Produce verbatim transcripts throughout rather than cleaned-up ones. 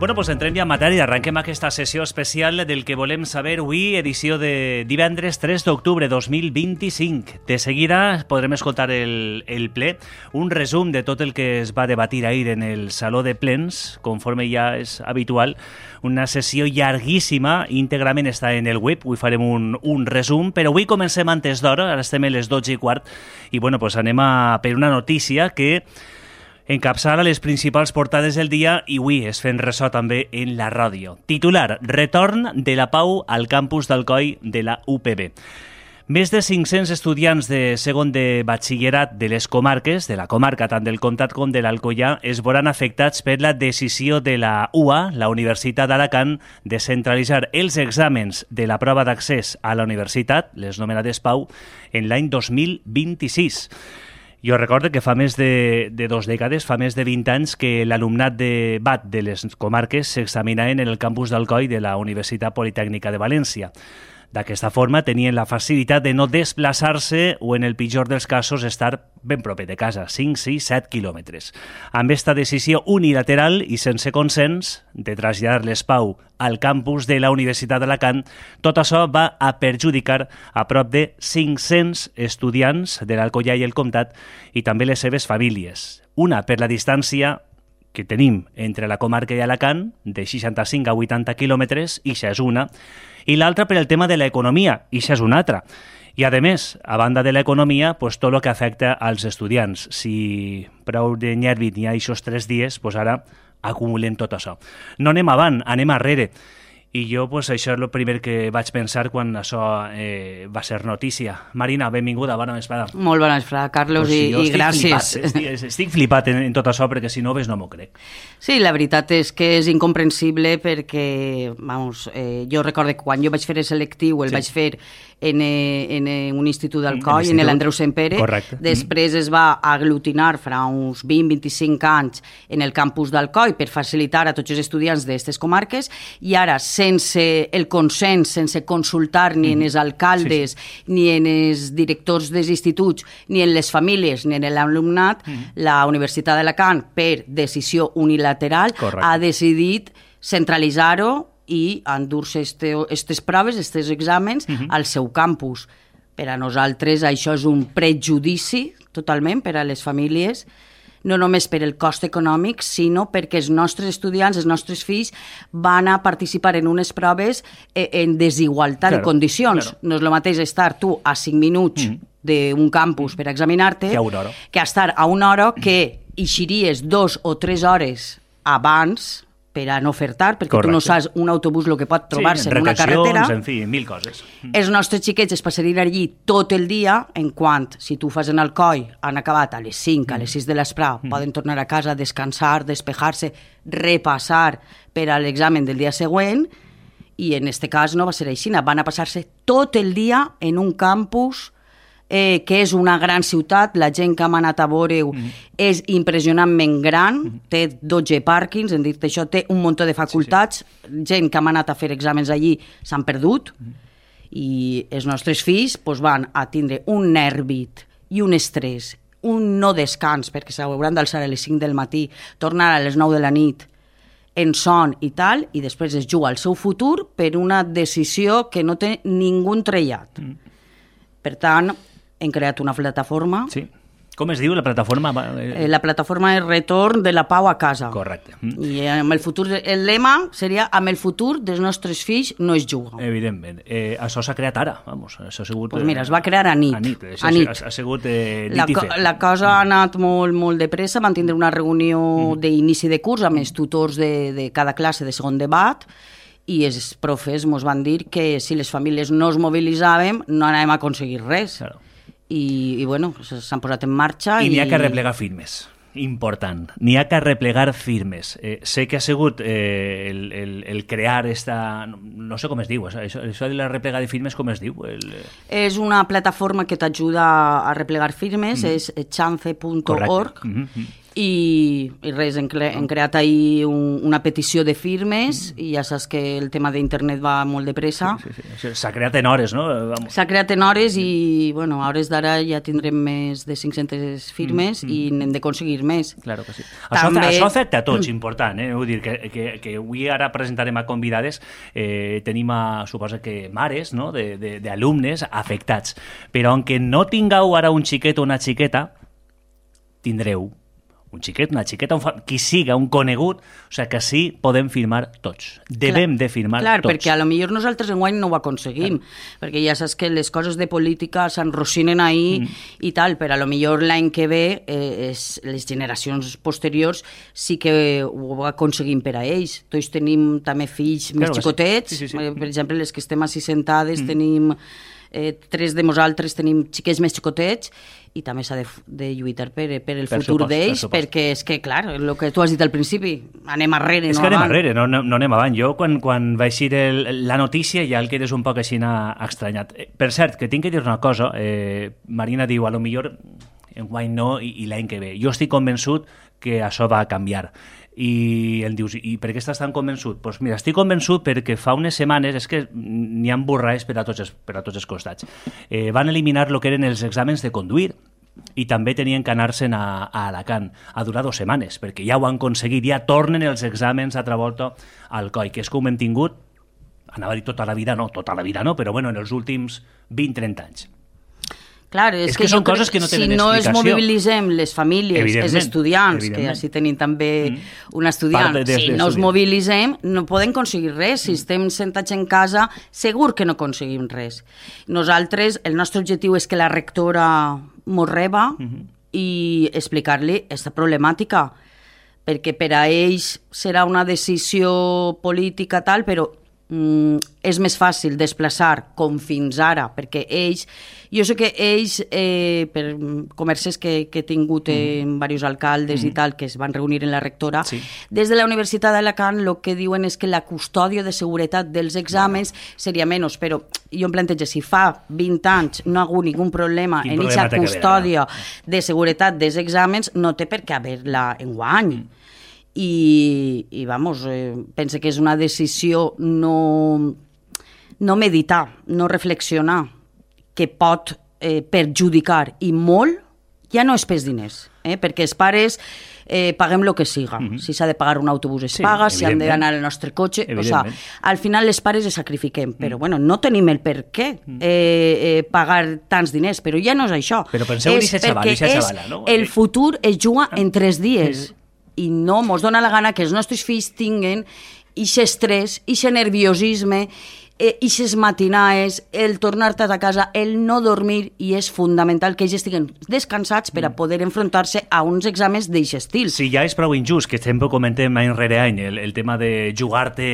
Bueno, doncs entrem ja en matèria. Arrenquem aquesta sessió especial del que volem saber avui, edició de divendres tres d'octubre dos mil vint-i-cinc. De seguida podrem escoltar el, el ple, un resum de tot el que es va debatir ahir en el Saló de Plens, conforme ja és habitual. Una sessió llarguíssima, íntegrament està en el web, avui farem un, un resum, però avui comencem antes d'hora, ara estem a les dotze i quart, i bueno, doncs anem a per una notícia que encapçala les principals portades del dia i avui es fent ressò també en la ràdio. Titular: Retorn de la pau al campus d'Alcoi de la U P B. Més de cinc-cents estudiants de segon de batxillerat de les comarques, de la comarca tant del Comtat com de l'Alcoià, es veuran afectats per la decisió de la U A, la Universitat d'Alacant, de centralitzar els exàmens de la prova d'accés a la universitat, les nomenades Pau, en l'any dos mil vint-i-sis. Jo recordo que fa més de, de dos dècades, fa més de vint anys, que l'alumnat de B A T de les comarques s'examinaven en el campus d'Alcoi de la Universitat Politècnica de València. D'aquesta forma tenien la facilitat de no desplaçar-se o, en el pitjor dels casos, estar ben proper de casa, cinc, sis, set quilòmetres. Amb esta decisió unilateral i sense consens de traslladar l'ESPAU al campus de la Universitat d'Alacant, tot això va a perjudicar a prop de cinc-cents estudiants de l'Alcoià i el Comtat i també les seves famílies. Una per la distància que tenim entre la comarca i Alacant, de seixanta-cinc a vuitanta quilòmetres, i això és una, i l'altra per el tema de l'economia, i això és una altra. I, a més, a banda de l'economia, pues, tot el que afecta als estudiants. Si prou de nyèrvit n'hi ha aquests tres dies, pues ara acumulem tot això. No anem avant, anem arrere. I jo, pues, això és el primer que vaig pensar quan això eh, va ser notícia. Marina, benvinguda, bona vesprada. Molt bona vesprada, Carlos, pues sí, i, i gràcies. Flipat, estic, estic flipat en, en tot això, perquè si no ves no m'ho crec. Sí, la veritat és que és incomprensible perquè, vamos, eh, jo recordo que quan jo vaig fer el selectiu, el sí. vaig fer en, en un institut d'Alcoi, en l'Andreu Sempere. Correcte. Després es va aglutinar fa uns vint a vint-i-cinc anys en el campus d'Alcoi per facilitar a tots els estudiants d'aquestes comarques, i ara, sense el consens, sense consultar ni en els alcaldes, sí, sí. ni en els directors dels instituts, ni en les famílies, ni en l'alumnat, mm. la Universitat d'Alacant, per decisió unilateral, Correcte. Ha decidit centralitzar-ho i endur-se aquestes proves, aquests exàmens, uh-huh. al seu campus. Per a nosaltres això és un prejudici, totalment, per a les famílies, no només per el cost econòmic, sinó perquè els nostres estudiants, els nostres fills, van a participar en unes proves en desigualtat claro, de condicions. Claro. No és el mateix estar tu a cinc minuts uh-huh. d'un campus per examinar-te que, que estar a una hora que eixiries dos o tres hores abans per a no fer tard, perquè Correcte. Tu no saps un autobús el que pot trobar-se sí, en una carretera. En fi, mil coses. Els nostres xiquets es passarien allí tot el dia, en quant, si tu fas en Alcoi, han acabat a les cinc, a les sis de l'esprà, mm. poden tornar a casa, descansar, despejar-se, repassar per a l'examen del dia següent, i en aquest cas no va ser així, van a passar-se tot el dia en un campus Eh, que és una gran ciutat, la gent que hem anat a veure-ho mm. és impressionantment gran, mm. té dotze pàrquings, en dir-te això, té un munt de facultats, sí, sí. gent que hem anat a fer exàmens allí s'han perdut, mm. i els nostres fills pues, van a tindre un nèrbit i un estrès, un no descans, perquè s'hauran d'alçar a les cinc del matí, tornar a les nou de la nit, en son i tal, i després es juga al seu futur per una decisió que no té ningú trellat. Mm. Per tant, hem creat una plataforma. Sí. Com es diu la plataforma? Eh, la plataforma és Retorn de la Pau a Casa. Correcte. I amb el futur, el lema seria amb el futur dels nostres fills no es juga. Evidentment. Eh, això s'ha creat ara, vamos. Això ha sigut... Pues mira, es va crear a nit. A nit. A nit. Ha, ha sigut eh, la, nit i fet. La cosa ha anat molt, molt de pressa. Van tindre una reunió mm. d'inici de curs amb els tutors de, de cada classe de segon debat, i els profes ens van dir que si les famílies no es mobilitzàvem no anàvem a aconseguir res. Claro. I, i bueno, s'han posat en marxa. I, i... n'hi ha que replegar firmes. Important. N'hi ha que replegar firmes. Eh, sé que ha sigut eh, el, el, el crear esta... No sé com es diu, això, això de la replega de firmes, com es diu? El... És una plataforma que t'ajuda a replegar firmes, mm. és chance punt org, mm -hmm. I, i res, hem, cre hem creat ahir un, una petició de firmes mm. i ja saps que el tema d'internet va molt de pressa. Sí, sí, sí. S'ha creat en hores, no? S'ha creat en hores i, bueno, a hores d'ara ja tindrem més de cinc-centes firmes mm. i n'hem d'aconseguir més. Claro que sí. També... Això, això afecta a tots, important, eh? Vull dir que, que, que avui ara presentarem a convidades, eh, tenim a, suposa que mares, no?, d'alumnes afectats. Però aunque no tingueu ara un xiquet o una xiqueta, tindreu un xiquet, una xiqueta, un fa... qui siga, un conegut, o sigui que sí podem firmar tots. Devem clar, de firmar clar, tots. Clar, perquè a lo millor nosaltres enguany no ho aconseguim, clar. Perquè ja saps que les coses de política s'enrocinen ahir mm. i tal, però a lo millor l'any que ve eh, és, les generacions posteriors sí que ho aconseguim per a ells. Tots tenim també fills clar, més xicotets, sí. Sí, sí, sí. Per exemple, les que estem així sentades mm. tenim... Eh, tres de nosaltres tenim xiquets més xicotets i també s'ha de, de lluitar per, per el per futur d'ells, per perquè és que, clar, el que tu has dit al principi, anem arrere, és no que anem avant. arrere, no, no, no anem avant. Jo, quan, quan va eixir el, la notícia, ja el quedes un poc així estranyat. Per cert, que tinc que dir una cosa, eh, Marina diu, a lo millor enguany no i, i l'any que ve. Jo estic convençut que això va canviar. I em dius, i per què estàs tan convençut? Doncs pues mira, estic convençut perquè fa unes setmanes, és que n'hi ha borrades per a tots els, per a tots els costats, eh, van eliminar el que eren els exàmens de conduir i també tenien que anar-se'n a, a Alacant a durar dues setmanes, perquè ja ho han aconseguit, ja tornen els exàmens altra volta al coll, que és com hem tingut, anava a dir tota la vida, no, tota la vida no, però bueno, en els últims vint a trenta anys. Clar, és, és que, que són coses que no tenen si no explicació. Es mobilitzem les famílies, els estudiants, que així tenim també mm. un estudiant, de, de, si no es mobilitzem no podem aconseguir res. Si estem sentats en casa, segur que no aconseguim res. Nosaltres, el nostre objectiu és que la rectora mos reba mm-hmm. i explicar-li aquesta problemàtica, perquè per a ells serà una decisió política tal, però mm, és més fàcil desplaçar com fins ara, perquè ells, jo sé que ells, eh, per converses que, que he tingut en mm. diversos alcaldes mm. i tal, que es van reunir en la rectora, sí. Des de la Universitat d'Alacant el que diuen és que la custòdia de seguretat dels exàmens no. seria menys, però jo em plantejo, si fa vint anys no ha hagut ningun problema Quin en aquesta custòdia no? de seguretat dels exàmens, no té per què haver-la enguany. Mm. I, i vamos, eh, pense que és una decisió no, no meditar, no reflexionar, que pot eh, perjudicar i molt, ja no és pels diners, eh, perquè els pares eh, paguem el que siga. Mm-hmm. Si s'ha de pagar un autobús es sí, paga, si han d'anar al nostre cotxe, o sea, al final les pares es sacrifiquem, però mm. bueno, no tenim el per què eh, eh, pagar tants diners, però ja no és això. Però penseu en aquesta xavala, perquè xavala, no? El futur es juga en tres dies. Sí. I no mos dona la gana que els nostres fills tinguen aquest estrès, aquest nerviosisme, aquestes matinaes, el tornar-te a casa, el no dormir, i és fundamental que ells estiguen descansats per a poder enfrontar-se a uns exàmens d'aquest estil. Sí, ja és prou injust, que sempre comentem any rere any, el, el tema de jugar-te...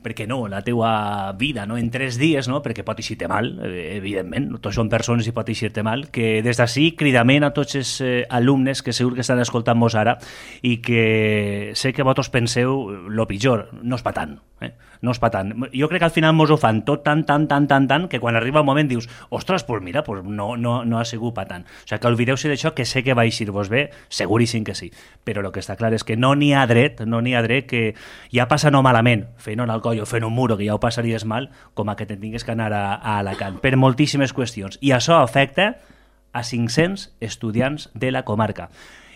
perquè no, la teua vida, no? En tres dies, no? Perquè pot eixir-te mal, evidentment, tots són persones i pot eixir-te mal, que des d'ací cridament a tots els eh, alumnes que segur que estan escoltant-nos ara i que sé que vosaltres penseu lo pitjor, no és pa tant, eh? No és pa tant. Jo crec que al final mos ho fan tot tan, tan, tan, tan, tan, que quan arriba el moment dius, ostres, pues mira, pues no, no, no ha sigut pa tant. O sigui que oblideu-se d'això, que sé que va eixir-vos bé, seguríssim que sí, però el que està clar és que no n'hi ha dret, no n'hi ha dret que ja passa no malament, fent un alcohol o fent un muro, que ja ho passaries mal, com a que te tingues que anar a, a Alacant, per moltíssimes qüestions. I això afecta a cinc-cents estudiants de la comarca.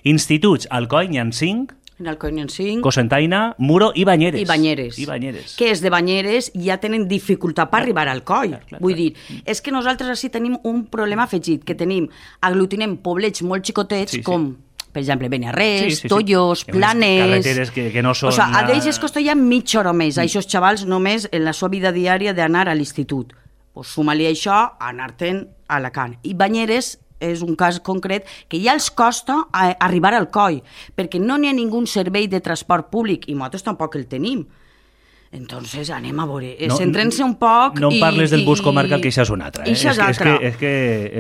Instituts, Alcoi n'hi ha cinc, en Alcoi n'hi ha cinc, Cocentaina, Muro i Banyeres. I Banyeres. I Banyeres. Que és de Banyeres ja tenen dificultat per arribar al Alcoi. Clar, clar, Vull clar. dir, és que nosaltres així tenim un problema afegit, que tenim, aglutinem poblets molt xicotets, sí, sí. com... per exemple, Beniarrés, sí, sí, sí. Tollos, Planes... Carreteres que, que no són... O sigui, a d'ells es costa ja mitja hora més, a aquests xavals només en la seva vida diària d'anar a l'institut. Pues suma-li això, anar-te'n a Alacant. I Banyeres és un cas concret que ja els costa arribar al coll, perquè no n'hi ha ningú servei de transport públic, i nosaltres tampoc el tenim. Entonces, anem a veure, no, centrem-se un poc... No em parles i, del bus comarcal, que això és un altre. Eh? Això és, és, que, és, que,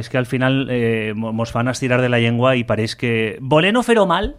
és que al final eh, mos fan estirar de la llengua i pareix que... Voler no fer-ho mal,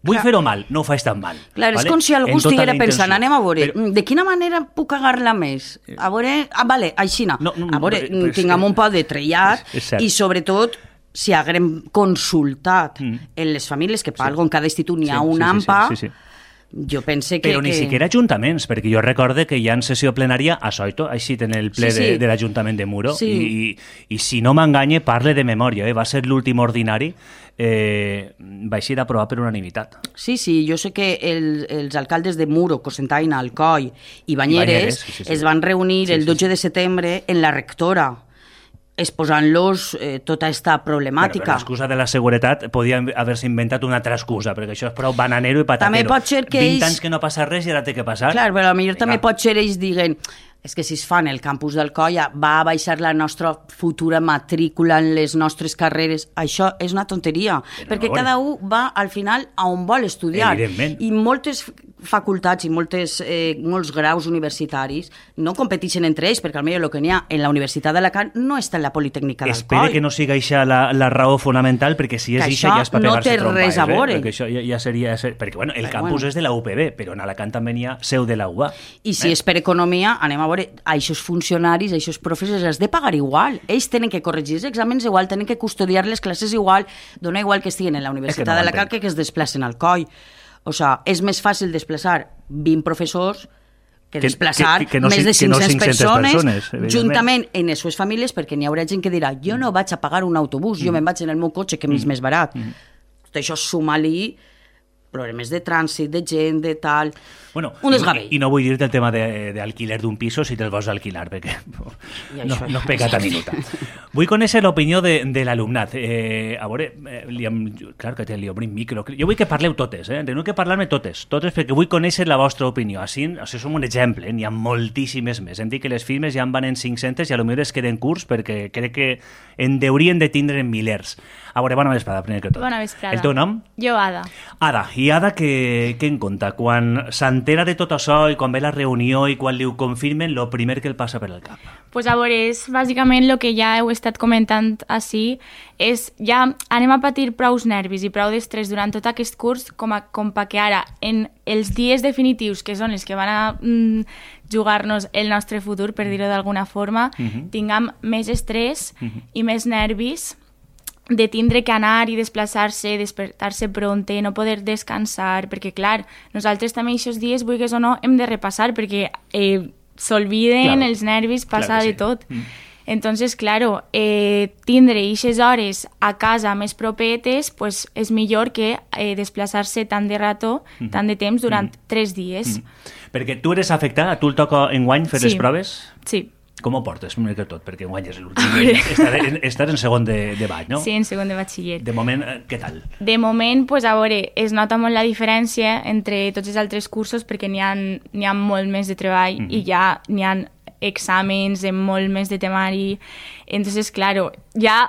vull Clar. fer-ho mal, no ho faig tan mal. Clar, vale? És com si algú estiguera pensant, anem a veure, Però... de quina manera puc cagar-la més? A veure, ah, vale, així no. no, no a veure, tinguem un poc de trellat i sobretot si haguem consultat mm. en les famílies, que per sí. algo en cada institut n'hi ha sí, un sí, AMPA, sí, sí, sí, sí. Jo pense que... Però ni que... siquiera ajuntaments, perquè jo recorde que hi ha en sessió plenària a Soito, així en el ple sí, sí. de, de l'Ajuntament de Muro, sí. i, i si no m'enganye, parle de memòria, eh? Va ser l'últim ordinari, eh, va així d'aprovar per unanimitat. Sí, sí, jo sé que el, els alcaldes de Muro, Cocentaina, Alcoi i Banyeres, Banyeres sí, sí, sí. es van reunir sí, el dotze sí, sí. de setembre en la rectora, exposant-los eh, tota aquesta problemàtica. Bueno, l'excusa de la seguretat podia haver-se inventat una altra excusa, perquè això és prou bananero i patatero. També pot ser que vint ells... anys que no passa res i ara té que passar. Clar, però potser també pot ser ells diguen és que si es fan el campus d'Alcoi va a baixar la nostra futura matrícula en les nostres carreres. Això és una tonteria, però perquè no cada un va al final a on vol estudiar. Evidentment. I moltes facultats i moltes, eh, molts graus universitaris no competeixen entre ells, perquè almenys el que n'hi ha en la Universitat d'Alacant no està en la Politècnica d'Alcoi. Espere que no siga això la, la raó fonamental, perquè si és això ja és per pegar-se no trompes. Res a veure. Eh? Perquè això ja, ja seria... Perquè bueno, el però, campus bueno. és de la U P B, però en Alacant també n'hi ha seu de la U A. I si eh? és per economia, anem a veure, a aquests funcionaris, a aquests professors, els de pagar igual. Ells tenen que corregir els exàmens igual, tenen que custodiar les classes igual, dona igual que estiguin en la Universitat no d'Alacant que que es desplacen al Alcoi. O sigui, és més fàcil desplaçar vint professors que, que desplaçar que, que, que no, més de cinc-centes no persones, persones juntament en les seves famílies, perquè n'hi haurà gent que dirà jo no vaig a pagar un autobús, mm. jo me'n vaig en el meu cotxe, que mm. és més barat. Mm. Tot això suma-li problemes de trànsit, de gent, de tal... Bueno, un desgavell. I, I no vull dir-te el tema d'alquiler d'un piso si te'l vols alquilar, perquè no, no és pecat a minuta. Vull conèixer l'opinió de, de l'alumnat. Eh, a veure, eh, li hem, clar que li obrim micro. Jo vull que parleu totes, eh? Teniu que parlar-me totes, totes, perquè vull conèixer la vostra opinió. Així, això som un exemple, eh? N'hi ha moltíssimes més. Hem dit que les firmes ja en van en cinc-centes i potser es queden curts perquè crec que en deurien de tindre en milers. A veure, bona vesprada, primer que tot. Bona vesprada. El teu nom? Jo, Ada. Ada. I Ada, què, què en compta? Quan s'entera de tot això i quan ve la reunió i quan li ho confirmen, el primer que el passa per el cap? Pues a veure, és bàsicament el que ja heu estat comentant així, és ja anem a patir prous nervis i prou d'estrès durant tot aquest curs com, a, com perquè ara, en els dies definitius, que són els que van a mm, jugar-nos el nostre futur, per dir-ho d'alguna forma, uh-huh. tinguem més estrès uh-huh. i més nervis de tindre que anar i desplaçar-se, despertar-se pronte, no poder descansar, perquè, clar, nosaltres també aquests dies, vulguis o no, hem de repassar, perquè eh, s'olviden claro. els nervis, passa claro de sí. tot. Mm. Entonces, claro, eh, tindre aquestes hores a casa més propetes, pues, és millor que eh, desplaçar-se tant de rato, mm. tant de temps, durant mm. tres dies. Mm. Perquè tu eres afectada, a tu el toca enguany fer sí. les proves? Sí. Com ho portes, primer que tot? Perquè enguany és l'últim. Estàs, estàs en segon de, de baix, no? Sí, en segon de batxiller. De moment, què tal? De moment, pues, a veure, es nota molt la diferència entre tots els altres cursos perquè n'hi ha, n'hi ha molt més de treball mm-hmm. i ja n'hi ha exàmens amb molt més de temari. Entonces, claro, ja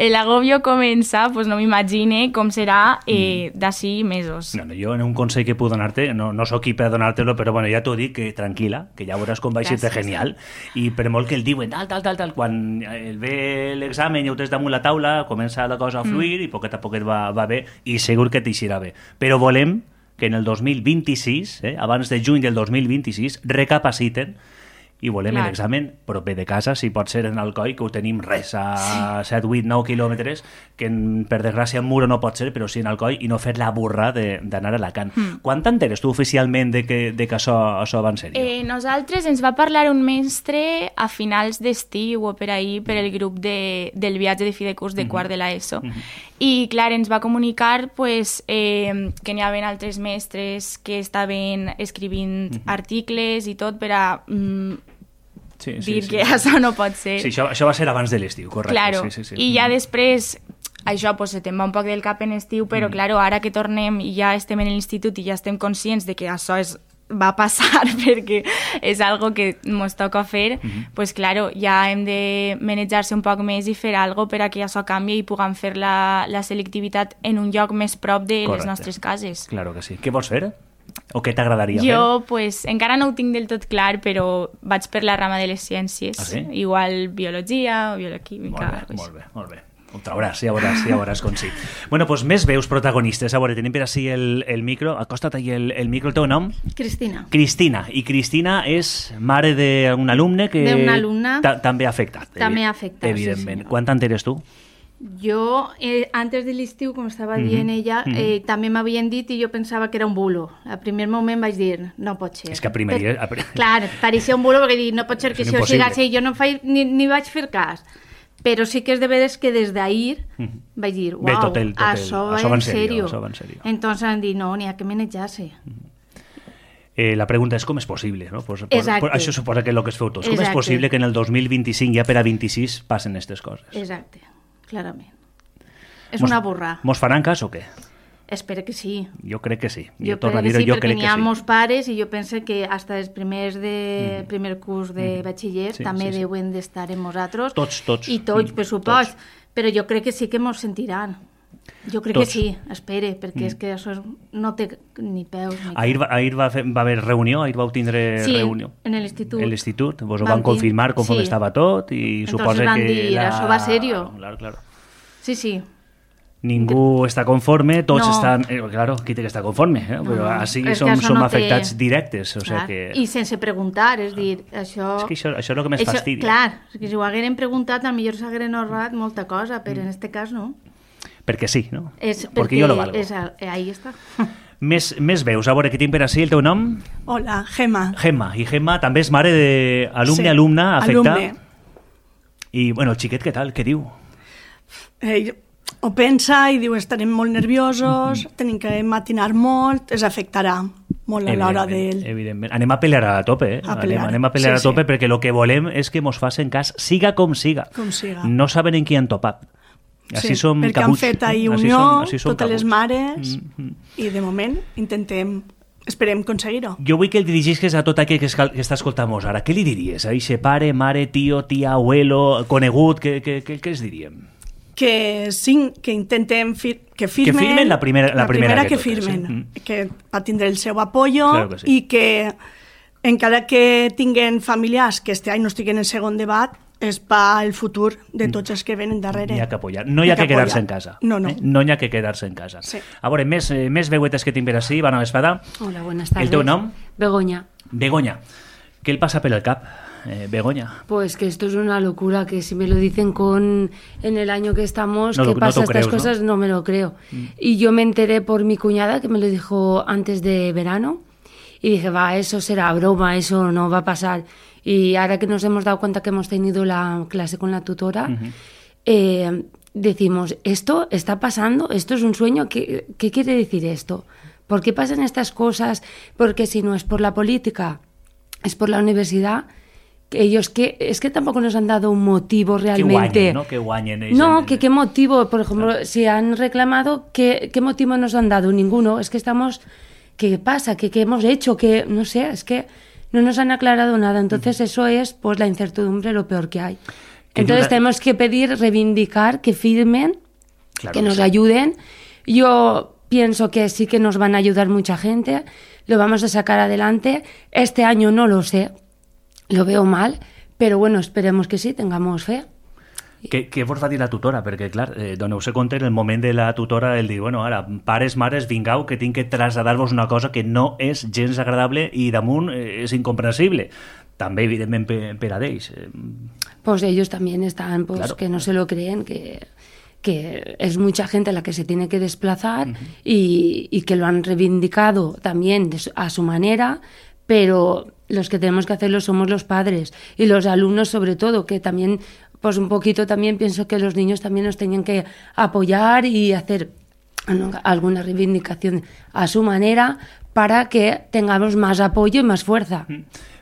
el agobio comença, pues no m'imagine com serà eh, d'ací mesos. No, no, jo en un consell que puc donar-te, no, no sóc qui per donar-te-lo, però bueno, ja t'ho dic, que tranquil·la, que ja veuràs com va ser genial, i per molt que el diuen tal, tal, tal, tal, quan el ve l'examen i ho tens damunt la taula, comença la cosa a fluir mm. i poquet a poquet va, va bé, i segur que t'eixirà bé. Però volem que en el dos mil vint-i-sis, eh, abans de juny del dos mil vint-i-sis, recapaciten i volem Clar. l'examen proper de casa, si pot ser en Alcoi, que ho tenim res, a set, vuit, nou quilòmetres, que en, per desgràcia en Muro no pot ser, però sí en Alcoi, i no fer la burra d'anar a Alacant. Mm. Quan t'enteres tu oficialment de que, de que això, això va en sèrio? Eh, nosaltres ens va parlar un mestre a finals d'estiu o per ahir per el grup de, del viatge de fi de curs de mm-hmm. quart de l'ESO. Mm-hmm. I, clar, ens va comunicar pues, eh, que n'hi havia altres mestres que estaven escrivint mm-hmm. articles i tot per a... Mm, Sí, sí, dir sí, que sí. això no pot ser. Sí, això, això va ser abans de l'estiu, correcte. Claro, sí, sí, sí. i ja després, això pues, se te'n va un poc del cap en estiu, però mm. claro, ara que tornem i ja estem en l'institut i ja estem conscients de que això és, va passar perquè és algo que ens toca fer, mm-hmm. pues claro, ja hem de manejar-se un poc més i fer algo per a que això canvi i puguem fer la, la selectivitat en un lloc més prop de correcte. Les nostres cases. Claro que sí. Què vols fer? O què t'agradaria fer? Jo, pues, encara no ho tinc del tot clar, però vaig per la rama de les ciències. Ah, sí? Igual biologia o bioquímica. Molt bé, molt bé, molt bé. Ho trauràs, ja veuràs, ja veuràs com sí. Bueno, doncs més veus protagonistes. A veure, tenim per així el, el micro. Acosta't ahí el, el micro. El teu nom? Cristina. Cristina. I Cristina és mare d'un alumne que... D'un alumne. Ta també ha afectat. També ha afectat, evidentment. sí, senyor. Quan t'enteres tu? Jo, eh, antes de l'estiu, com estava dient ella, eh, també m'havien dit i jo pensava que era un bulo. Al primer moment vaig dir, no pot ser. És que a primer dia... a pri- Clar, pareixia un bulo perquè dic, no pot ser que És això siga impossible. així. Jo no faig, ni, ni vaig fer cas. Però sí que és de veres que des d'ahir vaig dir, Ve uau, tot el- tot el- això això va va en en serio, serio. això va en serio. Entonces han dit, no, n'hi ha que manejar-se. Eh, la pregunta és com és possible, no? Pues, pues, Exacte. pues, això suposa que és el que es feu tots. Com és Exacte. possible que en el dos mil vint-i-cinc, ja per a vint-i-sis, passen aquestes coses? Exacte, clarament. És Mos- una burra. Mos faran cas o què? Espero que sí. Jo crec que sí. Jo torno a crec que dir-ho, sí, jo perquè crec n'hi que ha sí. molts pares i jo penso que fins els primers de primer curs de batxiller Sí, també sí, sí. deuen d'estar amb nosaltres. Tots, tots. I tots, Mm, per supost. tots. Però jo crec que sí que mos sentiran. Jo crec Tots. que sí, espere, perquè és que això és- no té ni peus ni Ahir, va, ahir va, fer, va haver reunió, ahir vau tindre Sí, reunió. en l'institut. En l'institut, vos ho Vam van confirmar com tin- sí. estava tot i Entonces suposa van que... dir, la... això va serio. Claro, claro. Sí, sí. Ningú està conforme, tots No. estan... Eh, claro, qui té que estar conforme, eh? però no. així És que som, això som no té- afectats directes. O sigui Clar. que... I sense preguntar, és dir, això... És que això, això és el que més Això- fastidia. Clar, és que si ho hagueren preguntat, potser s'hagueren ahorrat molta cosa, però en este cas no. Perquè sí, no? És Perquè perquè jo lo valgo. és, ahí està. Més, més veus, a veure, què tinc per ací, el teu nom? Hola, Gemma. Gemma, i Gemma també és mare d'alumne, Sí, alumna, afecta. alumne. I, bueno, el xiquet, què tal? Què diu? Ell ho pensa i diu estarem molt nerviosos, tenim que matinar molt, es afectarà molt a l'hora Evidentment, d'ell. evidentment. Anem a pelear a tope, eh? A pelear. Anem, anem a pelear Sí, a tope sí. perquè el que volem és que mos facin cas, siga com siga. Com siga. No saben en qui han topat. Així Sí, som perquè cabuts. han fet ahir Així unió, som- així som totes les cabuts. mares, Mm, mm. i de moment intentem, esperem aconseguir-ho. Jo vull que el dirigisques a tot aquell que, escal- que està escoltant-nos ara. Què li diries? A eixe pare, mare, tio, tia, abuelo, conegut, què, què, què, què els diríem? Que, sí, que intentem fir que firmen, Que firmen la primera- la primera que que, totes, firmen, sí. Mm. que va tindre el seu apoyo Claro que sí. i que encara que tinguen familiars que este any no estiguen en segon debat, és per el futur de tots els que venen darrere. N'hi ha que apoyar. No hi ha que quedar-se en casa. No, no. Eh? No hi ha que quedar-se en casa. Sí. A veure, més, eh, més veuetes que tinc per ací, Bona Vespada. Hola, buenas tardes. ¿El teu nom? Begoña. Begoña. ¿Qué le pasa por el cap, eh, Begoña? Pues que esto es una locura, que si me lo dicen con en el año que estamos, No que lo- no pasa te estas crees, ¿no? cosas, ¿no? me lo creo. Y yo me enteré por mi cuñada, que me lo dijo antes de verano, y dije, va, eso será broma, eso no va a pasar. Y ahora que nos hemos dado cuenta que hemos tenido la clase con la tutora, eh, decimos, ¿esto está pasando? ¿Esto es un sueño? ¿Qué, qué quiere decir esto? ¿Por qué pasan estas cosas? Porque si no es por la política, es por la universidad, que ellos que es que tampoco nos han dado un motivo Que realmente. guanyen, ¿no? Que guanyen. ells No, en- que qué motivo, por ejemplo, si han reclamado, ¿qué, qué motivo nos han dado? Ninguno. Es que estamos, ¿qué pasa? ¿Qué, qué hemos hecho? Que no sé, es que no nos han aclarado nada. Entonces eso es, pues, la incertidumbre, lo peor que hay. Que Entonces yo la- tenemos que pedir, reivindicar, que firmen, Claro que que nos sí. ayuden. Yo pienso que sí que nos van a ayudar mucha gente, lo vamos a sacar adelante. Este año no lo sé, lo veo mal, pero bueno, esperemos que sí, tengamos fe. Què, què vos va dir la tutora? Perquè, clar, eh, doneu-se compte en el moment de la tutora el dir, bueno, ara, pares, mares, vingau, que tinc que traslladar-vos una cosa que no és gens agradable i damunt eh, és incomprensible. També, evidentment, per, per a d'ells. Eh, Pues ellos también están, pues Claro. que no se lo creen, que, que es mucha gente la que se tiene que desplazar y, y que lo han reivindicado también de su- a su manera, pero los que tenemos que hacerlo somos los padres y los alumnos sobre todo, que también, pues un poquito también pienso que los niños también nos tenían que apoyar y hacer ¿no? alguna reivindicación a su manera para que tengamos más apoyo y más fuerza.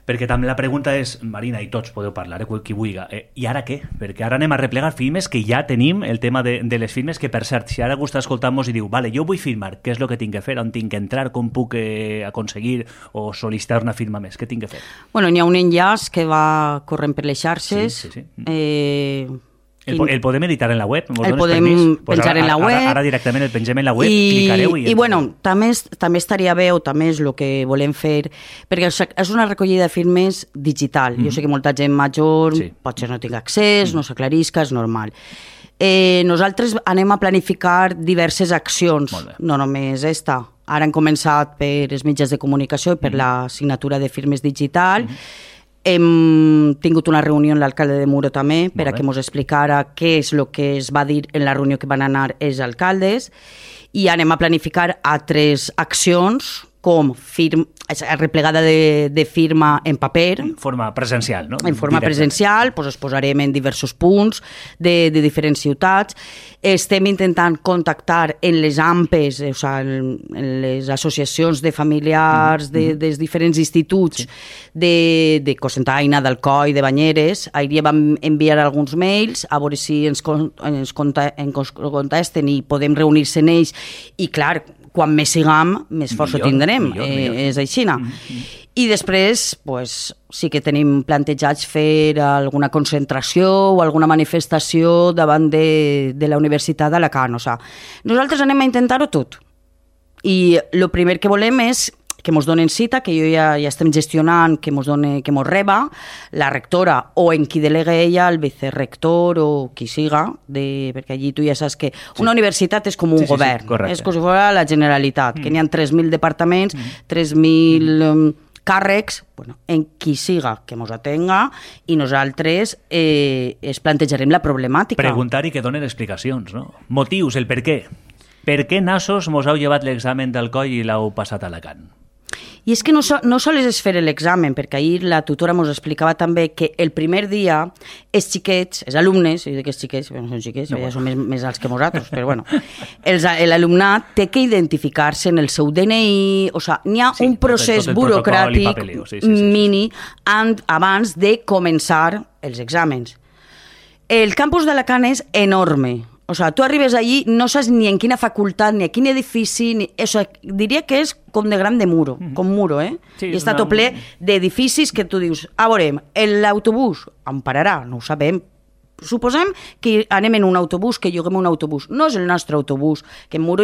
Perquè també la pregunta és, Marina, i tots podeu parlar, eh, qui vulgui, eh, i ara què? Perquè ara anem a replegar firmes que ja tenim, el tema de, de les firmes, que per cert, si ara algú està escoltant-nos i diu, vale, jo vull firmar, què és el que tinc que fer, on tinc que entrar, com puc eh, aconseguir o sol·licitar una firma més, què tinc que fer? Bueno, n'hi ha un enllaç que va corrent per les xarxes. Sí, sí, sí. Eh, El, po- el podem editar en la web? Mos El dones podem permís? Pues penjar ara, en la web. Ara, ara directament el pengem en la web, I, clicareu i... i bueno, també, és- també estaria bé, o també és el que volem fer, perquè és- és una recollida de firmes digital. Mm. Jo sé que molta gent major Sí. potser no tinga accés, mm. no s'aclarisca, és normal. Eh, nosaltres anem a planificar diverses accions, Molt bé. no només esta. Ara hem començat per els mitjans de comunicació i per mm. la signatura de firmes digital. Mm. Hem tingut una reunió amb l'alcalde de Muro també per Molt a bé. que ens explicara què és el que es va dir en la reunió que van anar els alcaldes i anem a planificar altres accions com firm, replegada de, de firma en paper, En forma presencial, no? en forma Directa. presencial, doncs es posarem en diversos punts de, de diferents ciutats. Estem intentant contactar en les A M P Es, o sigui, en, en les associacions de familiars de, dels diferents instituts sí. de, de Cocentaina, d'Alcoi, de Banyeres. Ahir vam enviar alguns mails a veure si ens, con, ens, conta, ens contesten i podem reunir-se en ells. I clar, quan més siguem, més força Millor, tindrem. millor, eh, millor. És així. Mm-hmm. I després, pues, sí que tenim plantejats fer alguna concentració o alguna manifestació davant de, de la Universitat d'Alacant. O sigui, nosaltres anem a intentar-ho tot. I el primer que volem és que ens donen cita, que jo ja, ja estem gestionant, que ens done, que ens reba la rectora o en qui delega ella, el vicerrector o qui siga, de, perquè allí tu ja saps que una sí. universitat és com un Sí, sí, sí, govern, correcte. és com si fos la Generalitat, mm. que n'hi ha tres mil departaments, mm. tres mil um, càrrecs, bueno, en qui siga que ens atenga i nosaltres eh, es plantejarem la problemàtica. Preguntar i que donen explicacions, no? Motius, el per què. Per què nassos mos heu llevat l'examen del coll i l'heu passat a Alacant? I és que no, so, no sols és fer l'examen, perquè ahir la tutora ens explicava també que el primer dia els xiquets, els alumnes, jo dic que els xiquets, no són xiquets, no, ja són més, més alts que nosaltres, però bueno, l'alumnat té que identificar-se en el seu D N I, o sigui, n'hi ha Sí, un procés tot el burocràtic protocol i papeleo, sí, sí, sí, sí. mini an- abans de començar els exàmens. El campus d'Alacant és enorme. O sigui, tu arribes allí, no saps ni en quina facultat, ni a quin edifici, ni... O sigui, diria que és com de gran de muro, mm-hmm. com muro, eh? Sí, I està una- tot ple d'edificis que tu dius, a veurem, l'autobús on pararà? No ho sabem. Suposem que anem en un autobús, que lloguem un autobús. No és el nostre autobús, que en Muro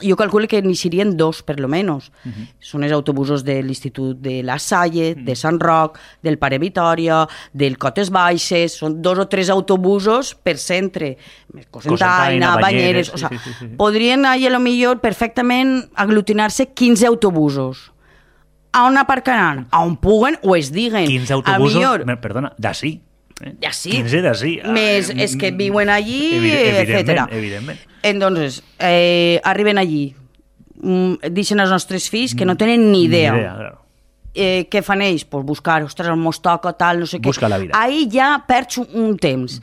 jo calculo que n'hi serien dos, per lo menos. Uh-huh. Són els autobusos de l'Institut de La Salle, uh-huh. de Sant Roc, del Pare Vitòria, del Cotes Baixes, són dos o tres autobusos per centre. Cocentaina, Banyeres... O sigui, sí, sí, sí, sí. Podrien, a lo millor, perfectament aglutinar-se quinze autobusos. A on aparcaran? A on puguen o es diguen. quinze autobusos, millor, perdona, d'ací. Eh? Ja sí. quinze d'ací. Més Ah, és que viuen allí, evi- etcètera. Evidentment, evidentment. Entonces, eh, arriben allí, mm, deixen els nostres fills que no tenen ni idea. Ni idea, claro. Eh, què fan ells? Pues buscar, ostres, el mos toca, tal, no sé què. Busca la vida. Ahí ja perds un, un temps.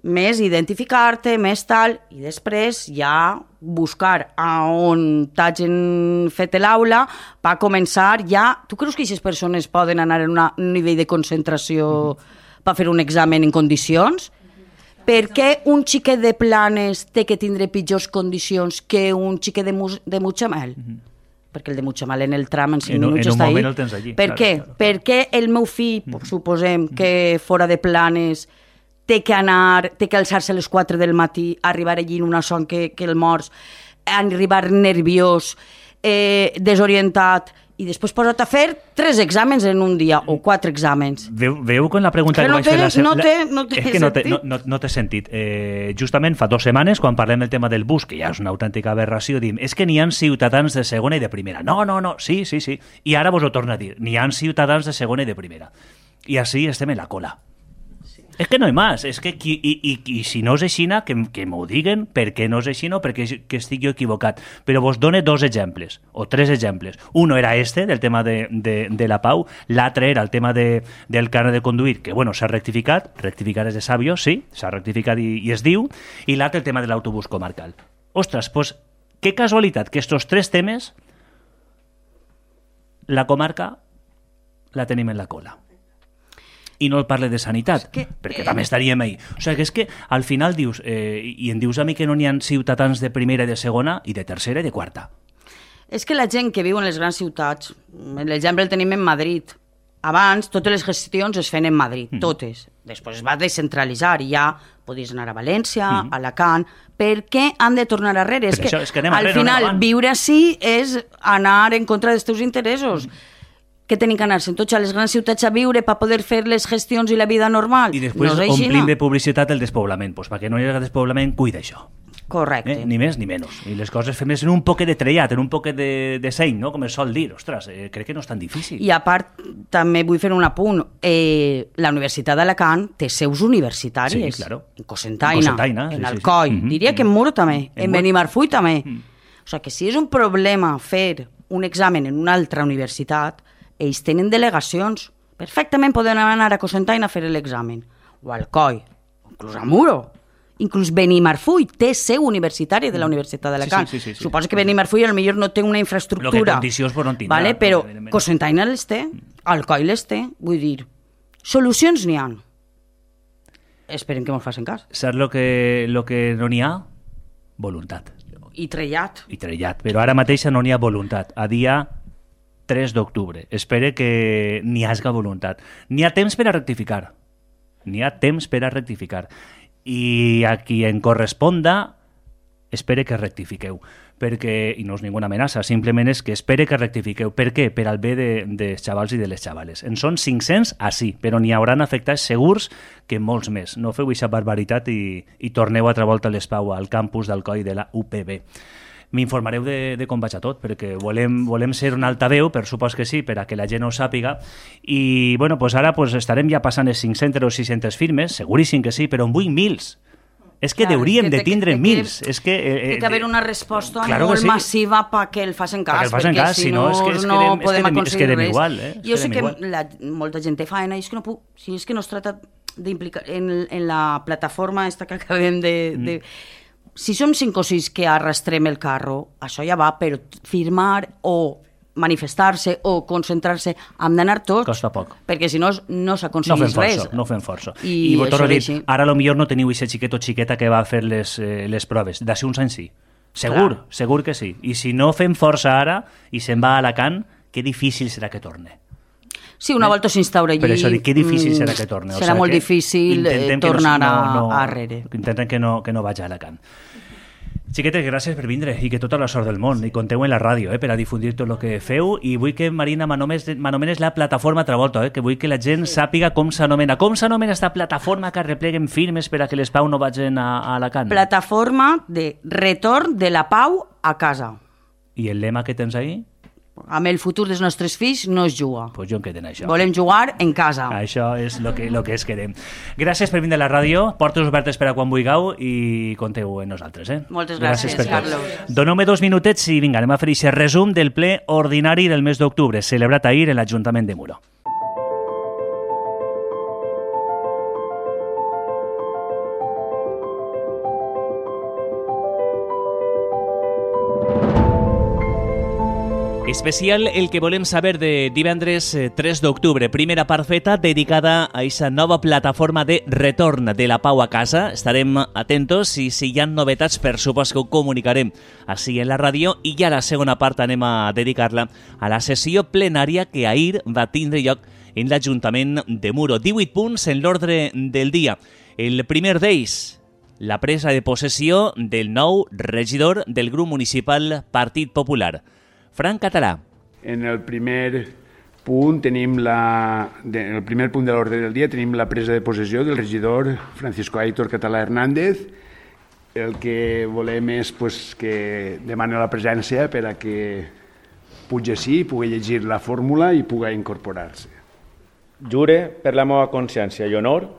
Més identificar-te, més tal, i després ja buscar a on t'hagin fet l'aula per començar ja... Tu creus que aquestes persones poden anar en una, un nivell de concentració mm-hmm. per fer un examen en condicions? Per què un xiquet de Planes té que tindre pitjors condicions que un xiquet de, Mu- de Mutxamel? Mm-hmm. Perquè el de Mutxamel en el tram en cinc En un- minuts en un està moment ahí. el tens allí, Per claro, què? claro, claro. Per què el meu fill, mm-hmm. suposem que fora de Planes té que anar, té que alçar-se a les quatre del matí, arribar allí en una son que, que el morts, arribar nerviós, eh, desorientat, i després posat a fer tres exàmens en un dia, o quatre exàmens. Veu, veu quan la pregunta Que que, no vaig fer té- la se- no la- té- no té és que no té, no, sentit. no, no té sentit. Eh, justament fa dues setmanes, quan parlem del tema del bus, que ja és una autèntica aberració, dim, és que n'hi ha ciutadans de segona i de primera. No, no, no, sí, sí, sí. I ara vos ho torno a dir, n'hi ha ciutadans de segona i de primera. I així estem en la cola. És que no hi més, és que qui, i, i, i si no és aixina, que, que m'ho diguen per què no és aixina o perquè que estic jo equivocat. Però vos done dos exemples, o tres exemples. Uno era este, del tema de, de, de la pau, l'altre era el tema de, del carnet de conduir, que bueno, s'ha rectificat, rectificar és de sabios, sí, s'ha rectificat i, i es diu, i l'altre el tema de l'autobús comarcal. Ostres, doncs, que casualitat que estos tres temes la comarca la tenim en la cola. I no el parle de sanitat, que, perquè eh... també estaríem ahí. O sigui, que és que al final dius, eh, i em dius a mi que no n'hi ha ciutadans de primera i de segona, i de tercera i de quarta. És que la gent que viu en les grans ciutats, l'exemple el tenim en Madrid. Abans, totes les gestions es feien en Madrid, mm. totes. Després es va descentralitzar i ja podies anar a València, mm. a Alacant. Per què han de tornar arrere? És Per que, això, és que anem al arrere, no final, anem avant. viure així és anar en contra dels teus interessos. Mm. Que tenen que anar-se'n tots a les grans ciutats a viure per poder fer les gestions i la vida normal. I després no és així, omplim no? de publicitat el despoblament. Pues perquè no hi hagi despoblament, cuida això. Correcte. Eh? Ni més ni menys. I les coses fem en un poquet de trellat, en un poquet de, de seny, no? Com es sol dir. Ostres, eh, crec que no és tan difícil. I a part, també vull fer un apunt. Eh, la Universitat d'Alacant té seus universitàries. Sí, claro. En Cocentaina, en, Cocentaina, en sí, Alcoi, sí, sí. diria que en Muro també, en, en Benimarfull també. Mm. O sigui que si és un problema fer un examen en una altra universitat, ells tenen delegacions. Perfectament poden anar a Cocentaina a fer l'examen. O a Alcoi, o inclús a Muro. Inclús Benimarfull té seu universitària de la Universitat d'Alacant. Sí, sí, sí, sí, Suposo sí. que Benimarfull potser no té una infraestructura. Lo que condicions però no en tindrà. Vale? Però No, Cocentaina les té, Alcoi les té. Vull dir, solucions n'hi ha. Esperem que mos facin cas. Saps lo que, lo que no n'hi ha? Voluntat. I trellat. I trellat. Però ara mateix no n'hi ha voluntat. A dia tres d'octubre. Espere que n'hi hagi voluntat. N'hi ha temps per a rectificar. N'hi ha temps per a rectificar. I a qui en corresponda espere que rectifiqueu, perquè, i no és ninguna amenaça, simplement és que espere que rectifiqueu. Per què? Per al bé de, dels xavals i de les xavales. En són cinc-cents a sí, però n'hi hauran afectats segurs que molts més. No feu aquesta barbaritat i, i torneu altra volta a l'Espau, al campus d'Alcoi de la U P B. M'informareu de, de com vaig a tot, perquè volem, volem ser un altaveu, per supòs que sí, per a que la gent ho sàpiga, i bueno, pues ara pues, estarem ja passant les cinc-centes o sis-centes firmes, seguríssim que sí, però en vull mils. És que Clar, deuríem és que de té- tindre té que- mils. És que, eh, Té que haver una resposta claro que molt sí. massiva perquè el facin cas, Perquè el facin perquè cas, si si no, no, és que es no quedem- es podem quedem- es aconseguir quedem res. igual, eh? Es Jo sé quedem que igual. la, molta gent té feina, i és que no puc, si és que no es tracta d'implicar en, en la plataforma esta que acabem de... Mm. de si som cinc o sis que arrastrem el carro, això ja va, però firmar o manifestar-se o concentrar-se, hem d'anar tots. Costa poc. Perquè si no, no No s'aconsegueix fem res. força, no fem força. I I, I torno això a dir, és així. ara potser no teniu aquest xiquet o xiqueta que va fer les, eh, les proves. D'ací uns anys sí. Segur, Clar. segur que sí. I si no fem força ara i se'n va a Alacant, que difícil serà que torne. Sí, una volta s'instaura allí... Per això dic, que difícil mm, serà que torne. O Serà sigui molt que difícil eh, intentem que tornar no, a, no, a arrere. Intenten que no, que no vagi a Alacant. Xiquetes, gràcies per vindre i que tota la sort del món. I compteu en la ràdio eh, per a difundir tot el que feu. I vull que, Marina, m'anomenes la plataforma Travolta, eh, que vull que la gent sàpiga com s'anomena. Com s'anomena esta plataforma que arrepleguen firmes per a que les Pau no vagin a, a Alacant? Plataforma de retorn de la pau a casa. I el lema que tens ahí? Amb el futur dels nostres fills no es juga. Pues jo em quedo en això. Volem jugar en casa. Això és el que, lo que es querem. Gràcies per vindre a la ràdio, portes obertes per a quan vulgueu i compteu en nosaltres. Eh? Moltes gràcies, per tot. Carlos. Doneu-me dos minutets i vinga, anem a fer aquest resum del ple ordinari del mes d'octubre, celebrat ahir en l'Ajuntament de Muro. Especial el que volem saber de divendres eh, tres d'octubre. Primera part feta dedicada a aquesta nova plataforma de retorn de la Pau a casa. Estarem atentos i si hi ha novetats, per supost que ho comunicarem així en la ràdio. I ja la segona part anem a dedicar-la a la sessió plenària que ahir va tindre lloc en l'Ajuntament de Muro. divuit punts en l'ordre del dia. El primer d'ells, la presa de possessió del nou regidor del grup municipal Partit Popular, Frank Català. En el primer punt tenim la, de, en el primer punt de l'ordre del dia tenim la presa de possessió del regidor Francisco Aitor Català Hernández. El que volem és pues, que demani la presència per a que pugui així, pugui llegir la fórmula i pugui incorporar-se. Jure per la meva consciència i honor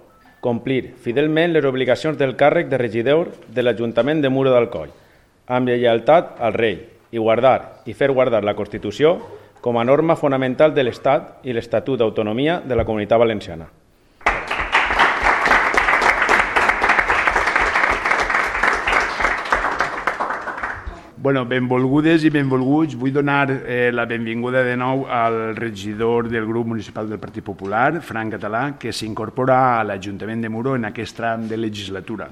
complir fidelment les obligacions del càrrec de regidor de l'Ajuntament de Muro d'Alcoi, amb lleialtat al rei, i guardar i fer guardar la Constitució com a norma fonamental de l'Estat i l'Estatut d'Autonomia de la Comunitat Valenciana. Bueno, benvolgudes i benvolguts. Vull donar eh, la benvinguda de nou al regidor del grup municipal del Partit Popular, Frank Català, que s'incorpora a l'Ajuntament de Muro en aquest tram de legislatura.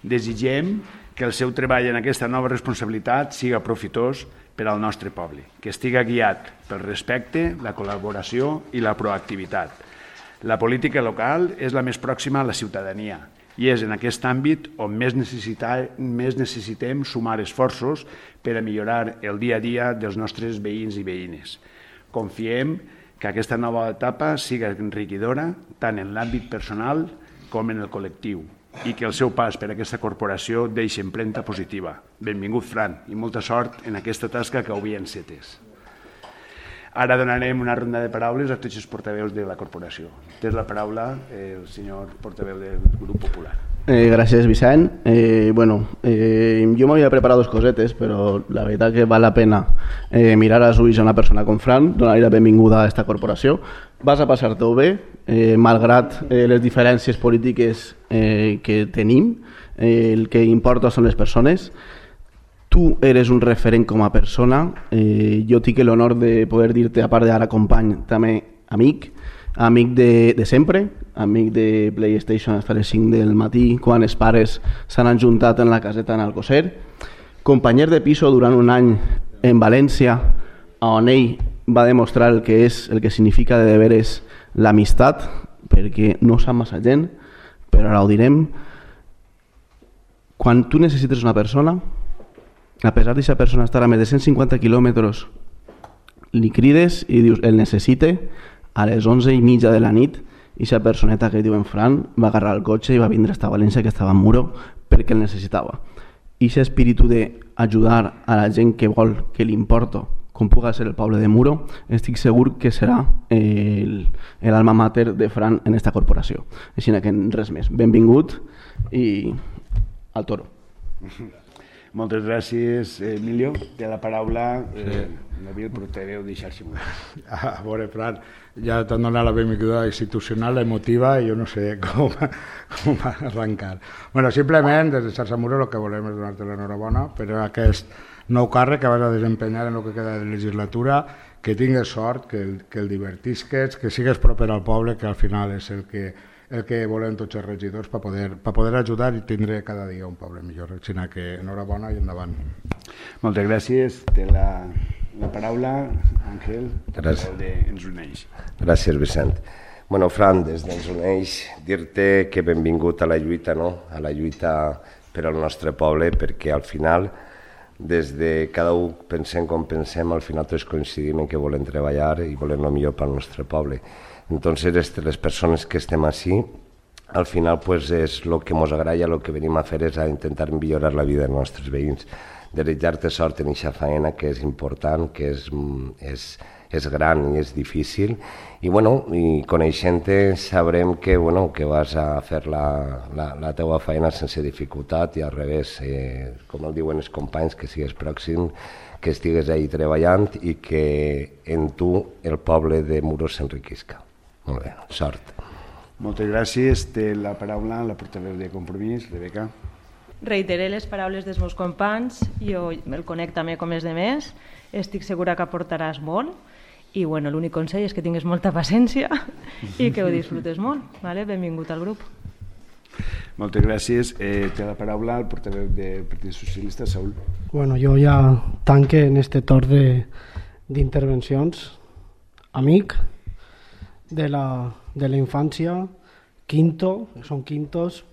Desitgem que el seu treball en aquesta nova responsabilitat siga profitós per al nostre poble, que estiga guiat pel respecte, la col·laboració i la proactivitat. La política local és la més pròxima a la ciutadania i és en aquest àmbit on més, més necessitem sumar esforços per a millorar el dia a dia dels nostres veïns i veïnes. Confiem que aquesta nova etapa siga enriquidora tant en l'àmbit personal com en el col·lectiu i que el seu pas per aquesta corporació deixi empremta positiva. Benvingut, Fran, i molta sort en aquesta tasca que avui encetes. Ara donarem una ronda de paraules a tots els portaveus de la corporació. Té la paraula el senyor portaveu del grup popular. Eh, gràcies, Vicent. Eh, bueno, eh, jo m'havia preparat dos cosetes, però la veritat que val la pena eh, mirar als ulls a una persona com Fran, donar-li la benvinguda a aquesta corporació. Vas a passar-t'ho bé, eh, malgrat eh, les diferències polítiques eh, que tenim, eh, el que importa són les persones. Tu eres un referent com a persona, eh, jo tinc l'honor de poder dir-te, a part d'ara company, també amic, amic de, de sempre, amic de PlayStation fins a les cinc del matí, quan els pares s'han ajuntat en la caseta en Alcocer, companyer de piso durant un any en València, on ell va demostrar el que és, el que significa de deberes l'amistat, perquè no sap massa gent, però ara ho direm. Quan tu necessites una persona, a pesar d'aquesta persona estar a més de cent cinquanta quilòmetres, li crides i dius, el necessite, a les onze i mitja de la nit, i aquesta personeta que diuen Fran va agarrar el cotxe i va vindre a València, que estava en Muro, perquè el necessitava. I aquest espíritu d'ajudar a la gent que vol, que li importa, com pugui ser el poble de Muro, estic segur que serà l'alma mater de Fran en aquesta corporació. Així que res més. Benvingut i al toro. Moltes gràcies, Emilio. Té la paraula eh, David, portaveu de Xarxa Mundo. A veure, Fran, ja t'han donat la benvinguda institucional, emotiva, i jo no sé com, com arrencar. Bueno, simplement, des de Xarxa Mundo, el que volem és donar-te l'enhorabona per aquest nou càrrec que vas a desempenyar en el que queda de legislatura, que tingues sort, que el, que el divertisques, que sigues proper al poble, que al final és el que el que volem tots els regidors per poder, per poder ajudar i tindre cada dia un poble millor. Així que enhorabona i endavant. Moltes gràcies. Té la, la paraula Àngel, gràcies. De Ens Uneix. Gràcies, Vicent. Bueno, Fran, des d'Ens Uneix, dir-te que benvingut a la lluita, no? A la lluita per al nostre poble, perquè al final, des de cada un pensem com pensem, al final tots coincidim en que volem treballar i volem el millor pel nostre poble. Entonces, les persones que estem així, al final pues, és el que ens agrada, el que venim a fer és a intentar millorar la vida dels nostres veïns. Desitjar-te sort en aquesta feina, que és important, que és, és, és gran i és difícil. I, bueno, i coneixent-te sabrem que, bueno, que vas a fer la, la, la teua feina sense dificultat i al revés, eh, com el diuen els companys, que sigues pròxim, que estigues ahí treballant i que en tu el poble de Muro s'enriquisca. Molt bé, sort. Moltes gràcies. Té la paraula la portaveu de Compromís, Rebeca. Reiteré les paraules dels meus companys, jo el conec també com els demés, estic segura que aportaràs molt i bueno, l'únic consell és que tingues molta paciència i que ho disfrutes molt. Vale? Benvingut al grup. Moltes gràcies. Eh, té la paraula el portaveu del Partit Socialista, Saúl. Bueno, jo ja tanque en este torn d'intervencions. Amic de la, de la infància, quinto, són quintos.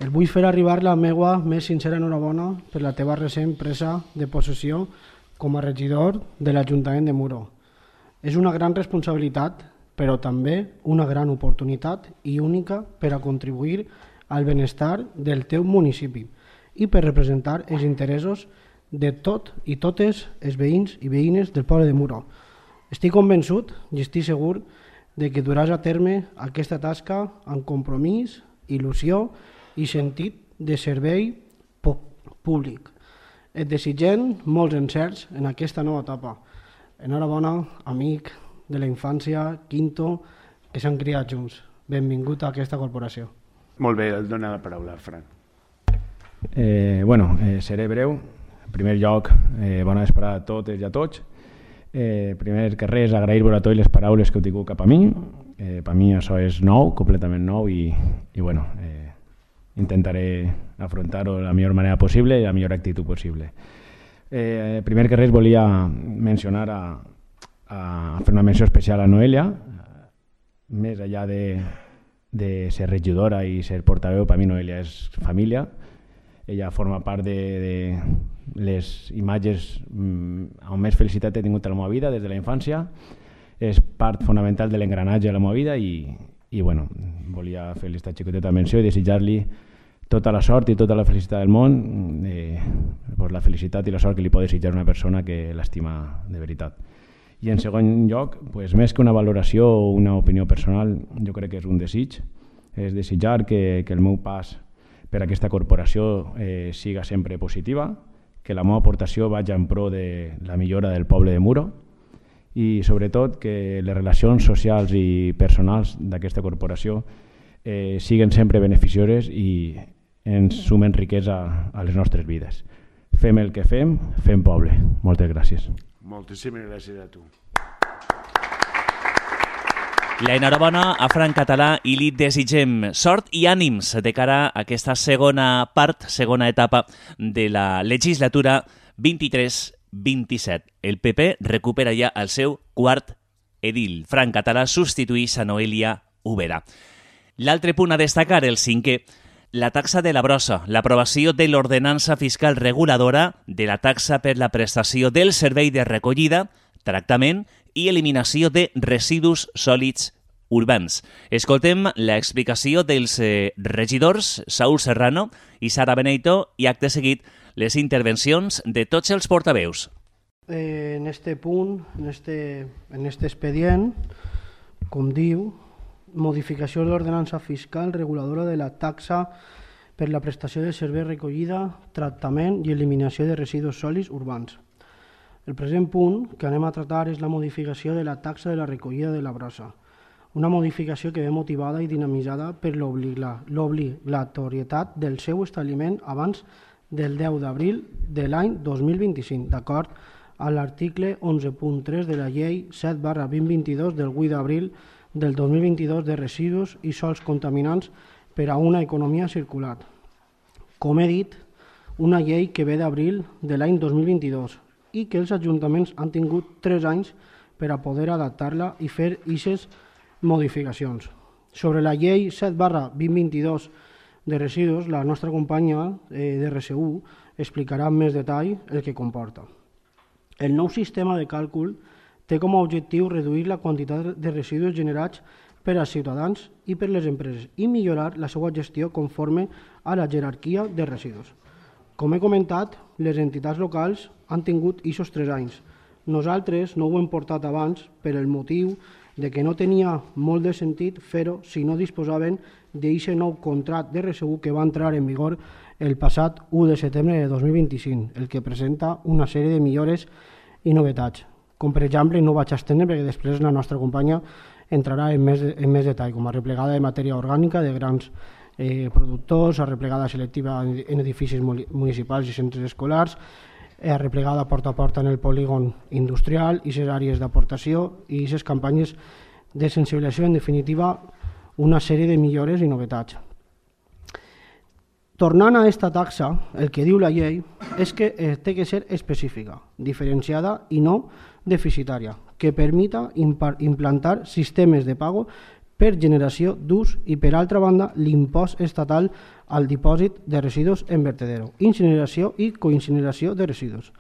El vull fer arribar la meva més sincera enhorabona per la teva recent presa de possessió com a regidor de l'Ajuntament de Muro. És una gran responsabilitat, però també una gran oportunitat i única per a contribuir al benestar del teu municipi i per representar els interessos de tot i totes els veïns i veïnes del poble de Muro. Estic convençut i estic segur de que duràs a terme aquesta tasca amb compromís, il·lusió i sentit de servei públic. Et desitgem molts encerts en aquesta nova etapa. Enhorabona, amic de la infància, quinto, que s'han criat junts. Benvingut a aquesta corporació. Molt bé, et dona la paraula, Fran. Eh, bueno, eh, seré breu. En primer lloc, eh, bona vesprada a totes i a tots. Eh, primer que res, agrair-vos a tots les paraules que heu tingut cap a mi. Eh, per mi això és nou, completament nou, i, i bueno, eh, intentaré afrontar-ho de la millor manera possible i la millor actitud possible. Eh, primer que res, volia mencionar a, a fer una menció especial a Noelia. Més enllà de, de ser regidora i ser portaveu, per mi Noelia és família. Ella forma part de, de les imatges on més felicitat he tingut a la meva vida des de la infància. És part fonamental de l'engranatge de la meva vida i, i bueno, volia fer aquesta xicoteta menció i desitjar-li tota la sort i tota la felicitat del món, eh, pues la felicitat i la sort que li pot desitjar una persona que l'estima de veritat. I en segon lloc, pues, més que una valoració o una opinió personal, jo crec que és un desig, és desitjar que, que el meu pas per a aquesta corporació eh, siga sempre positiva, que la meva aportació vagi en pro de la millora del poble de Muro i sobretot que les relacions socials i personals d'aquesta corporació eh, siguen sempre beneficioses i ens sumen riquesa a les nostres vides. Fem el que fem, fem poble. Moltes gràcies. Moltíssimes gràcies a tu. L'enhorabona a Fran Català i li desitgem sort i ànims de cara a aquesta segona part, segona etapa de la legislatura vint-i-tres vint-i-set. El P P recupera ja el seu quart edil. Fran Català substitueix a Noelia Ubera. L'altre punt a destacar, el cinquè, la taxa de la brossa, l'aprovació de l'ordenança fiscal reguladora de la taxa per la prestació del servei de recollida, tractament i eliminació de residus sòlids urbans. Escoltem l'explicació dels eh, regidors Saúl Serrano i Sara Beneito i acte seguit les intervencions de tots els portaveus. Eh, en este punt, en este, en este expedient, com diu, modificació de l'ordenança fiscal reguladora de la taxa per la prestació de servei recollida, tractament i eliminació de residus sòlids urbans. El present punt que anem a tratar és la modificació de la taxa de la recollida de la brossa, una modificació que ve motivada i dinamitzada per l'obligatorietat del seu establiment abans del deu d'abril de l'any dos mil vint-i-cinc, d'acord a l'article onze punt tres de la llei set barra vint vint-i-dos del vuit d'abril del dos mil vint-i-dos de residus i sòls contaminants per a una economia circular. Com he dit, una llei que ve d'abril de l'any dos mil vint-i-dos i que els ajuntaments han tingut tres anys per a poder adaptar-la i fer aquestes modificacions. Sobre la llei set barra vint vint-i-dos de residus, la nostra companya eh, de R S U explicarà amb més detall el que comporta. El nou sistema de càlcul té com a objectiu reduir la quantitat de residus generats per als ciutadans i per les empreses i millorar la seva gestió conforme a la jerarquia de residus. Com he comentat, les entitats locals han tingut aquests tres anys. Nosaltres no ho hem portat abans per el motiu de que no tenia molt de sentit fer-ho si no disposaven d'aquest nou contracte de R S U que va entrar en vigor el passat u de setembre de dos mil vint-i-cinc, el que presenta una sèrie de millores i novetats. Com per exemple, no vaig estendre perquè després la nostra companya entrarà en més, en més detall, com a replegada de matèria orgànica de grans eh, productors, a replegada selectiva en edificis municipals i centres escolars, a replegada porta a porta en el polígon industrial i les àrees d'aportació i les campanyes de sensibilització, en definitiva, una sèrie de millores i novetats. Tornant a aquesta taxa, el que diu la llei és que té que ser específica, diferenciada i no deficitària, que permita implantar sistemes de pago per generació d'ús i, per altra banda, l'impost estatal al dipòsit de residus en vertedero, incineració i coincineració de residus.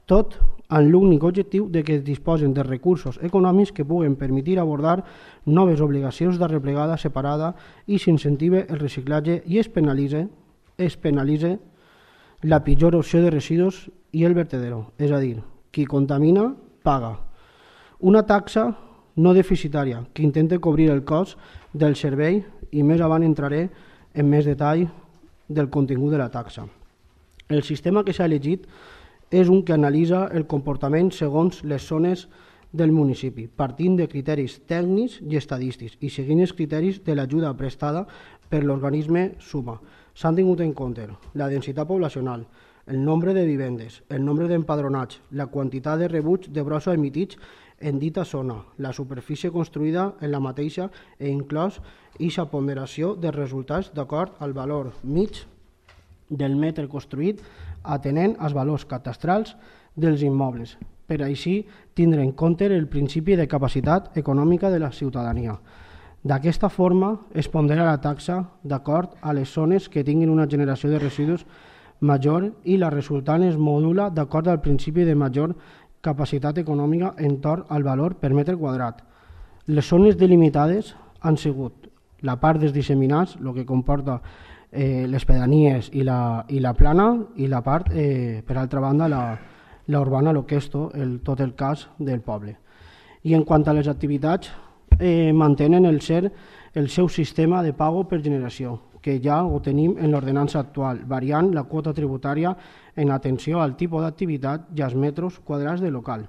Tot amb l'únic objectiu de que es disposen de recursos econòmics que puguen permetre abordar noves obligacions de replegada separada i s'incentive el reciclatge i es penalitze, es penalitze la pitjor opció de residus i el vertedero, és a dir, qui contamina paga. Una taxa no deficitària que intenta cobrir el cost del servei i més avant entraré en més detall del contingut de la taxa. El sistema que s'ha elegit és un que analitza el comportament segons les zones del municipi, partint de criteris tècnics i estadístics i seguint els criteris de l'ajuda prestada per l'organisme SUMA. S'han tingut en compte la densitat poblacional, el nombre de vivendes, el nombre d'empadronats, la quantitat de rebuts de brossa emitits en dita zona, la superfície construïda en la mateixa e inclòs aquesta ponderació de resultats d'acord al valor mig del metre construït atenent als valors catastrals dels immobles, per així tindre en compte el principi de capacitat econòmica de la ciutadania. D'aquesta forma es pondera la taxa d'acord a les zones que tinguin una generació de residus major i la resultant es modula d'acord al principi de major capacitat econòmica entorn al valor per metre quadrat. Les zones delimitades han sigut la part dels disseminats, el que comporta eh, les pedanies i la, i la plana, i la part, eh, per altra banda, la, la urbana, el que és tot el, tot el cas del poble. I en quant a les activitats, eh, mantenen el ser el seu sistema de pago per generació, que ja ho tenim en l'ordenança actual, variant la quota tributària en atenció al tipus d'activitat i als metres quadrats de local.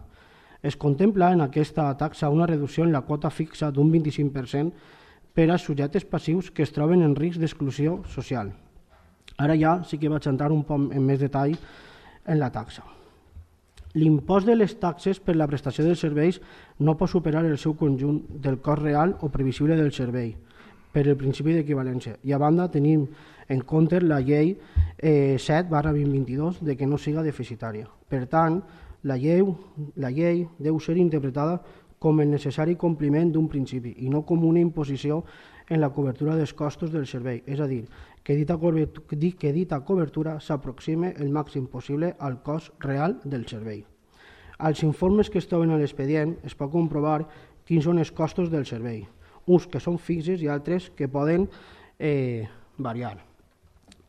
Es contempla en aquesta taxa una reducció en la quota fixa d'un vint-i-cinc per cent per als subjectes passius que es troben en risc d'exclusió social. Ara ja sí que vaig entrar un poc en més detall en la taxa. L'impost de les taxes per la prestació dels serveis no pot superar el seu conjunt del cost real o previsible del servei per el principi d'equivalència. I a banda tenim en compte la llei eh, set barra vint vint-i-dos de que no siga deficitària. Per tant, la llei, la llei deu ser interpretada com el necessari compliment d'un principi i no com una imposició en la cobertura dels costos del servei, és a dir, que dita cobertura, que dita cobertura s'aproxime el màxim possible al cost real del servei. Als informes que es troben a l'expedient es pot comprovar quins són els costos del servei, uns que són fixes i altres que poden eh, variar.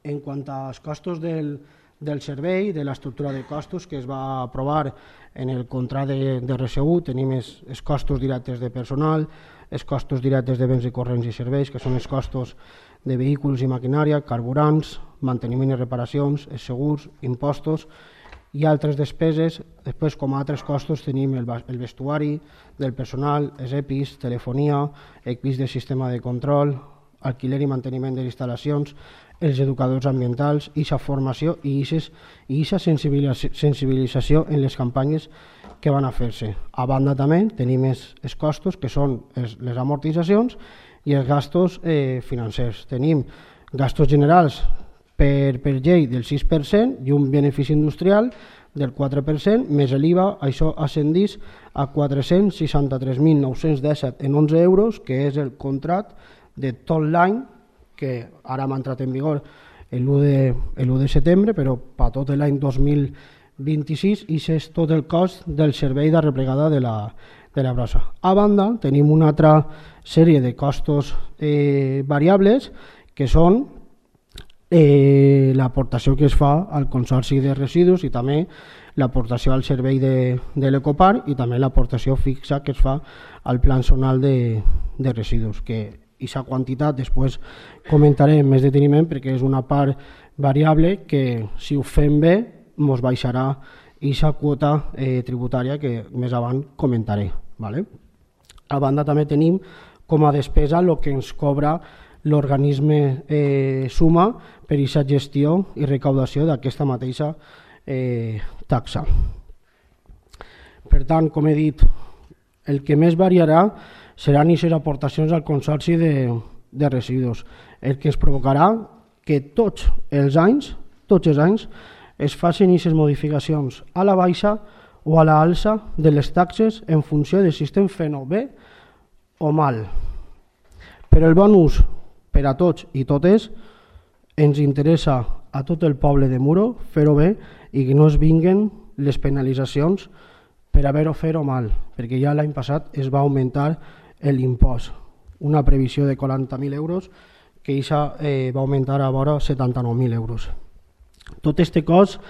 En quant als costos del, del servei, de l'estructura de costos que es va aprovar en el contracte de, de R S U, tenim els, els costos directes de personal, els costos directes de béns i corrents i serveis, que són els costos de vehicles i maquinària, carburants, manteniment i reparacions, els segurs, impostos i altres despeses. Després, com a altres costos, tenim el, el vestuari del personal, els E P Is, telefonia, equips de sistema de control, alquiler i manteniment de les instal·lacions, els educadors ambientals, i la formació i aquesta sensibilització en les campanyes que van a fer-se. A banda també tenim els, els costos que són els, les amortitzacions i els gastos eh, financers. Tenim gastos generals per, per llei del sis per cent i un benefici industrial del quatre per cent, més l'I V A, això ascendís a quatre-cents seixanta-tres mil nou-cents disset en onze euros, que és el contracte de tot l'any, que ara m'ha entrat en vigor l'u de setembre, però per tot l'any dos mil vint-i-sis, i és tot el cost del servei de replegada de la, de la brossa. A banda, tenim una altra sèrie de costos eh, variables, que són eh, l'aportació que es fa al Consorci de Residus i també l'aportació al servei de, de l'Ecopar i també l'aportació fixa que es fa al Plan Zonal de, de Residus, que aquesta quantitat després comentaré amb més deteniment perquè és una part variable que si ho fem bé ens baixarà aquesta quota eh, tributària que més avant comentaré. Vale? A banda també tenim com a despesa el que ens cobra l'organisme eh, suma per aquesta gestió i recaudació d'aquesta mateixa eh, taxa. Per tant, com he dit, el que més variarà seran aquestes aportacions al Consorci de, de Residus, el que es provocarà que tots els anys, tots els anys, es facin aquestes modificacions a la baixa o a l'alça de les taxes en funció de si estem fent-ho bé o mal. Per el bon ús per a tots i totes, ens interessa a tot el poble de Muro fer-ho bé i que no es vinguen les penalitzacions per haver-ho fer-ho mal, perquè ja l'any passat es va augmentar l'impost, una previsió de quaranta mil euros que això eh, va augmentar a vora setanta-nou mil euros. Tot aquest cost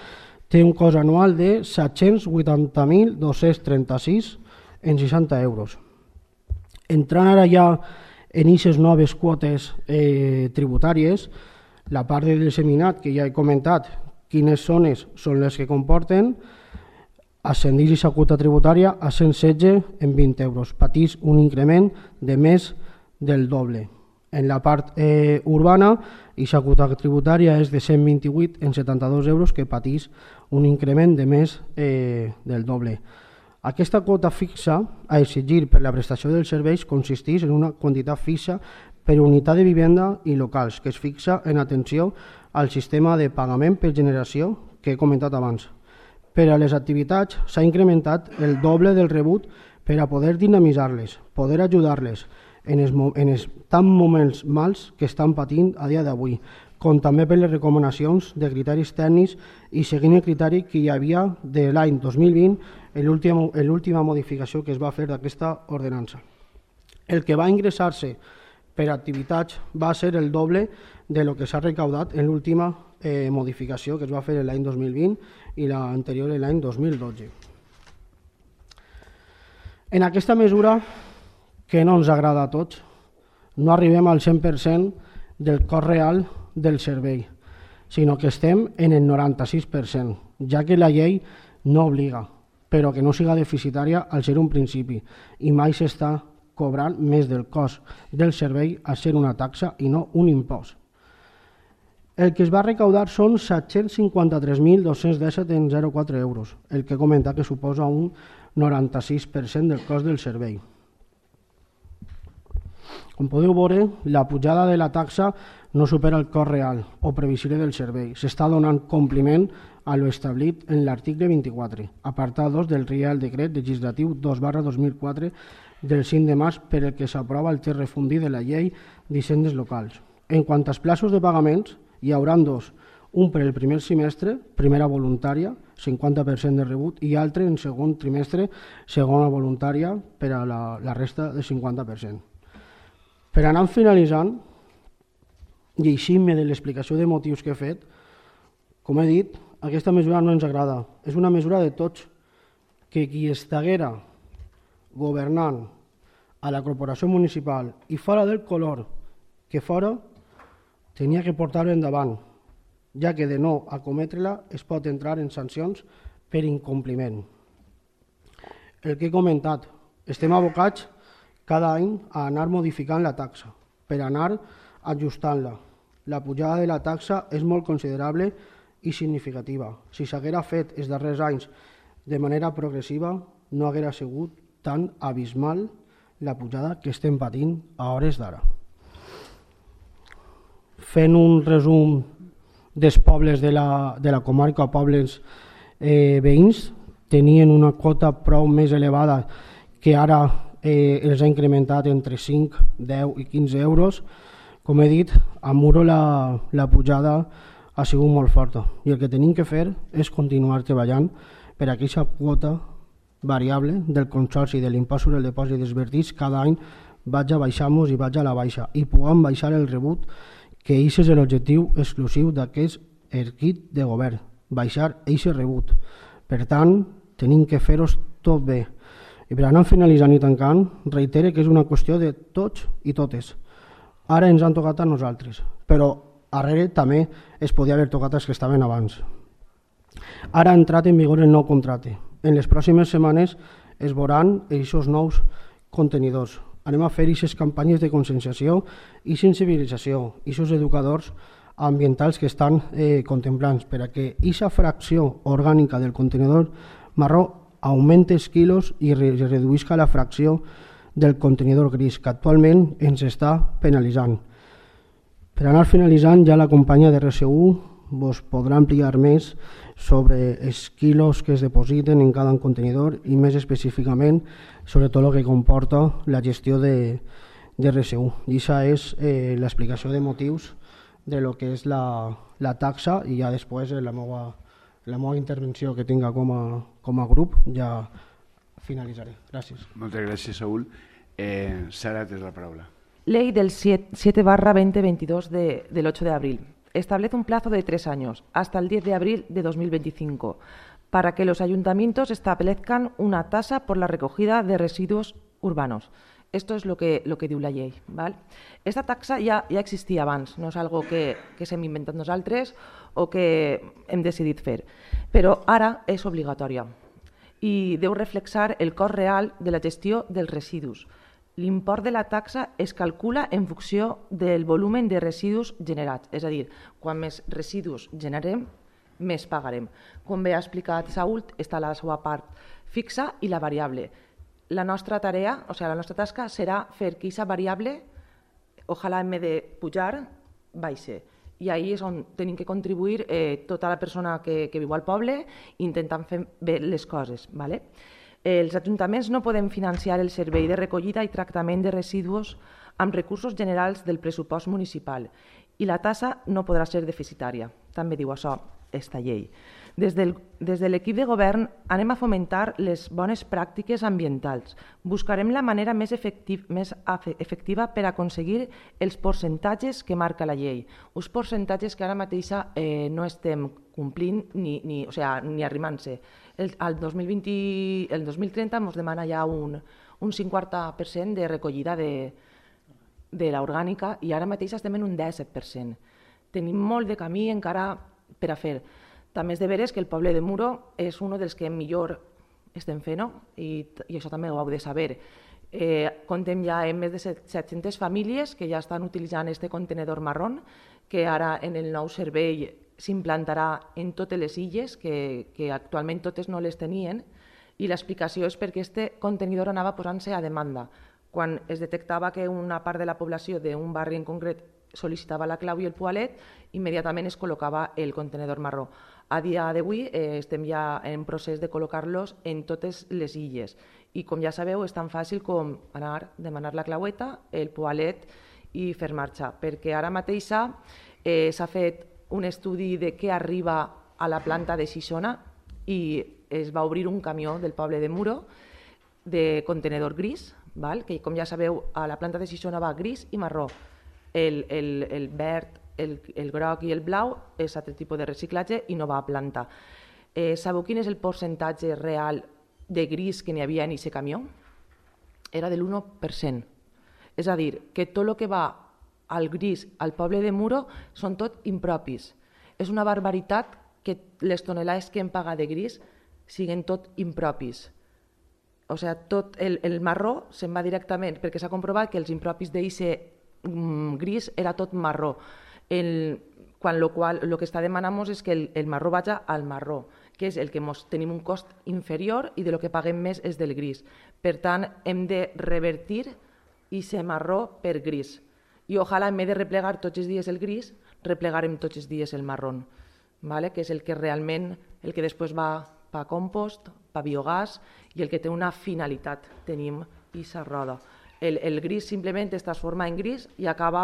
té un cost anual de set-cents vuitanta mil dos-cents trenta-sis en seixanta euros. Entrant ara ja en aquestes noves quotes eh, tributàries, la part del disseminat que ja he comentat, quines zones són les que comporten, ascendís aquesta quota tributària a cent setze en vint euros, patís un increment de més del doble. En la part eh, urbana, aquesta quota tributària és de cent vint-i-vuit en setanta-dos euros, que patís un increment de més eh, del doble. Aquesta quota fixa a exigir per la prestació dels serveis consisteix en una quantitat fixa per unitat de vivenda i locals, que es fixa en atenció al sistema de pagament per generació que he comentat abans. Per a les activitats s'ha incrementat el doble del rebut per a poder dinamitzar-les, poder ajudar-les en els, en els tan moments mals que estan patint a dia d'avui, com també per les recomanacions de criteris tècnics i seguint el criteri que hi havia de l'any dos mil vint en l'última modificació que es va fer d'aquesta ordenança. El que va ingressar-se per activitats va ser el doble de lo que s'ha recaudat en l'última eh, modificació que es va fer l'any dos mil vint i l'anterior l'any dos mil dotze. En aquesta mesura, que no ens agrada a tots, no arribem al cent per cent del cost real del servei, sinó que estem en el noranta-sis per cent, ja que la llei no obliga, però que no siga deficitària al ser un principi i mai s'està cobrant més del cost del servei a ser una taxa i no un impost. El que es va recaudar són set-cents cinquanta-tres mil dos-cents disset coma zero quatre euros, el que comenta que suposa un noranta-sis per cent del cost del servei. Com podeu veure, la pujada de la taxa no supera el cost real o previsible del servei. S'està donant compliment a lo establit en l'article vint-i-quatre, apartat dos del Reial Decret Legislatiu dos barra dos mil quatre del cinc de març per el que s'aprova el text refundit de la llei d'hisendes locals. En quant als plaços de pagaments, hi haurà dos, un per el primer semestre, primera voluntària, cinquanta per cent de rebut, i altre en segon trimestre, segona voluntària, per a la, la resta de cinquanta per cent. Per anar finalitzant, llegint-me de l'explicació de motius que he fet, com he dit, aquesta mesura no ens agrada. És una mesura de tots, que qui estiguera governant a la corporació municipal i fora del color que fora, tenia que portar-ho endavant, ja que de no acometre-la es pot entrar en sancions per incompliment. El que he comentat, estem abocats cada any a anar modificant la taxa, per anar ajustant-la. La pujada de la taxa és molt considerable i significativa. Si s'haguera fet els darrers anys de manera progressiva, no haguera sigut tan abismal la pujada que estem patint a hores d'ara. Fent un resum dels pobles de la, de la comarca, pobles eh, veïns, tenien una quota prou més elevada que ara eh, els ha incrementat entre cinc, deu i quinze euros. Com he dit, a Muro la, la pujada ha sigut molt forta i el que tenim que fer és continuar treballant per a aquesta quota variable del consorci de l'impost sobre el depòsit dels vertits cada any vaig a baixar-nos i vaig a la baixa i puguem baixar el rebut, que aquest és l'objectiu exclusiu d'aquest equip de govern, baixar aquest rebut. Per tant, tenim que fer-ho tot bé. I per anar finalitzant i tancant, reitere que és una qüestió de tots i totes. Ara ens han tocat a nosaltres, però darrere també es podia haver tocat els que estaven abans. Ara ha entrat en vigor el nou contracte. En les pròximes setmanes es veuran aquests nous contenidors. Anem a fer aquestes campanyes de conscienciació i sensibilització, aquests educadors ambientals que estan eh, contemplant per a que aquesta fracció orgànica del contenidor marró augmenti els quilos i re reduïsca la fracció del contenidor gris, que actualment ens està penalitzant. Per anar finalitzant, ja la companya de R S U vos podrà ampliar més sobre els quilos que es depositen en cada contenidor i més específicament sobre tot el que comporta la gestió de, de R S U. I aquesta és eh, l'explicació de motius de lo que és la, la taxa i ja després la meva, la meva intervenció que tinga com a, com a grup ja finalitzaré. Gràcies. Moltes gràcies, Saúl. Eh, Sara, tens la paraula. Ley del siete barra veinte veintidós de, del ocho de abril. Establece un plazo de tres años, hasta el diez de abril de dos mil veinticinco, para que los ayuntamientos establezcan una tasa por la recogida de residuos urbanos. Esto es lo que, lo que diu la llei. ¿Vale? Esta taxa ja, ja existia abans, no és algo que, que s'hem inventat nosaltres o que hem decidit fer, però ara és obligatòria i deu reflexar el cost real de la gestió dels residus. L'import de la taxa es calcula en funció del volum de residus generats, és a dir, quan més residus generem, més pagarem. Com bé ha explicat Saúl, està la seva part fixa i la variable. La nostra tarea, o sigui, la nostra tasca serà fer que aquesta variable, ojalà en vez de pujar, baixe. I ahí és on tenim que contribuir eh, tota la persona que, que viu al poble intentant fer bé les coses. ¿Vale? Els ajuntaments no poden financiar el servei de recollida i tractament de residus amb recursos generals del pressupost municipal i la tassa no podrà ser deficitària. També diu això esta llei. Des del, des de l'equip de govern anem a fomentar les bones pràctiques ambientals. Buscarem la manera més, efectiv, més efectiva per aconseguir els percentatges que marca la llei. Uns percentatges que ara mateix eh, no estem complint ni, ni, o sea, ni arrimant-se. El, el, dos mil vint, el dos mil trenta ens demana ja un, un cinquanta per cent de recollida de, de l'orgànica i ara mateix estem en un disset per cent. Tenim molt de camí encara per a fer. També és de veres que el poble de Muro és un dels que millor estem fent, i, i això també ho heu de saber. Eh, comptem ja amb més de set-centes famílies que ja estan utilitzant aquest contenedor marrón, que ara en el nou servei s'implantarà en totes les illes, que, que actualment totes no les tenien, i l'explicació és perquè aquest contenidor anava posant-se a demanda. Quan es detectava que una part de la població d'un barri en concret sol·licitava la clau i el poalet, immediatament es col·locava el contenedor marró. A dia d'avui eh, estem ja en procés de col·locar-los en totes les illes i com ja sabeu és tan fàcil com anar, demanar la claueta, el poalet i fer marxa, perquè ara mateix eh, s'ha fet un estudi de què arriba a la planta de Xixona i es va obrir un camió del poble de Muro de contenedor gris, val? Que com ja sabeu a la planta de Xixona va gris i marró. El, el, el verd, el, el groc i el blau és altre tipus de reciclatge i no va a planta. Eh, sabeu quin és el percentatge real de gris que n'hi havia en aquest camió? Era de l'u per cent. És a dir, que tot el que va al gris al poble de Muro són tot impropis. És una barbaritat que les tonelades que hem pagat de gris siguin tot impropis. O sigui, tot el, el marró se'n va directament, perquè s'ha comprovat que els impropis d'eixe gris era tot marró, el, quan lo qual el que està demanant és que el, el marró vagi al marró, que és el que mos, tenim un cost inferior i de lo que paguem més és del gris. Per tant, hem de revertir aquest marró per gris. I ojalà, en vez de replegar tots els dies el gris, replegarem tots els dies el marró, vale? Que és el que realment, el que després va per compost, per biogàs i el que té una finalitat. Tenim aquesta roda. El, el gris simplement es transforma en gris i acaba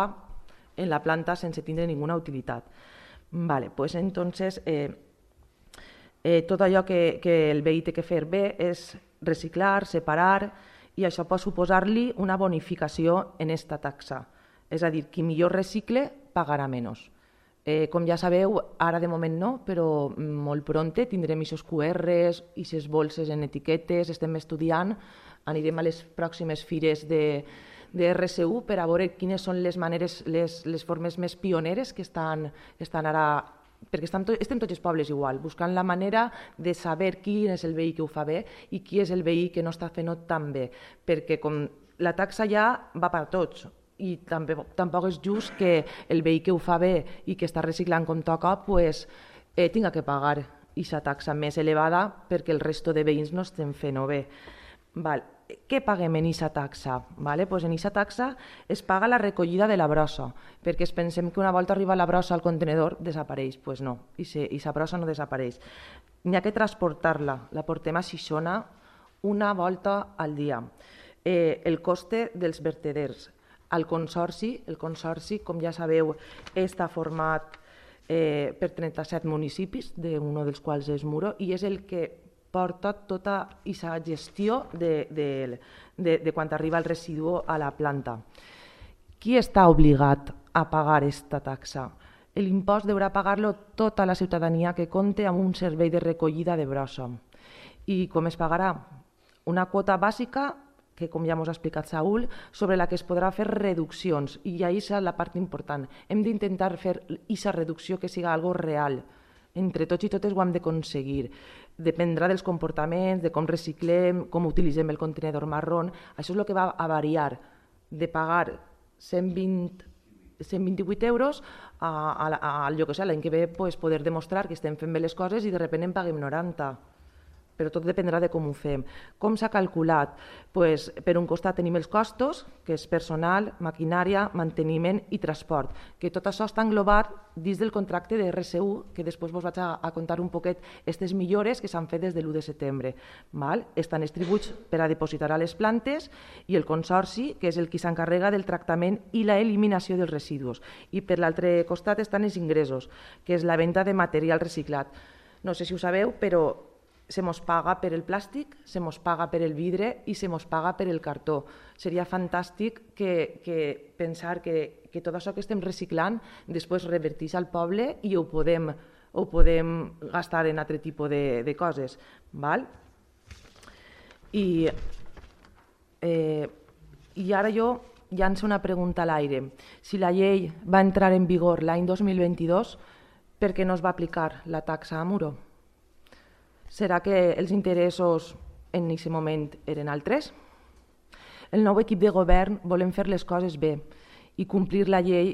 en la planta sense tindre ninguna utilitat. Vale, pues entonces, eh, eh, tot allò que, que el veí té que fer bé és reciclar, separar, i això pot suposar-li una bonificació en aquesta taxa. És a dir, qui millor recicle pagarà menys. Eh, com ja sabeu, ara de moment no, però molt prompte tindrem aquests Q Rs, aquestes bolses en etiquetes, estem estudiant, anirem a les pròximes fires de, de R S U per a veure quines són les maneres, les, les formes més pioneres que estan, estan ara, perquè estem, to, estem tots els pobles igual, buscant la manera de saber quin és el veí que ho fa bé i qui és el veí que no està fent-ho tan bé, perquè com la taxa ja va per tots, i també, tampoc és just que el veí que ho fa bé i que està reciclant com toca pues, eh, tinga que pagar aquesta taxa més elevada perquè el resto de veïns no estem fent-ho bé. Val. Què paguem en aquesta taxa? Vale? Pues en aquesta taxa es paga la recollida de la brossa, perquè es pensem que una volta arriba la brossa al contenedor desapareix. Doncs pues no, aquesta brossa no desapareix. N'hi ha que transportar-la, la portem a Xixona una volta al dia. Eh, el coste dels verteders. El consorci, el consorci, com ja sabeu, està format eh, per trenta-set municipis, d'un dels quals és Muro, i és el que porta tota aquesta gestió de, de, de, de quan arriba el residu a la planta. Qui està obligat a pagar aquesta taxa? L'impost deurà pagar-lo tota la ciutadania que compte amb un servei de recollida de brossa. I com es pagarà? Una quota bàsica, que com ja ens ha explicat Saúl, sobre la que es podrà fer reduccions, i això és la part important. Hem d'intentar fer aquesta reducció que siga algo real. Entre tots i totes ho hem d'aconseguir. Dependrà dels comportaments, de com reciclem, com utilitzem el contenedor marró. Això és el que va a variar de pagar cent vint-i-vuit euros a, a, a, jo que sé, l'any que ve pues, poder demostrar que estem fent bé les coses i de sobte en paguem noranta. però tot dependrà de com ho fem. Com s'ha calculat? Pues, per un costat tenim els costos, que és personal, maquinària, manteniment i transport, que tot això està englobat dins del contracte de R S U, que després vos vaig a, a contar un poquet aquestes millores que s'han fet des de l'u de setembre. Val? Estan els tributs per a depositar a les plantes i el consorci, que és el qui s'encarrega del tractament i la eliminació dels residus. I per l'altre costat estan els ingressos, que és la venda de material reciclat. No sé si ho sabeu, però se mos paga per el plàstic, se mos paga per el vidre i se mos paga per el cartó. Seria fantàstic que, que pensar que, que tot això que estem reciclant després revertís al poble i ho podem, ho podem gastar en altre tipus de, de coses. Val? I, eh, I ara jo llanço una pregunta a l'aire. Si la llei va entrar en vigor l'any dos mil vint-i-dos, per què no es va aplicar la taxa a Muro? Serà que els interessos en aquest moment eren altres? El nou equip de govern volem fer les coses bé i complir la llei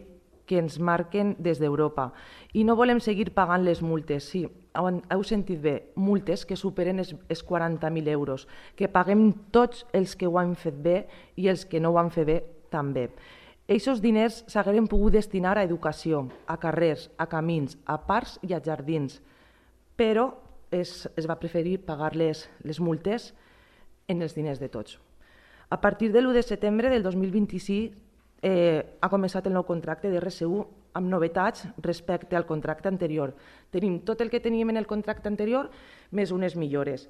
que ens marquen des d'Europa. I no volem seguir pagant les multes, sí, heu sentit bé, multes que superen els quaranta mil euros, que paguem tots els que ho han fet bé i els que no ho han fet bé també. Aquests diners s'hagueren pogut destinar a educació, a carrers, a camins, a parcs i a jardins, però es, es va preferir pagar les, les multes en els diners de tots. A partir de l'u de setembre del dos mil vint-i-sis eh, ha començat el nou contracte de R S U amb novetats respecte al contracte anterior. Tenim tot el que teníem en el contracte anterior més unes millores,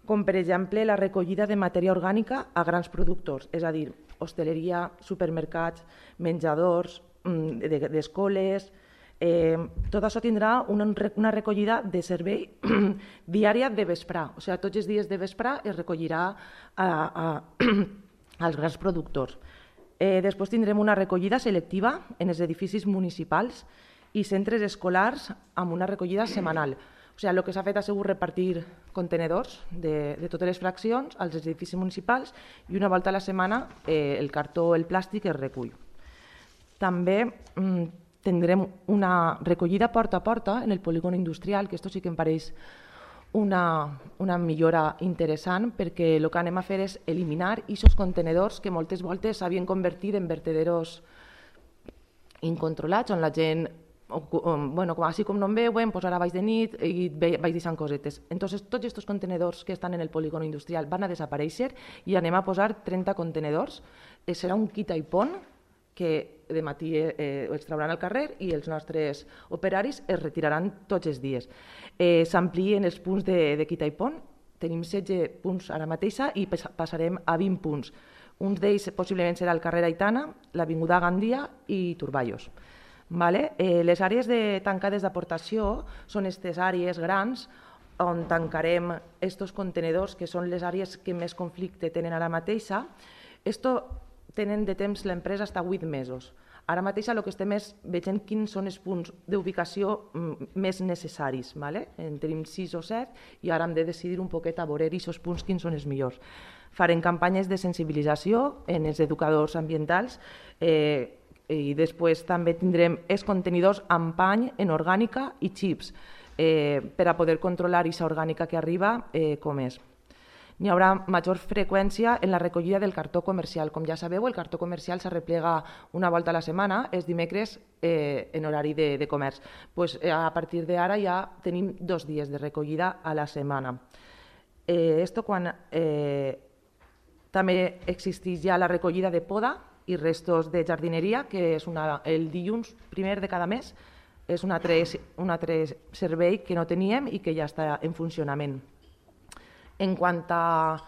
com per exemple la recollida de matèria orgànica a grans productors, és a dir, hostaleria, supermercats, menjadors, d'escoles. Eh, tot això tindrà una, una recollida de servei diària de vesprà, o sigui, tots els dies de vesprà es recollirà a, a, als grans productors. Eh, després tindrem una recollida selectiva en els edificis municipals i centres escolars amb una recollida setmanal. O sigui, el que s'ha fet ha sigut repartir contenedors de, de totes les fraccions als edificis municipals i una volta a la setmana eh, el cartó o el plàstic es recull. També mm, tindrem una recollida porta a porta en el polígon industrial, que esto sí que em pareix una, una millora interessant, perquè el que anem a fer és eliminar aquests contenedors que moltes voltes s'havien convertit en vertederos incontrolats, on la gent, bueno, així com no em veuen, doncs ara vaig de nit i vaig deixant cosetes. Entonces, tots aquests contenedors que estan en el polígon industrial van a desaparèixer i anem a posar trenta contenedors. Serà un quita i pon que de matí eh, els trauran al carrer i els nostres operaris es retiraran tots els dies. Eh, S'amplien els punts de, de quita i pon, tenim setze punts ara mateixa i passarem a vint punts. Un d'ells possiblement serà el carrer Aitana, l'avinguda Gandia i Turballos. Vale? Eh, les àrees de tancades d'aportació són aquestes àrees grans on tancarem aquests contenedors, que són les àrees que més conflicte tenen ara mateixa. Esto tenen de temps l'empresa fins a vuit mesos. Ara mateix el que estem és veient quins són els punts d'ubicació més necessaris. Vale? En tenim sis o set i ara hem de decidir un poquet a veure aquests punts quins són els millors. Farem campanyes de sensibilització en els educadors ambientals eh, i després també tindrem els contenidors amb pany en orgànica i xips eh, per a poder controlar aquesta orgànica que arriba eh, com és. N'hi haurà major freqüència en la recollida del cartó comercial. Com ja sabeu, el cartó comercial s'arreplega una volta a la setmana, els dimecres eh, en horari de, de comerç. Pues, eh, a partir d'ara ja tenim dos dies de recollida a la setmana. Eh, esto quan eh, també existeix ja la recollida de poda i restos de jardineria, que és una, el dilluns primer de cada mes, és un altre, un altre servei que no teníem i que ja està en funcionament. En quant a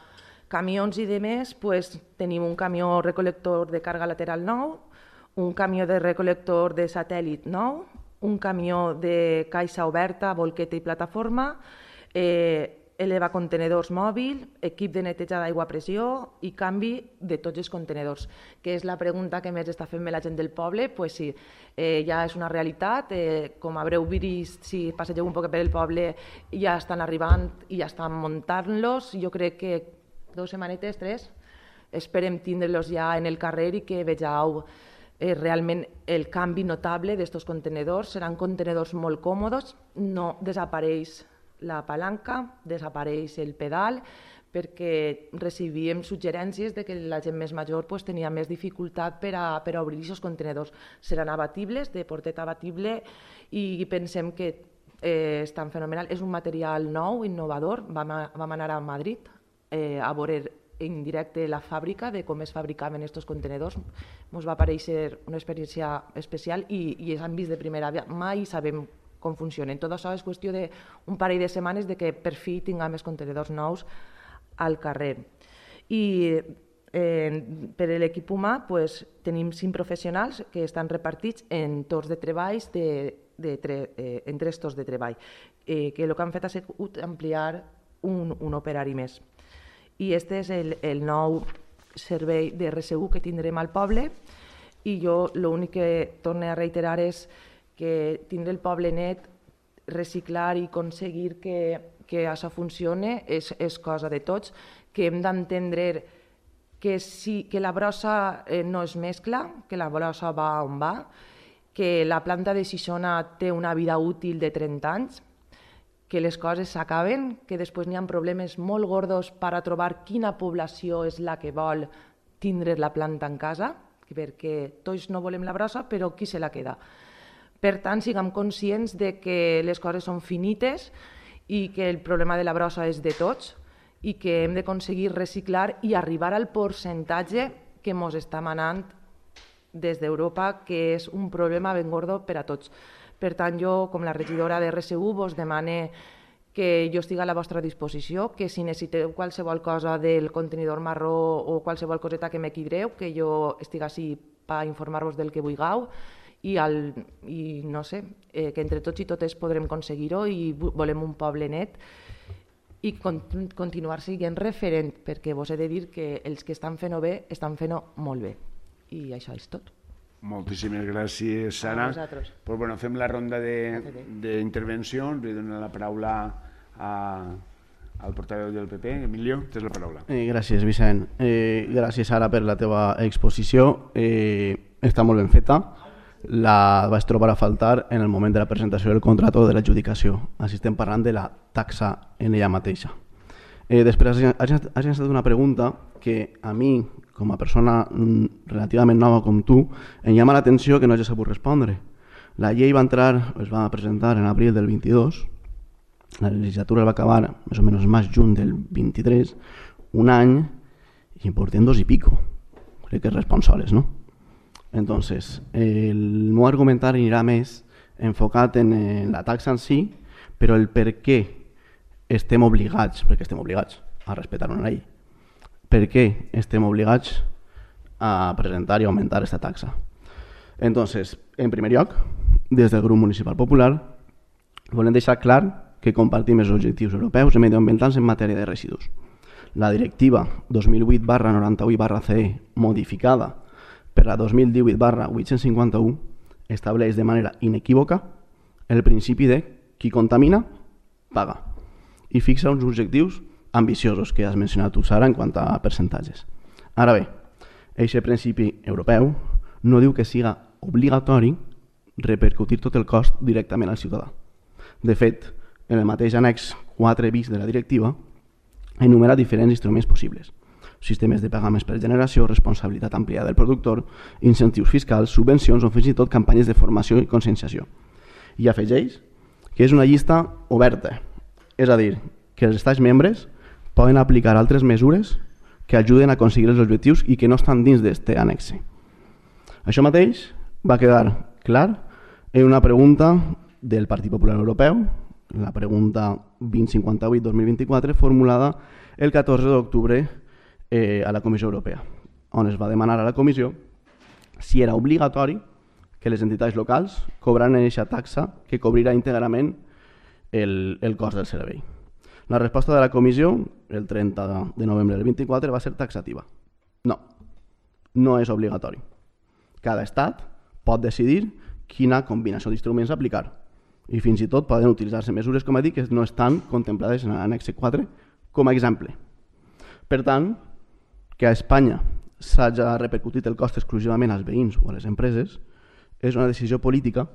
camions i demés, pues, tenim un camió recolector de càrrega lateral nou, un camió de recolector de satèl·lit nou, un camió de caixa oberta, bolqueta i plataforma, eh, elevacontenedors mòbil, equip de neteja d'aigua a pressió i canvi de tots els contenedors, que és la pregunta que més està fent-me la gent del poble. Pues sí, eh, ja és una realitat, eh, com haureu vist si passegeu un poc per el poble, ja estan arribant i ja estan muntant-los. Jo crec que dues setmanetes, tres, esperem tindre-los ja en el carrer i que vegeu eh, realment el canvi notable d'estos contenedors. Seran contenedors molt còmodes, no desapareix la palanca, desapareix el pedal, perquè recibíem suggerències de que la gent més major pues, tenia més dificultat per a, per a obrir aquests contenedors. Seran abatibles, de portet abatible, i pensem que eh, estan fenomenal. És un material nou, innovador. Vam, a, vam anar a Madrid eh, a veure en directe la fàbrica de com es fabricaven aquests contenedors. Ens va aparèixer una experiència especial i, i s'han vist de primera mà i sabem com funcionen. Tot això és qüestió d'un parell de setmanes de que per fi tinguem els contenedors nous al carrer. I eh, per a l'equip humà pues, tenim cinc professionals que estan repartits en torns de treballs de, de tre, eh, en tres torns de treball, eh, que el que han fet ha sigut ampliar un, un operari més. I aquest és el, el nou servei de R S U que tindrem al poble i jo l'únic que torno a reiterar és que tindre el poble net, reciclar i aconseguir que, que això funcione és, és cosa de tots, que hem d'entendre que, sí, que la brossa eh, no es mescla, que la brossa va on va, que la planta de Xixona té una vida útil de trenta anys, que les coses s'acaben, que després n'hi ha problemes molt gordos per a trobar quina població és la que vol tindre la planta en casa, perquè tots no volem la brossa, però qui se la queda? Per tant, siguem conscients de que les coses són finites i que el problema de la brossa és de tots i que hem d'aconseguir reciclar i arribar al percentatge que ens està manant des d'Europa, que és un problema ben gordo per a tots. Per tant, jo, com la regidora de R S U, vos demane que jo estigui a la vostra disposició, que si necessiteu qualsevol cosa del contenidor marró o qualsevol coseta que m'equidreu, que jo estigui així per informar-vos del que vulgueu i, el, i no sé, eh, que entre tots i totes podrem aconseguir-ho i volem un poble net i con continuar sent referent, perquè vos he de dir que els que estan fent-ho bé, estan fent-ho molt bé. I això és tot. Moltíssimes gràcies, Sara. A vosaltres. Pues bueno, fem la ronda d'intervencions. Li dono la paraula a, al portaveu del P P. Emilio, tens la paraula. Eh, gràcies, Vicent. Eh, gràcies, Sara, per la teva exposició. Eh, està molt ben feta. La vaig trobar a faltar en el moment de la presentació del contracte de l'adjudicació. Així estem parlant de la taxa en ella mateixa. Eh, després has llançat una pregunta que a mi, com a persona relativament nova com tu, em llama l'atenció que no hagi sabut respondre. La llei va entrar, es va presentar en abril del vint-i-dos, la legislatura va acabar més o menys més juny del vint-i-tres, un any i en portem dos i pico. Crec que és responsables, no? Entonces, el meu argumentari anirà més enfocat en la taxa en si, però el per què estem obligats, perquè estem obligats a respectar una llei, per què estem obligats a presentar i augmentar aquesta taxa. Entonces, en primer lloc, des del grup municipal popular, volem deixar clar que compartim els objectius europeus i medioambientals en matèria de residus. La directiva dos mil vuit barra noranta-vuit barra C E, modificada per la dos mil divuit barra vuit-cents cinquanta-u, estableix de manera inequívoca el principi de qui contamina, paga, i fixa uns objectius ambiciosos que has mencionat tu, Sara, en quant a percentatges. Ara bé, aquest principi europeu no diu que siga obligatori repercutir tot el cost directament al ciutadà. De fet, en el mateix annex quatre bis de la directiva enumera diferents instruments possibles: sistemes de pagaments per generació, responsabilitat ampliada del productor, incentius fiscals, subvencions o fins i tot campanyes de formació i conscienciació. I afegeix que és una llista oberta, és a dir, que els estats membres poden aplicar altres mesures que ajuden a aconseguir els objectius i que no estan dins d'aquest annexe. Això mateix va quedar clar en una pregunta del Partit Popular Europeu, la pregunta vint cinquanta-vuit dos mil vint-i-quatre, formulada el catorze d'octubre eh, a la Comissió Europea, on es va demanar a la Comissió si era obligatori que les entitats locals cobraran aquesta taxa que cobrirà íntegrament el, el cost del servei. La resposta de la Comissió, el trenta de novembre del vint-i-quatre, va ser taxativa. No, no és obligatori. Cada estat pot decidir quina combinació d'instruments aplicar i fins i tot poden utilitzar-se mesures, com he dit, que no estan contemplades en l'annex quatre com a exemple. Per tant, que a Espanya s'hagi repercutit el cost exclusivament als veïns o a les empreses és una decisió política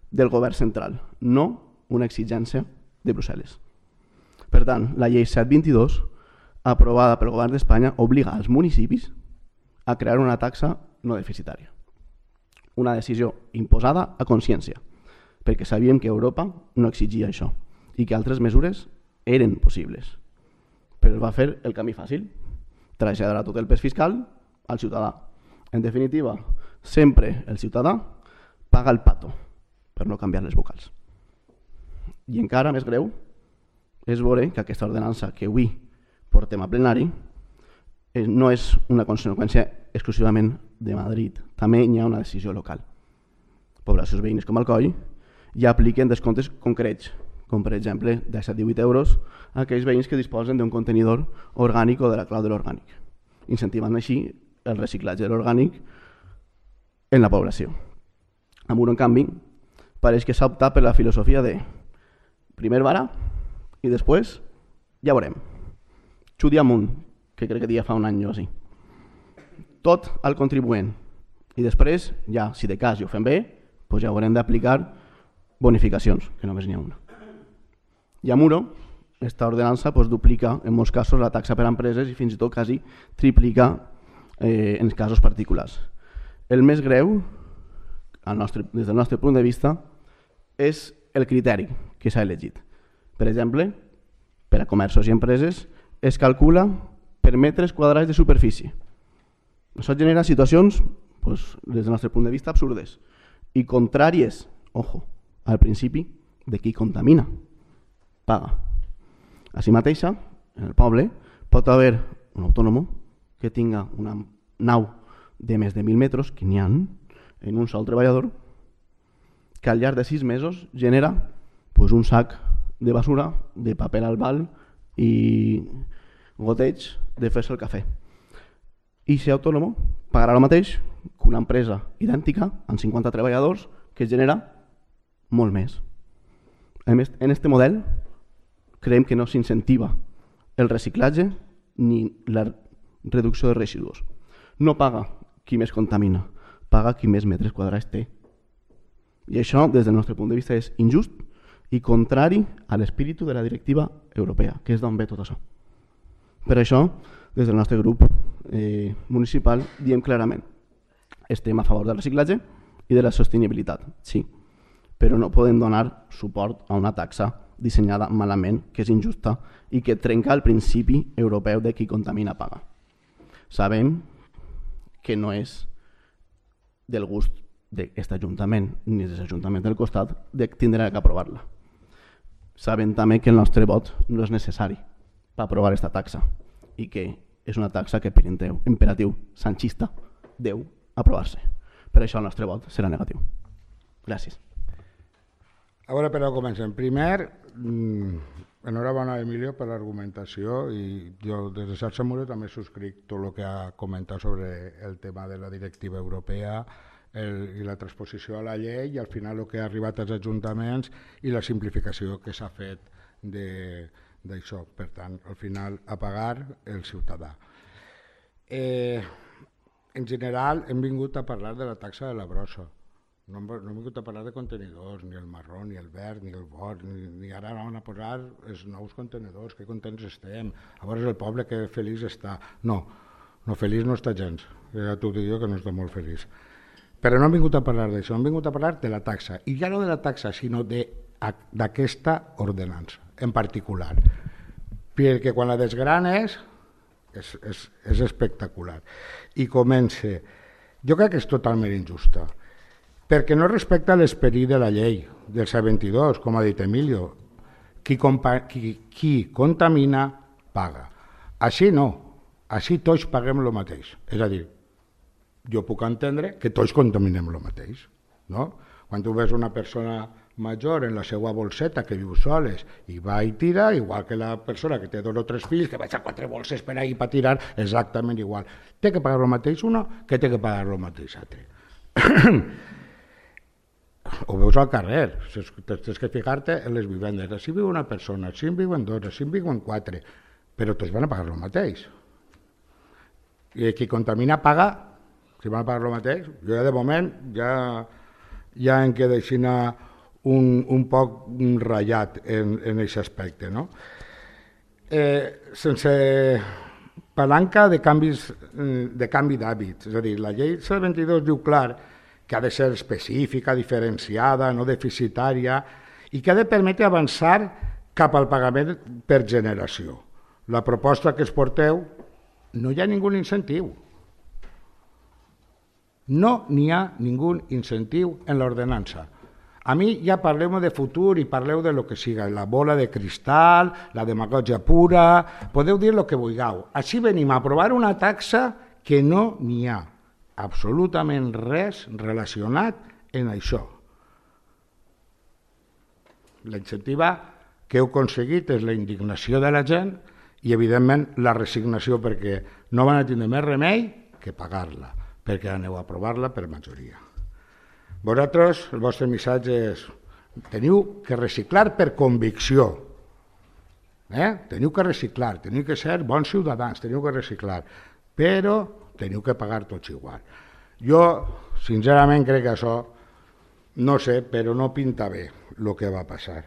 del govern central, no una exigència de Brussel·les. Per tant, la llei set vint-i-dos, aprovada pel govern d'Espanya, obliga als municipis a crear una taxa no deficitària. Una decisió imposada a consciència, perquè sabíem que Europa no exigia això i que altres mesures eren possibles. Però es va fer el camí fàcil, traslladar tot el pes fiscal al ciutadà. En definitiva, sempre el ciutadà paga el pato, per no canviar les vocals. I encara més greu és veure que aquesta ordenança que avui portem a plenari no és una conseqüència exclusivament de Madrid. També hi ha una decisió local. Poblacions veïnes com Alcoi ja apliquen descomptes concrets, com per exemple de set a divuit euros a aquells veïns que disposen d'un contenidor orgànic o de la clau de l'orgànic, incentivant així el reciclatge de l'orgànic en la població. A Muro, en canvi, pareix que s'ha optat per la filosofia de primer vara i després ja veurem. Xudi amunt, que crec que dia fa un any o així. Tot al contribuent. I després, ja, si de cas i ho fem bé, doncs ja haurem d'aplicar bonificacions, que només n'hi ha una. I a Muro, aquesta ordenança doncs, duplica en molts casos la taxa per a empreses i fins i tot quasi triplica eh, en casos particulars. El més greu, al nostre, des del nostre punt de vista, és el criteri que s'ha elegit. Per exemple, per a comerços i empreses es calcula per metres quadrats de superfície. Això genera situacions, doncs, des del nostre punt de vista, absurdes i contràries, ojo, al principi de qui contamina, paga. Així mateixa, en el poble, pot haver un autònom que tinga una nau de més de mil metres, que n'hi ha en un sol treballador, que al llarg de sis mesos genera pues, un sac de basura, de paper albal i goteig de fer-se el cafè. I ser autònom pagarà el mateix que una empresa idèntica, amb cinquanta treballadors, que genera molt més. En aquest model creiem que no s'incentiva el reciclatge ni la reducció de residus. No paga qui més contamina, paga qui més metres quadrats té. I això, des del nostre punt de vista, és injust i contrari a l'espíritu de la directiva europea, que és d'on ve tot això. Per això, des del nostre grup eh, municipal, diem clarament estem a favor del reciclatge i de la sostenibilitat, sí, però no podem donar suport a una taxa dissenyada malament, que és injusta i que trenca el principi europeu de qui contamina paga. Sabem que no és del gust d'aquest Ajuntament ni de l'Ajuntament del costat de tindre que aprovar-la. Sabem també que el nostre vot no és necessari per aprovar aquesta taxa i que és una taxa que per imperatiu sanchista deu aprovar-se. Per això el nostre vot serà negatiu. Gràcies. A veure, però comencem. Primer, enhorabona a Emilio per l'argumentació i jo des de Xarxa Muro també subscric tot el que ha comentat sobre el tema de la directiva europea el, i la transposició a la llei i al final el que ha arribat als ajuntaments i la simplificació que s'ha fet d'això. Per tant, al final, a pagar el ciutadà. Eh, en general, hem vingut a parlar de la taxa de la brossa. No hem, no hem vingut a parlar de contenidors, ni el marró, ni el verd, ni el vot, ni, ni ara van a posar els nous contenidors, que contents estem, a veure el poble que feliç està. No, no feliç no està gens, ja t'ho dic jo que no està molt feliç. Però no hem vingut a parlar d'això, hem vingut a parlar de la taxa, i ja no de la taxa, sinó d'aquesta ordenança, en particular, perquè quan la desgranes és, és, és espectacular. I comença, jo crec que és totalment injusta, perquè no respecta l'esperit de la llei del set vint-i-dos, com ha dit Emilio. Qui, compa, qui, qui contamina, paga. Així no, així tots paguem el mateix. És a dir, jo puc entendre que tots contaminem el mateix. No? Quan tu ves una persona major en la seva bolseta que viu soles i va i tira, igual que la persona que té dos o tres fills, que vaig a quatre bolses per ahí per tirar, exactament igual. Té que pagar el mateix uno que té que pagar el mateix altre. Ho veus al carrer, tens que fijar-te en les vivendes. Així viu una persona, així en viuen dos, així en viuen quatre, però tots van a pagar el mateix. I qui contamina paga, si van a pagar el mateix. Jo ja de moment ja, ja em queda així un, un poc ratllat en, en aquest aspecte, no? eh, sense palanca de, canvis, de canvi d'hàbits. És a dir, la llei cent vint-i-dos diu clar que ha de ser específica, diferenciada, no deficitària, i que ha de permetre avançar cap al pagament per generació. La proposta que es porteu no hi ha ningú incentiu. No n'hi ha ningú incentiu en l'ordenança. A mi ja parleu de futur i parleu de lo que siga, la bola de cristal, la demagògia pura, podeu dir el que vulgueu. Així venim a aprovar una taxa que no n'hi ha absolutament res relacionat en això. L'incentiva que heu aconseguit és la indignació de la gent i, evidentment, la resignació perquè no van a tindre més remei que pagar-la, perquè aneu a aprovar-la per majoria. Vosaltres, el vostre missatge és teniu que reciclar per convicció. Eh? Teniu que reciclar, teniu que ser bons ciutadans, teniu que reciclar, però teniu que pagar tots igual. Jo, sincerament, crec que això, no sé, però no pinta bé el que va passar.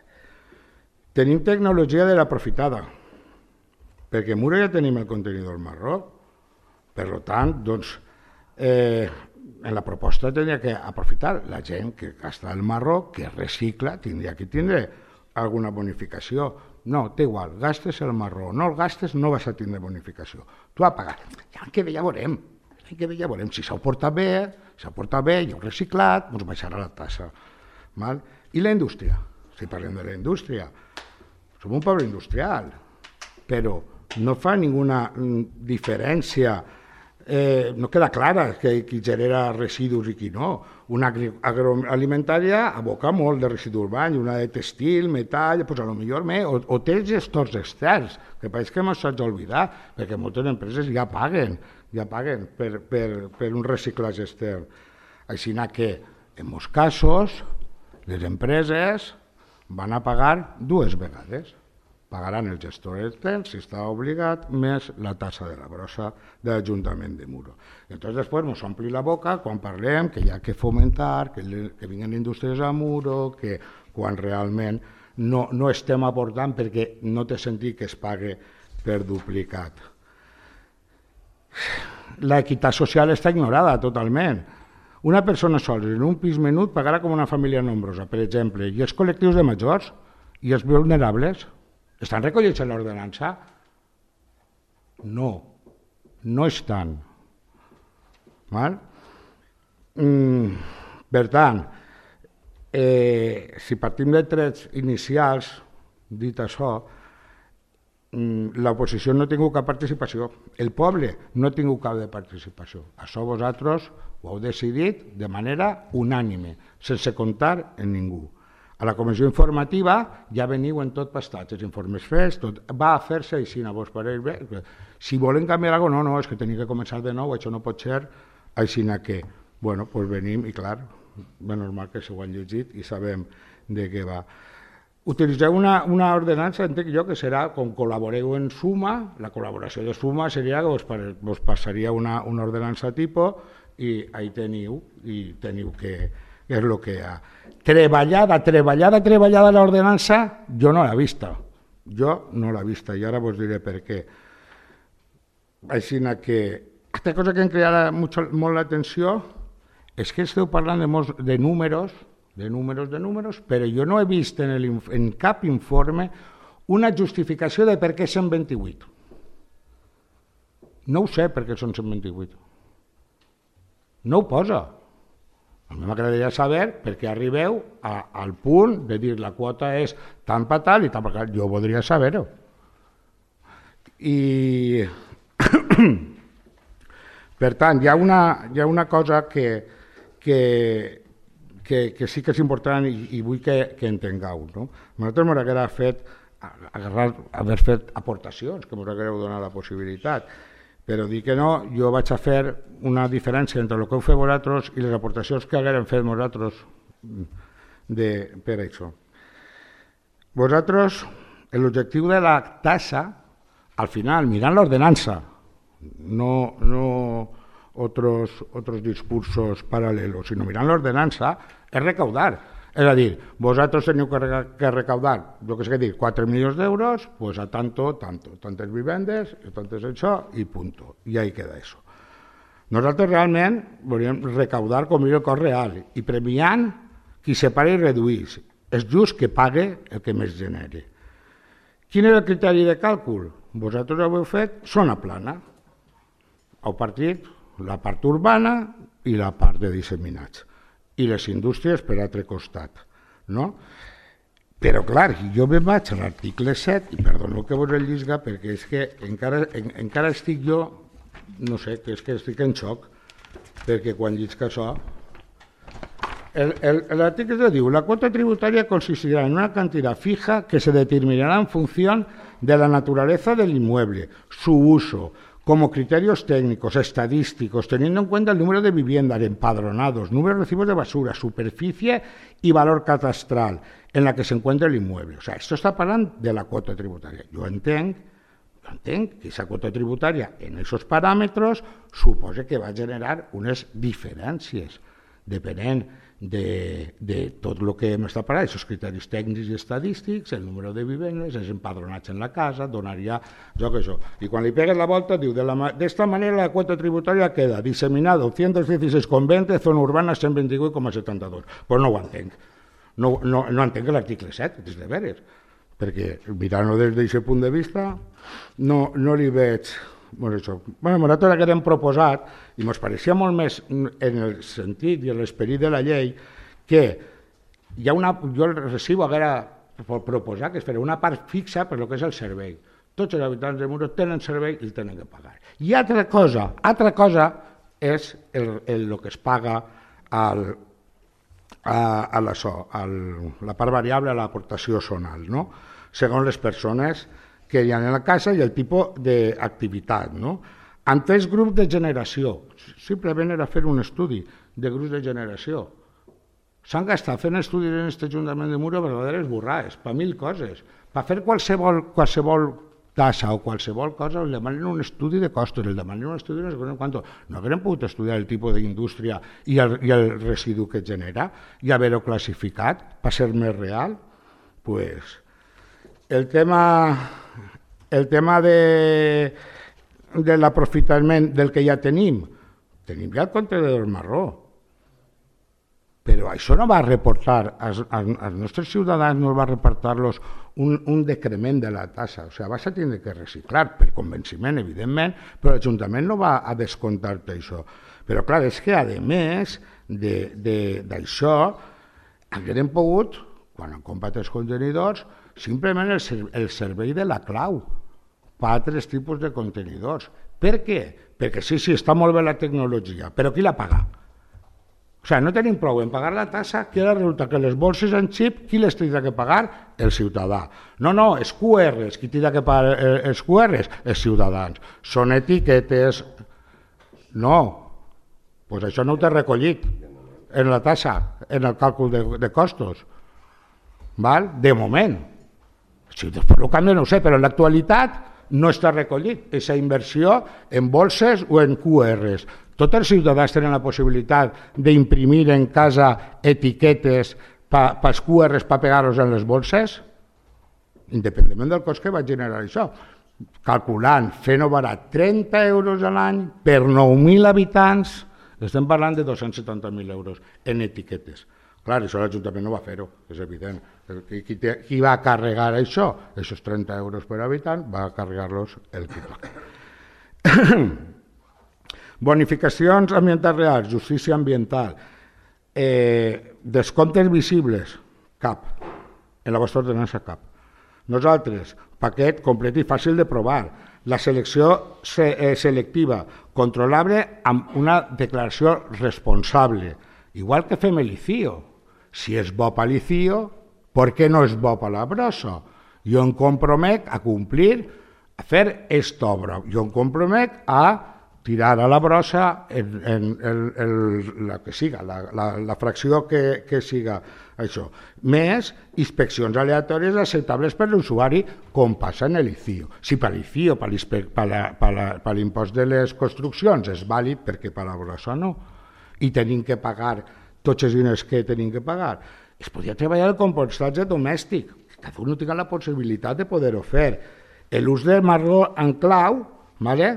Tenim tecnologia de l'aprofitada, perquè a Muro ja tenim el contenidor marró. Per tant, doncs, eh, en la proposta tindria que aprofitar la gent que gasta el marró, que recicla, tindria que tindre alguna bonificació. No, té igual, gastes el marró, no el gastes, no vas a tindre bonificació. Tu has pagat. Ja que bé, ja veurem. Que bé, ja veurem. Si s'ha portat bé, si s'ha portat bé, ja ho reciclat, doncs baixarà la tassa. Val? I la indústria. Si parlem de la indústria, som un poble industrial, però no fa ninguna diferència. Eh, no queda clara que qui genera residus i qui no. Una agroalimentària aboca molt de residu urbà, una de textil, metall, doncs a lo millor més, o, o té gestors externs, que pareix que m'ho s'ha d'oblidar, perquè moltes empreses ja paguen, ja paguen per, per, per un reciclatge extern. Així que, en molts casos, les empreses van a pagar dues vegades. Pagaran el gestor extern, si està obligat, més la tassa de la brossa de l'Ajuntament de Muro. I llavors després ens ompli la boca quan parlem que hi ha que fomentar, que, que vinguin indústries a Muro, que quan realment no, no estem aportant perquè no té sentit que es pague per duplicat. L'equitat social està ignorada totalment. Una persona sola en un pis menut pagarà com una família nombrosa, per exemple, i els col·lectius de majors i els vulnerables estan recollits en l'ordenança? No, no estan. Val? Mm, per tant, eh, si partim de trets inicials, dit això, mm, l'oposició no ha tingut cap participació, el poble no ha tingut cap de participació. Això vosaltres ho heu decidit de manera unànime, sense comptar en ningú. A la comissió informativa ja veniu en tot pastats, els informes fets, tot va a fer-se així, a vos pareix bé. Si volen canviar alguna cosa, no, no, és que tenim que començar de nou, això no pot ser així que, bueno, doncs venim i clar, és normal que s'ho han llegit i sabem de què va. Utilitzeu una, una ordenança, entenc jo, que serà, com col·laboreu en suma, la col·laboració de suma seria que vos, vos passaria una, una ordenança tipus i ahí teniu, i teniu que, que és el que hi ha. Treballada, treballada, treballada l'ordenança, jo no l'he vista. Jo no l'he vista i ara vos diré per què. Així que, aquesta cosa que em crida molt l'atenció és que esteu parlant de, molts, de números, de números, de números, però jo no he vist en, el, en cap informe una justificació de per què cent vint-i-vuit. No ho sé per què són cent vint-i-vuit. No ho posa. A mi m'agradaria saber per què arribeu a, al punt de dir la quota és tant per tal i tant per tal. Jo voldria saber-ho. I per tant, hi ha una, hi ha una cosa que, que, que, que sí que és important i, i vull que, que entengueu. No? A nosaltres m'agradaria fet, agarrar, haver fet aportacions, que m'agradaria donar la possibilitat. Però dir que no, jo vaig a fer una diferència entre el que heu fet vosaltres i les aportacions que haguérem fet vosaltres de, per això. Vosaltres, l'objectiu de la tassa, al final, mirant l'ordenança, no, no otros, otros discursos paral·lelos, sinó mirant l'ordenança, és recaudar. És a dir, vosaltres teniu que, re que recaudar, jo que sé què dir, quatre milions d'euros, pues a tanto, tanto, tantes vivendes, tantes això, i punto. I ahí queda això. Nosaltres realment volíem recaudar com el cost real i premiant qui separa i reduís. És just que pague el que més generi. Quin és el criteri de càlcul? Vosaltres ho heu fet zona plana. Heu partit la part urbana i la part de disseminats. I les indústries per altre costat. No? Però, clar, jo me'n vaig a l'article set, i perdoneu que vos el llisga, perquè és que encara, en, encara estic jo, no sé, que és que estic en xoc, perquè quan llisca això... L'article diu, la cuota tributaria consistirá en una cantidad fija que se determinará en función de la naturaleza del inmueble, su uso, como criterios técnicos, estadísticos, teniendo en cuenta el número de viviendas empadronados, número de recibos de basura, superficie y valor catastral en la que se encuentra el inmueble. O sea, esto está hablando de la cuota tributaria. Yo entiendo, yo entiendo que esa cuota tributaria en esos parámetros supone que va a generar unas diferencias, depenent de, de tot el que hem estat parlant, aquests criteris tècnics i estadístics, el número de vivendes, els empadronats en la casa, donaria jo que això. I quan li pegues la volta, diu, de, la, de esta manera la cuota tributaria queda disseminada doscientos dieciséis coma veinte, zona urbana cent vint-i-vuit coma setanta-dos. Però no ho entenc. No, no, no entenc l'article set, des de veres, perquè mirant-ho des d'aquest punt de vista no, no li veig... Bueno, això. Bueno, nosaltres que hem proposat, i ens pareixia molt més en el sentit i en l'esperit de la llei, que hi ha una, jo el recibo haguera proposar que es farà una part fixa per lo que és el servei. Tots els habitants de Muro tenen servei i el tenen que pagar. I altra cosa, altra cosa és el, el, el que es paga al, a, a la, so, al, la part variable a l'aportació zonal, no? Segons les persones que hi ha en la casa i el tipus d'activitat. No? En tres grups de generació, simplement era fer un estudi de grups de generació. S'han gastat fent estudis en aquest Ajuntament de Muro verdaderes burrades, per mil coses. Per fer qualsevol, qualsevol tassa o qualsevol cosa, el demanen un estudi de costos, el demanen un estudi de no sé quant. No haguem pogut estudiar el tipus d'indústria i, el, i el residu que genera i haver-ho classificat per ser més real. Pues, el tema... El tema de, de l'aprofitament del que ja tenim, tenim ja el contenidor marró, però això no va reportar, als, als nostres ciutadans no va reportar-los un, un decrement de la tassa, o sigui, vas a tindre que reciclar per convenciment, evidentment, però l'Ajuntament no va a descomptar-te això. Però clar, és que a més d'això, haguem pogut, quan han comprat els contenidors, simplement el, el servei de la clau, per altres tipus de contenidors. Per què? Perquè sí, sí, està molt bé la tecnologia, però qui la paga? O sigui, no tenim prou en pagar la tassa, que ara resulta que les bolses en xip, qui les tindrà que pagar? El ciutadà. No, no, els Q Rs, qui tindrà que pagar els Q Rs? Els ciutadans. Són etiquetes... No, doncs això no ho t'he recollit en la tassa, en el càlcul de, de costos. Val? De moment. Si després el canvi no ho sé, però en l'actualitat no està recollit aquesta inversió en bolses o en Q Rs. Tots els ciutadans tenen la possibilitat d'imprimir en casa etiquetes pels Q Rs per pegar-los en les bolses, independentment del cost que va generar això. Calculant, fent-ho barat, trenta euros a l'any per nou mil habitants, estem parlant de dos-cents setanta mil euros en etiquetes. Clar, això l'Ajuntament no va fer-ho, és evident. Qui, te, qui va carregar això? Aquests trenta euros per habitant va carregar-los el que toca. Bonificacions ambientals reals, justícia ambiental, eh, descomptes visibles, cap. En la vostra ordenança, cap. Nosaltres, paquet complet i fàcil de provar. La selecció se, eh, selectiva, controlable amb una declaració responsable. Igual que fem l'I C I O. Si és bo per l'I C I O, per què no és bo per la brossa? Jo em compromet a complir, a fer aquesta obra. Jo em compromet a tirar a la brossa en, en, en, en la que siga, la, la, la fracció que, que siga això. Més inspeccions aleatòries acceptables per l'usuari, com passa en l'I C I O. Si per l'I C I O, per l'impost de les construccions, és vàlid, perquè per la brossa no. I tenim que pagar tots els diners que tenim que pagar. es podria treballar el compostatge domèstic, cada un tingui la possibilitat de poder-ho fer. L'ús de marró en clau, ¿vale?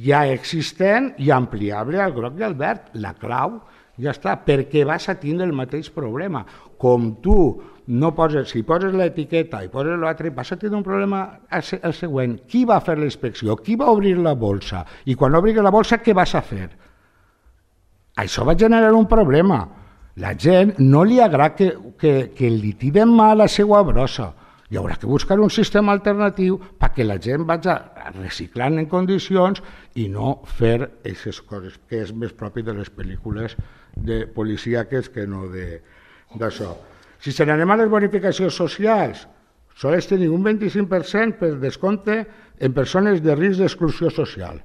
Ja existent i ampliable al groc i al verd. La clau ja està, perquè vas a tindre el mateix problema. Com tu no poses, si poses l'etiqueta i poses l'altre, vas a tindre un problema el següent. Qui va fer la inspecció? Qui va obrir la bolsa? I quan obris la bolsa, què vas a fer? Això va generar un problema. La gent no li agrada que, que, que li tiren mal la seva brossa. Hi haurà que buscar un sistema alternatiu perquè la gent vagi reciclant en condicions i no fer aquestes coses, que és més propi de les pel·lícules de policíaques que no d'això. Si se n'anem a les bonificacions socials, sols tenim un vint-i-cinc per cent per descompte en persones de risc d'exclusió social.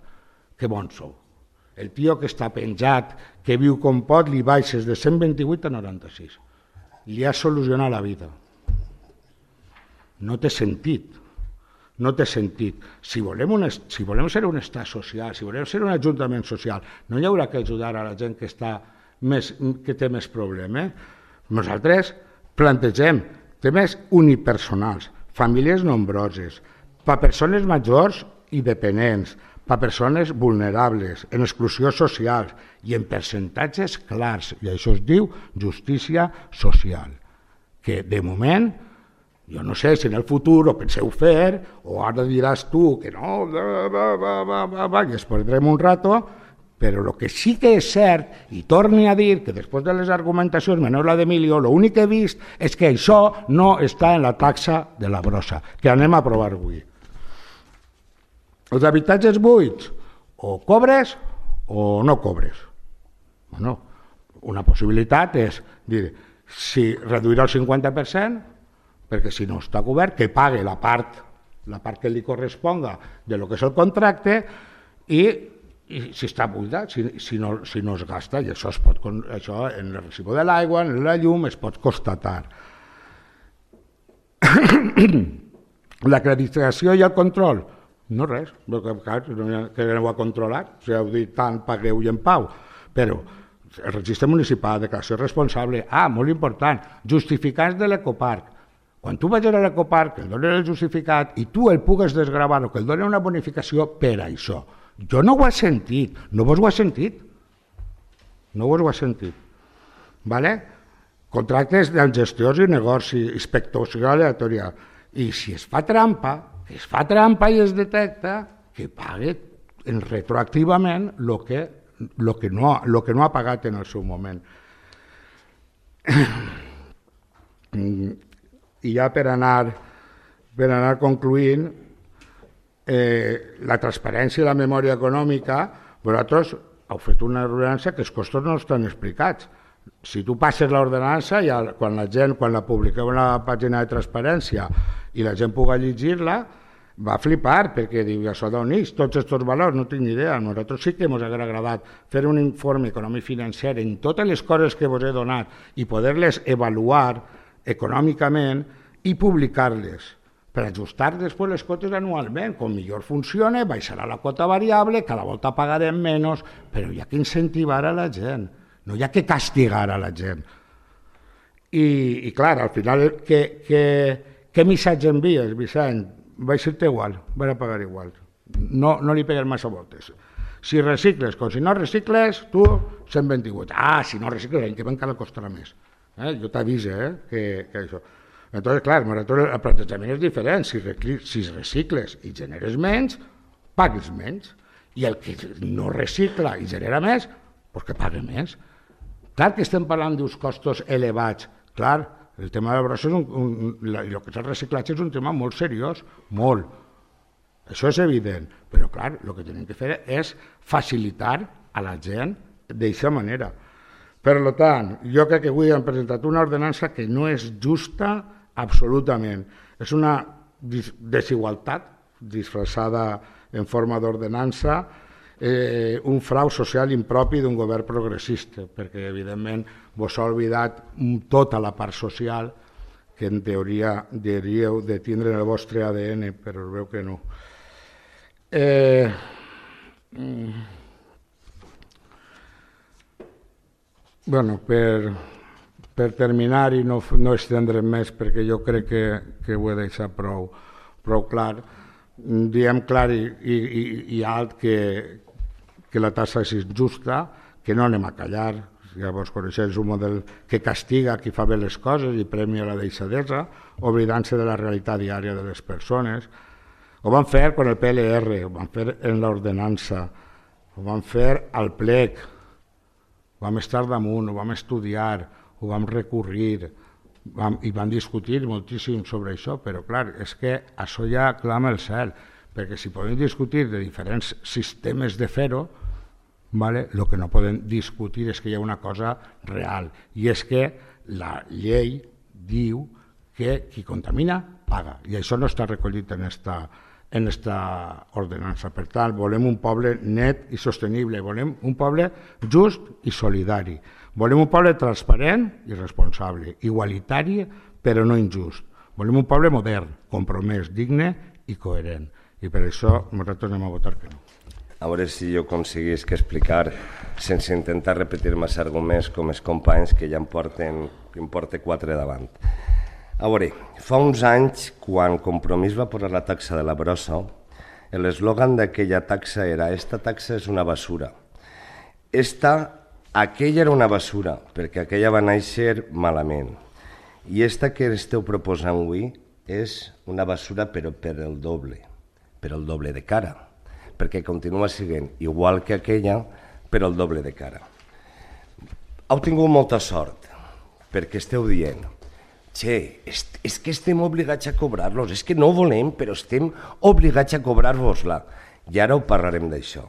Que bons sou. El tio que està penjat, que viu com pot, li baixes de cent vint-i-vuit a noranta-sis. Li has solucionat la vida. No té sentit. No té sentit. Si volem, un, si volem ser un estat social, si volem ser un ajuntament social, no hi haurà que ajudar a la gent que, està més, que té més problemes. Nosaltres plantegem temes unipersonals, famílies nombroses, per a persones majors i dependents, per a persones vulnerables, en exclusió social i en percentatges clars. I això es diu justícia social, que de moment, jo no sé si en el futur ho penseu fer, o ara diràs tu que no, va, va, va, va, va, va, i es perdrem un rato, però el que sí que és cert, i torni a dir que després de les argumentacions, menys la d'Emilio, l'únic que he vist és que això no està en la taxa de la brossa, que anem a aprovar avui. Els habitatges buits, o cobres o no cobres. Bueno, una possibilitat és dir, si reduir el cinquanta per cent, perquè si no està cobert, que pague la part, la part que li corresponga de lo que és el contracte i, i si està buidat, si, si, no, si no es gasta, i això, es pot, això en el recibo de l'aigua, en la llum, es pot constatar. L'acreditació i el control, no res, que aneu a controlar, si heu dit tant, pagueu i en pau, però el registre municipal, declaració responsable, ah, molt important, justificats de l'ecoparc. Quan tu vagis a l'ecoparc, que el donen el justificat i tu el pugues desgravar o que el donen una bonificació per això. Jo no ho he sentit, no vos ho he sentit. No vos ho he sentit. Vale? Contractes dels gestors i negoci, inspecció aleatòria. I si es fa trampa, que es fa trampa i es detecta, que pague retroactivament el que, lo que, no, lo que no ha pagat en el seu moment. I ja per anar, per anar concluint, eh, la transparència i la memòria econòmica, vosaltres heu fet una ordenança que els costos no estan explicats. Si tu passes l'ordenança, ja, quan la gent, quan la publiqueu en la pàgina de transparència i la gent pugui llegir-la, va flipar, perquè diu, això d'on és, tots aquests valors, no tinc ni idea. A nosaltres sí que ens hauria agradat fer un informe econòmic financer en totes les coses que vos he donat i poder-les avaluar econòmicament i publicar-les per ajustar després les quotes anualment. Com millor funciona, baixarà la quota variable, cada volta pagarem menys, però hi ha que incentivar a la gent, no hi ha que castigar a la gent. I, i clar, al final, què, què, què missatge envies, Vicent? Va ser-te igual, va a pagar igual. No, no li pegues massa voltes. Si recicles, com si no recicles, tu cent vint-i-vuit. Ah, si no recicles, l'any que ve encara costarà més. Eh? Jo t'avise eh, que, que això. Entonces, clar, el plantejament és diferent. Si, si recicles i generes menys, pagues menys. I el que no recicla i genera més, doncs que pague més. Clar que estem parlant d'uns costos elevats. Clar, el tema de la brossa és un, un, la, el que és el reciclatge és un tema molt seriós, molt. Això és evident, però clar, el que tenim que fer és facilitar a la gent d'aquesta manera. Per tant, jo crec que avui hem presentat una ordenança que no és justa absolutament. És una desigualtat disfressada en forma d'ordenança, eh, un frau social impropi d'un govern progressista, perquè evidentment vos ha oblidat tota la part social que en teoria hauríeu de tindre en el vostre A D N, però es veu que no. Eh, bueno, per, per terminar i no, no estendre'm més, perquè jo crec que, que ho he deixat prou, prou clar, diem clar i, i, i alt que, que la taxa és injusta, que no anem a callar. Llavors, coneixeu un model que castiga qui fa bé les coses i premia la deixadesa, oblidant-se de la realitat diària de les persones. Ho van fer con el P L R, ho van fer en l'ordenança, ho van fer al plec, ho vam estar damunt, ho vam estudiar, ho vam recurrir, vam, i vam discutir moltíssim sobre això, però clar, és que això ja clama el cel, perquè si podem discutir de diferents sistemes de fer-ho, vale? El que no podem discutir és que hi ha una cosa real, i és que la llei diu que qui contamina paga, i això no està recollit en esta, en esta ordenança. Per tant, volem un poble net i sostenible, volem un poble just i solidari, volem un poble transparent i responsable, igualitari però no injust, volem un poble modern, compromès, digne i coherent, i per això nosaltres anem a votar que no. A veure si jo aconseguís que explicar, sense intentar repetir més arguments com els companys que ja em porten, em porten quatre davant. A veure, fa uns anys, quan Compromís va posar la taxa de la brossa, l'eslògan d'aquella taxa era «Esta taxa és una basura». Esta, aquella era una basura, perquè aquella va néixer malament. I esta que esteu proposant avui és una basura però per el doble, per el doble de cara, perquè continua sent igual que aquella, però el doble de cara. Heu tingut molta sort, perquè esteu dient «Che, és que estem obligats a cobrar-los, és que no volem, però estem obligats a cobrar-vos-la». I ara ho parlarem d'això.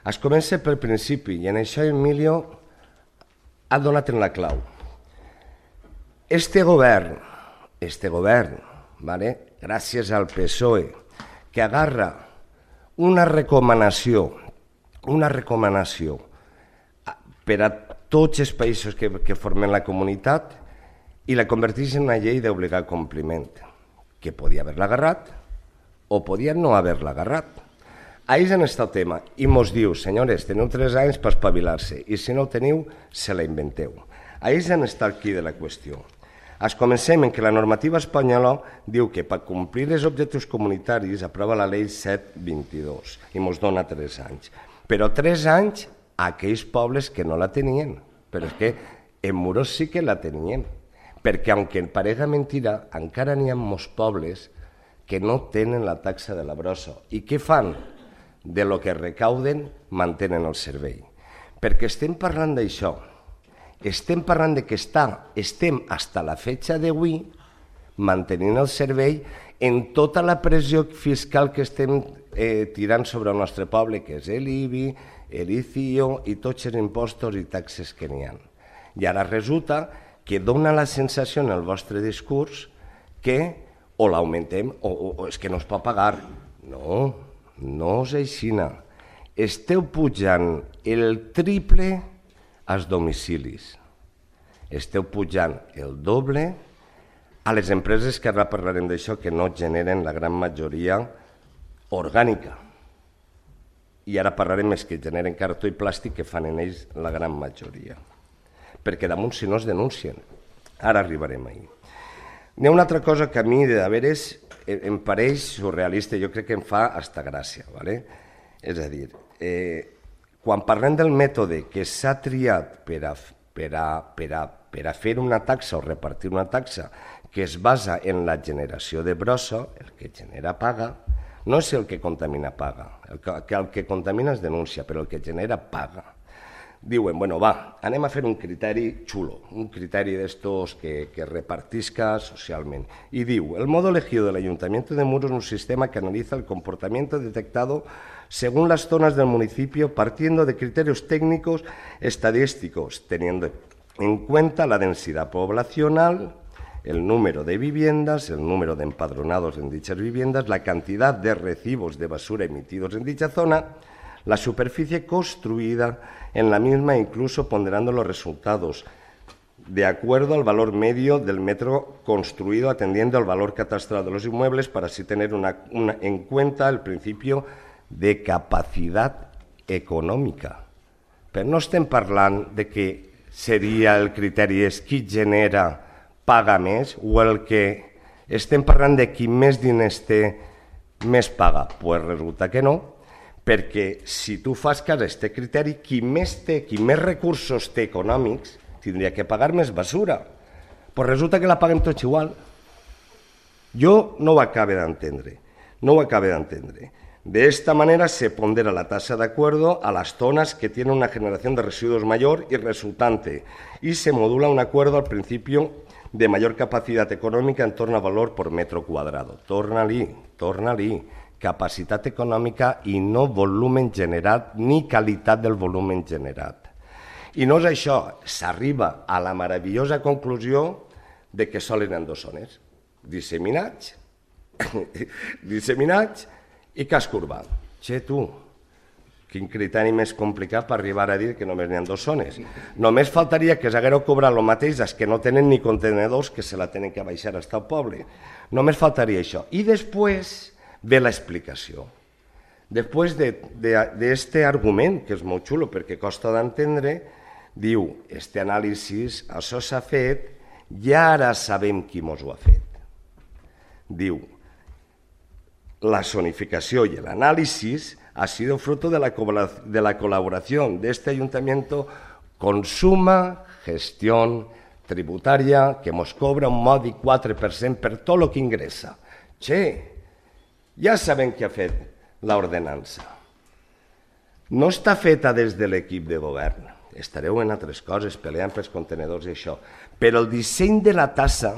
Es comença pel principi, i en això Emilio ha donat en la clau. Este govern, este govern, vale, gràcies al P S O E, que agarra una recomanació, una recomanació per a tots els països que, que formen la comunitat i la converteix en una llei d'obligat compliment, que podia haver-la agarrat o podia no haver-la agarrat. Ahí és on està el tema, i mos diu, senyores, teniu tres anys per espavilar-se, i si no el teniu, se la inventeu. Ahí és on està el quid de la qüestió. Es comencem en que la normativa espanyola diu que per complir els objectius comunitaris aprova la llei set vint-i-dos i ens dona tres anys. Però tres anys a aquells pobles que no la tenien. Però és que en Muros sí que la tenien. Perquè, aunque parega mentira, encara n'hi ha molts pobles que no tenen la taxa de la brossa. I què fan? De lo que recauden, mantenen el servei. Perquè estem parlant d'això. Estem parlant de que està, estem fins a la fetxa d'avui mantenint el servei en tota la pressió fiscal que estem eh, tirant sobre el nostre poble, que és l'I B I, l'I C I O i tots els impostos i taxes que n'hi ha. I ara resulta que dona la sensació en el vostre discurs que o l'augmentem o, o, o és que no es pot pagar. No, no és així. Esteu pujant el triple als domicilis. Esteu pujant el doble a les empreses, que ara parlarem d'això, que no generen la gran majoria orgànica. I ara parlarem més que generen cartó i plàstic, que fan en ells la gran majoria. Perquè damunt si no es denuncien. Ara arribarem ahir. N'hi ha una altra cosa que a mi, de veres, em pareix surrealista, jo crec que em fa hasta gràcia. ¿vale? És a dir, eh, quan parlem del mètode que s'ha triat per a, per, a, per, a, per a fer una taxa o repartir una taxa que es basa en la generació de brossa, el que genera paga, no és el que contamina paga, el que, el que contamina es denuncia, però el que genera paga. Diuen, bueno, va, anem a fer un criteri xulo, un criteri d'estos que, que repartisca socialment. I diu, el modo elegido del Ayuntamiento de Muros es un sistema que analiza el comportamiento detectado según las zonas del municipio, partiendo de criterios técnicos estadísticos, teniendo en cuenta la densidad poblacional, el número de viviendas, el número de empadronados en dichas viviendas, la cantidad de recibos de basura emitidos en dicha zona, la superficie construida en la misma, incluso ponderando los resultados de acuerdo al valor medio del metro construido, atendiendo al valor catastral de los inmuebles, para así tener una, una, en cuenta el principio de capacitat econòmica. Però no estem parlant de que seria el criteri, és qui genera paga més, o el que estem parlant de qui més diners té més paga? Doncs pues resulta que no, perquè si tu fas cas a aquest criteri, qui més té, qui més recursos té econòmics, tindria que pagar més basura. Doncs pues resulta que la paguem tots igual. Jo no ho acabo d'entendre, no ho acabo d'entendre. De esta manera se pondera la tasa de acuerdo a las zonas que tienen una generación de residuos mayor y resultante y se modula un acuerdo al principio de mayor capacidad econòmica en torno a valor por metro cuadrado. Torna-li, torna-li, capacitat econòmica i no volumen generat ni qualitat del volumen generat. I no és això, s'arriba a la meravellosa conclusió de que solen en dos zones, disseminats, disseminats i casc urbà. Che, tu, quin criteri més complicat per arribar a dir que només n'hi ha dos zones. Només faltaria que s'haguéreu cobrat el mateix als que no tenen ni contenedors, que se la tenen que baixar fins al poble. Només faltaria això. I després ve l'explicació. Després d'aquest argument, que és molt xulo perquè costa d'entendre, diu, este anàlisi, això s'ha fet i ara sabem qui mos ho ha fet. Diu, la zonificación y el análisis ha sido fruto de la, de la colaboración de este ayuntamiento con Suma Gestión Tributaria, que nos cobra un mòdic quatre per cent per tot el que ingressa. Che, ja sabem qui ha fet l'ordenança. No està feta des de l'equip de govern. Estareu en altres coses, peleant pels contenedors i això. Però el disseny de la tassa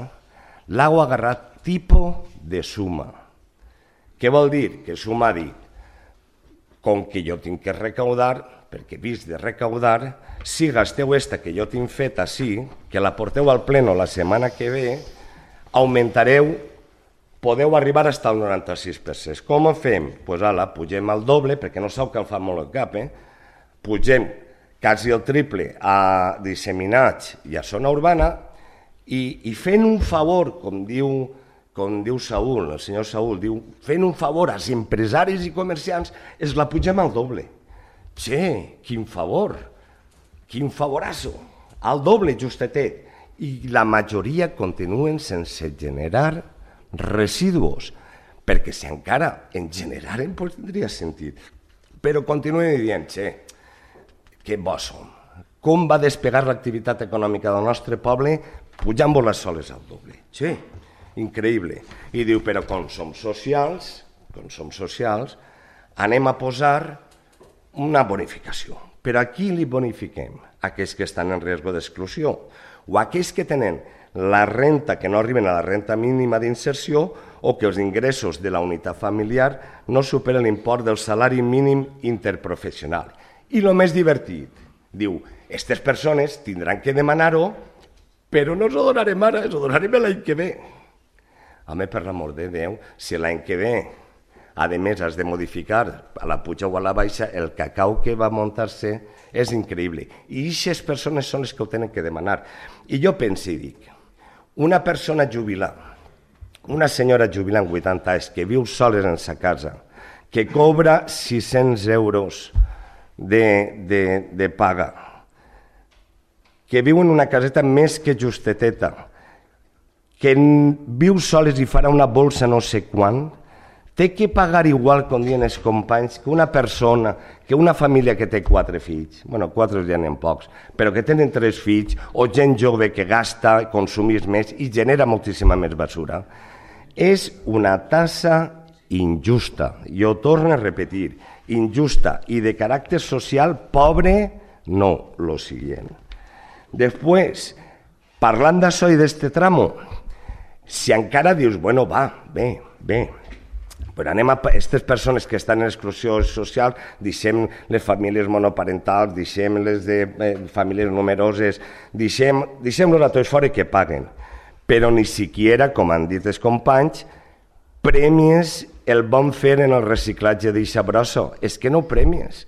l'heu agarrat tipus de Suma. Què vol dir? Que Suma ha dit, com que jo tinc que recaudar, perquè he vist de recaudar, si gasteu esta que jo tinc feta així, que la porteu al pleno la setmana que ve, augmentareu, podeu arribar fins al noranta-sis per cent. Com ho fem? Doncs pues, ala, pugem al doble, perquè no sabeu que el fa molt el cap, eh? Pugem quasi el triple a disseminats i a zona urbana i, i fent un favor, com diu com diu Saúl, el senyor Saúl, diu, fent un favor als empresaris i comerciants, es la pugem al doble. Che, quin favor, quin favorasso, al doble justetet. I la majoria continuen sense generar residus, perquè si encara en generaren, doncs tindria sentit. Però continuen dient, che, que bons som. Com va despegar l'activitat econòmica del nostre poble pujant-vos les soles al doble. Che, increïble. I diu, però com som socials, com som socials, anem a posar una bonificació. Però a qui li bonifiquem? Aquells que estan en risc d'exclusió o aquells que tenen la renta que no arriben a la renta mínima d'inserció o que els ingressos de la unitat familiar no superen l'import del salari mínim interprofessional. I el més divertit, diu, aquestes persones tindran que demanar-ho, però no us ho donarem ara, us ho donarem l'any que ve. Home, per l'amor de Déu, si l'any que ve, a més, has de modificar a la puja o a la baixa, el cacau que va muntar-se és increïble. I aquestes persones són les que ho tenen que demanar. I jo penso i dic, una persona jubilada, una senyora jubilada amb vuitanta anys, que viu soles en sa casa, que cobra sis-cents euros de, de, de paga, que viu en una caseta més que justeteta, que viu soles i farà una bolsa no sé quan, té que pagar igual, com diuen els companys, que una persona, que una família que té quatre fills, bueno, quatre ja n'hi ha pocs, però que tenen tres fills, o gent jove que gasta, consumís més i genera moltíssima més basura. És una tassa injusta, jo torno a repetir, injusta i de caràcter social pobre, no lo siguiente. Després, parlant d'això i d'este tramo, si encara dius, bueno, va, bé, bé, però anem a aquestes persones que estan en exclusió social, deixem les famílies monoparentals, deixem les de eh, famílies numeroses, deixem-los a tots fora que paguen. Però ni siquiera, com han dit els companys, premies el bon fer en el reciclatge d'eixa brossa. És que no premies.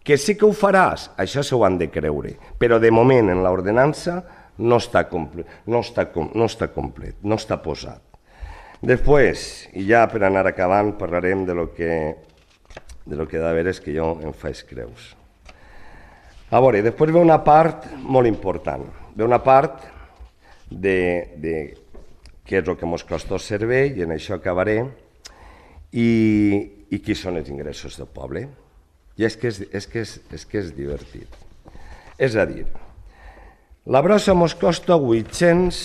Que sí que ho faràs, això s'ho han de creure. Però de moment en l'ordenança no està complet, no està, no està complet, no està posat. Després, i ja per anar acabant, parlarem de lo que de lo que de veres que jo em faig creus. A veure, després ve una part molt important. Ve una part de, de què és el que ens costa el servei, i en això acabaré, i, i qui són els ingressos del poble. I és que és, és, que és, és, que és divertit. És a dir, la brossa ens costa vuit-cents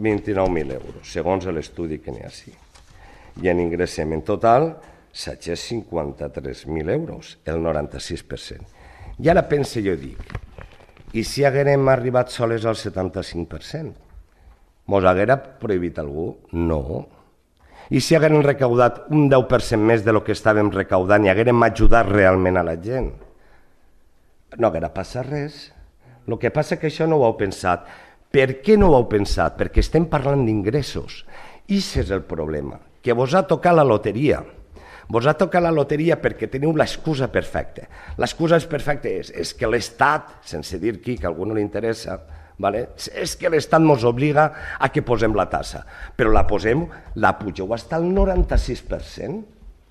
vint-i-nou mil euros, segons l'estudi que n'hi ha així. I en ingressem en total set-cents cinquanta-tres mil euros, el noranta-sis per cent. I ara pense jo, dic, i si haguérem arribat soles al setanta-cinc per cent? Mos haguera prohibit algú? No. I si haguérem recaudat un deu per cent més de lo que estàvem recaudant i haguérem ajudat realment a la gent? No haguera passat res. El que passa és que això no ho heu pensat. Per què no ho heu pensat? Perquè estem parlant d'ingressos. I aquest és el problema, que vos ha tocat la loteria. Vos ha tocat la loteria perquè teniu l'excusa perfecta. L'excusa perfecta és, és que l'Estat, sense dir qui, que a algú no li interessa, vale? És que l'Estat ens obliga a que posem la tassa. Però la posem, la pugeu fins al noranta-sis per cent.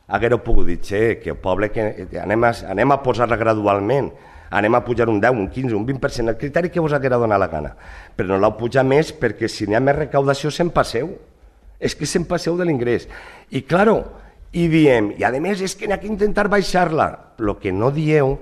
Haguéreu pogut dir, che, que el poble, que anem a, anem a posar-la gradualment, anem a pujar un deu, un quinze, un vint per cent, el criteri que vos haguera donat la gana. Però no l'heu pujat més perquè si n'hi ha més recaudació se'n passeu. És que se'n passeu de l'ingrés. I, claro, i diem, i a més és que n'hi ha que intentar baixar-la. El que no dieu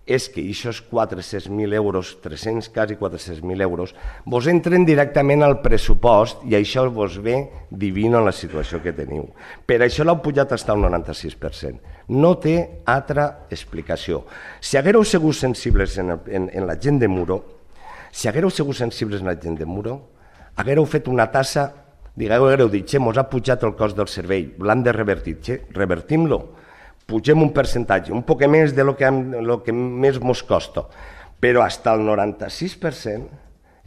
és que aquests quatre-cents mil euros, tres-cents, quasi quatre-cents mil euros, vos entren directament al pressupost i això vos ve divino en la situació que teniu. Per això l'heu pujat fins al noranta-sis per cent. No té altra explicació. Si haguéreu sigut sensibles en, en, en la gent de Muro, si haguéreu sigut sensibles en la gent de Muro, haguéreu fet una tassa, digueu, haguéreu dit, che, mos ha pujat el cost del servei, l'han de revertir, che, revertim-lo. Pugem un percentatge, un poc més de lo que, lo que més mos costa, però fins al noranta-sis per cent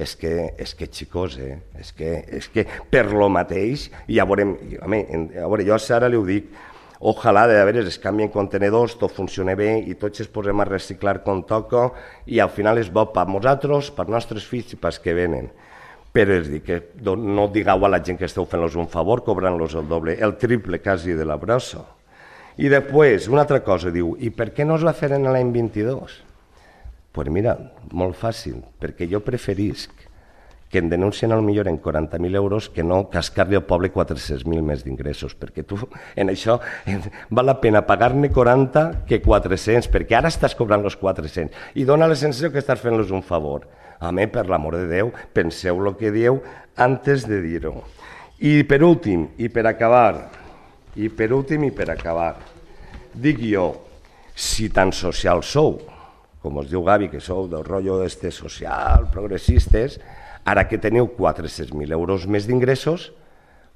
és que, és que xicos, eh? és, que, és que per lo mateix, i ja veurem, home, a veure, jo ara li ho dic, ojalà de veres es canvien contenedors, tot funciona bé i tots es posem a reciclar com toca i al final és bo per nosaltres, per nostres fills i pels que venen. Però és dir, que no digueu a la gent que esteu fent-los un favor cobrant-los el doble, el triple quasi de la brossa. I després, una altra cosa, diu, i per què no es va fer en l'any vint-i-dos? Doncs pues mira, molt fàcil, perquè jo preferisc que em denuncien al millor en quaranta mil euros que no cascar-li al poble quatre-cents mil més d'ingressos, perquè tu en això val la pena pagar-ne quaranta que quatre-cents, perquè ara estàs cobrant els quatre-cents i dona la sensació que estàs fent-los un favor. Home, per l'amor de Déu, penseu el que dieu antes de dir-ho. I per últim, i per acabar, i per últim i per acabar, dic jo, si tan social sou, com us diu Gavi, que sou del rotllo este social, progressistes, ara que teniu quatre-cents mil euros més d'ingressos,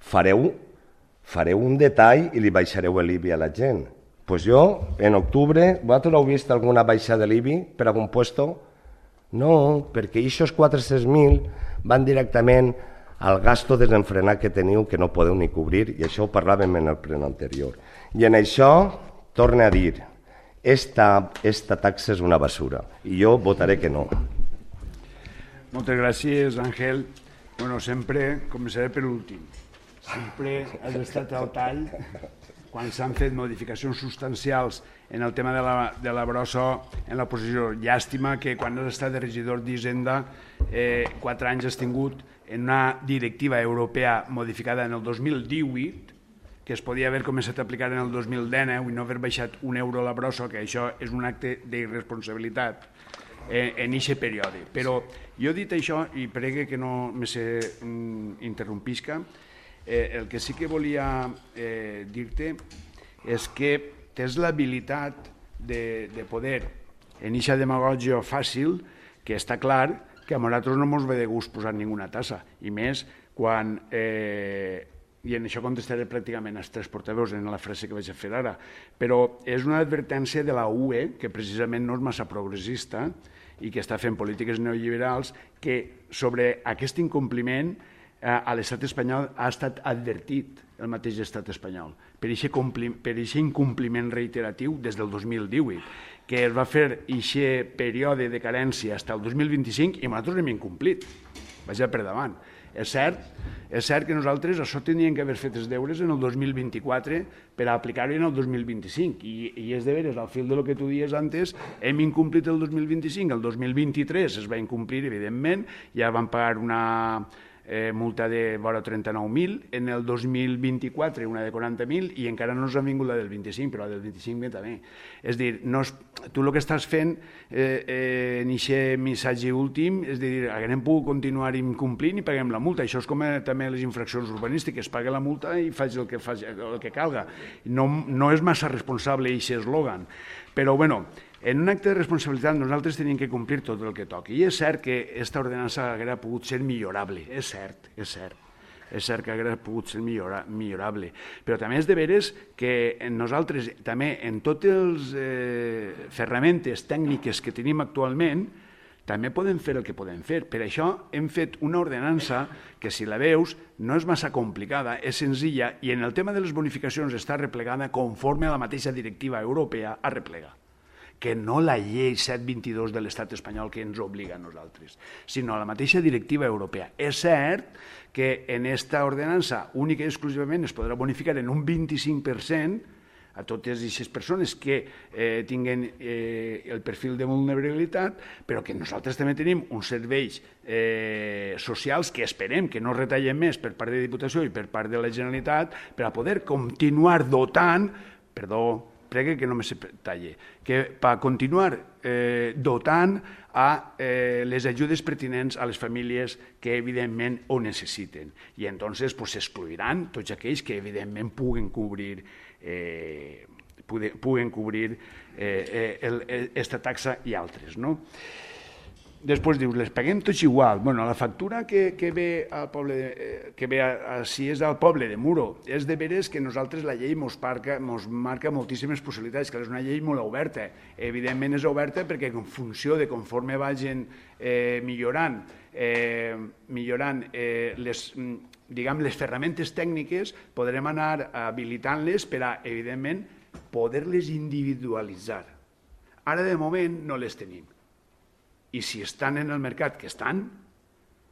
fareu, fareu un detall i li baixareu l'I B I a la gent. Doncs pues jo, en octubre, vosaltres heu vist alguna baixada de l'I B I per algun puesto? No, perquè aquests quatre-cents mil van directament al gasto desenfrenat que teniu que no podeu ni cobrir, i això ho parlàvem en el pleno anterior. I en això, torne a dir, esta, esta taxa és una basura, i jo votaré que no. Moltes gràcies, Àngel. Bueno, sempre començaré per últim. Sempre has estat al tall quan s'han fet modificacions substancials en el tema de la, de la brossa en la posició. Llàstima que quan has estat de regidor d'Hisenda eh, quatre anys has tingut en una directiva europea modificada en el dos mil divuit, que es podia haver començat a aplicar en el dos mil dinou i no haver baixat un euro a la brossa, que això és un acte d'irresponsabilitat en aquest període. Però jo he dit això, i pregue que no me se interrompisca, eh, el que sí que volia eh, dir-te és que tens l'habilitat de, de poder, en aquesta demagògia fàcil, que està clar que a nosaltres no ens ve de gust posar ninguna tassa, i més quan, eh, i en això contestaré pràcticament als tres portaveus en la frase que vaig a fer ara, però és una advertència de la U E, que precisament no és massa progressista i que està fent polítiques neoliberals, que sobre aquest incompliment eh, a l'estat espanyol ha estat advertit el mateix estat espanyol per aquest incompliment reiteratiu des del dos mil divuit, que es va fer aquest període de carència fins al dos mil vint-i-cinc i nosaltres l'hem incomplit, vaja per davant. És cert, és cert que nosaltres això teníem que haver fet els deures en el dos mil vint-i-quatre per a aplicar-ho en el dos mil vint-i-cinc. I, i és de veres, al fil de lo que tu dies antes, hem incomplit el dos mil vint-i-cinc, el dos mil vint-i-tres es va incomplir, evidentment, ja van pagar una eh, multa de vora trenta-nou mil, en el dos mil vint-i-quatre una de quaranta mil i encara no ens ha vingut la del vint-i-cinc, però la del vint-i-cinc ve també. És a dir, no és, tu el que estàs fent eh, eh, en aquest missatge últim és dir, haguem pogut continuar incomplint i paguem la multa. Això és com eh, també les infraccions urbanístiques, paga la multa i faig el que, faig, el que calga. No, no és massa responsable aquest eslògan, però bueno, en un acte de responsabilitat nosaltres tenim que complir tot el que toqui. I és cert que aquesta ordenança hauria pogut ser millorable, és cert, és cert. És cert que hauria pogut ser millora, millorable. Però també és de veres que nosaltres també en totes les eh, ferramentes tècniques que tenim actualment també podem fer el que podem fer. Per això hem fet una ordenança que, si la veus, no és massa complicada, és senzilla i en el tema de les bonificacions està replegada conforme a la mateixa directiva europea a replegar, que no la llei set vint-i-dos de l'Estat espanyol que ens obliga a nosaltres, sinó a la mateixa directiva europea. És cert que en aquesta ordenança única i exclusivament es podrà bonificar en un vint-i-cinc per cent a totes aquestes persones que eh, tinguen eh, el perfil de vulnerabilitat, però que nosaltres també tenim uns serveis eh, socials que esperem que no retallem més per part de Diputació i per part de la Generalitat per a poder continuar dotant, perdó, pregue que no me se talle, que per continuar eh, dotant a eh, les ajudes pertinents a les famílies que evidentment ho necessiten. I entonces pues, s'excluiran tots aquells que evidentment puguen cobrir eh, puguen cobrir eh, aquesta taxa i altres, no? Després dius, les paguem tots igual. Bueno, la factura que, que ve al poble, de, que ve a, a, si és al poble de Muro, és de veres que nosaltres la llei mos marca, mos marca moltíssimes possibilitats, que és una llei molt oberta. Evidentment és oberta perquè en funció de conforme vagin eh, millorant, eh, millorant eh, les, diguem, les ferramentes tècniques, podrem anar habilitant-les per a, evidentment, poder-les individualitzar. Ara, de moment, no les tenim. I si estan en el mercat que estan,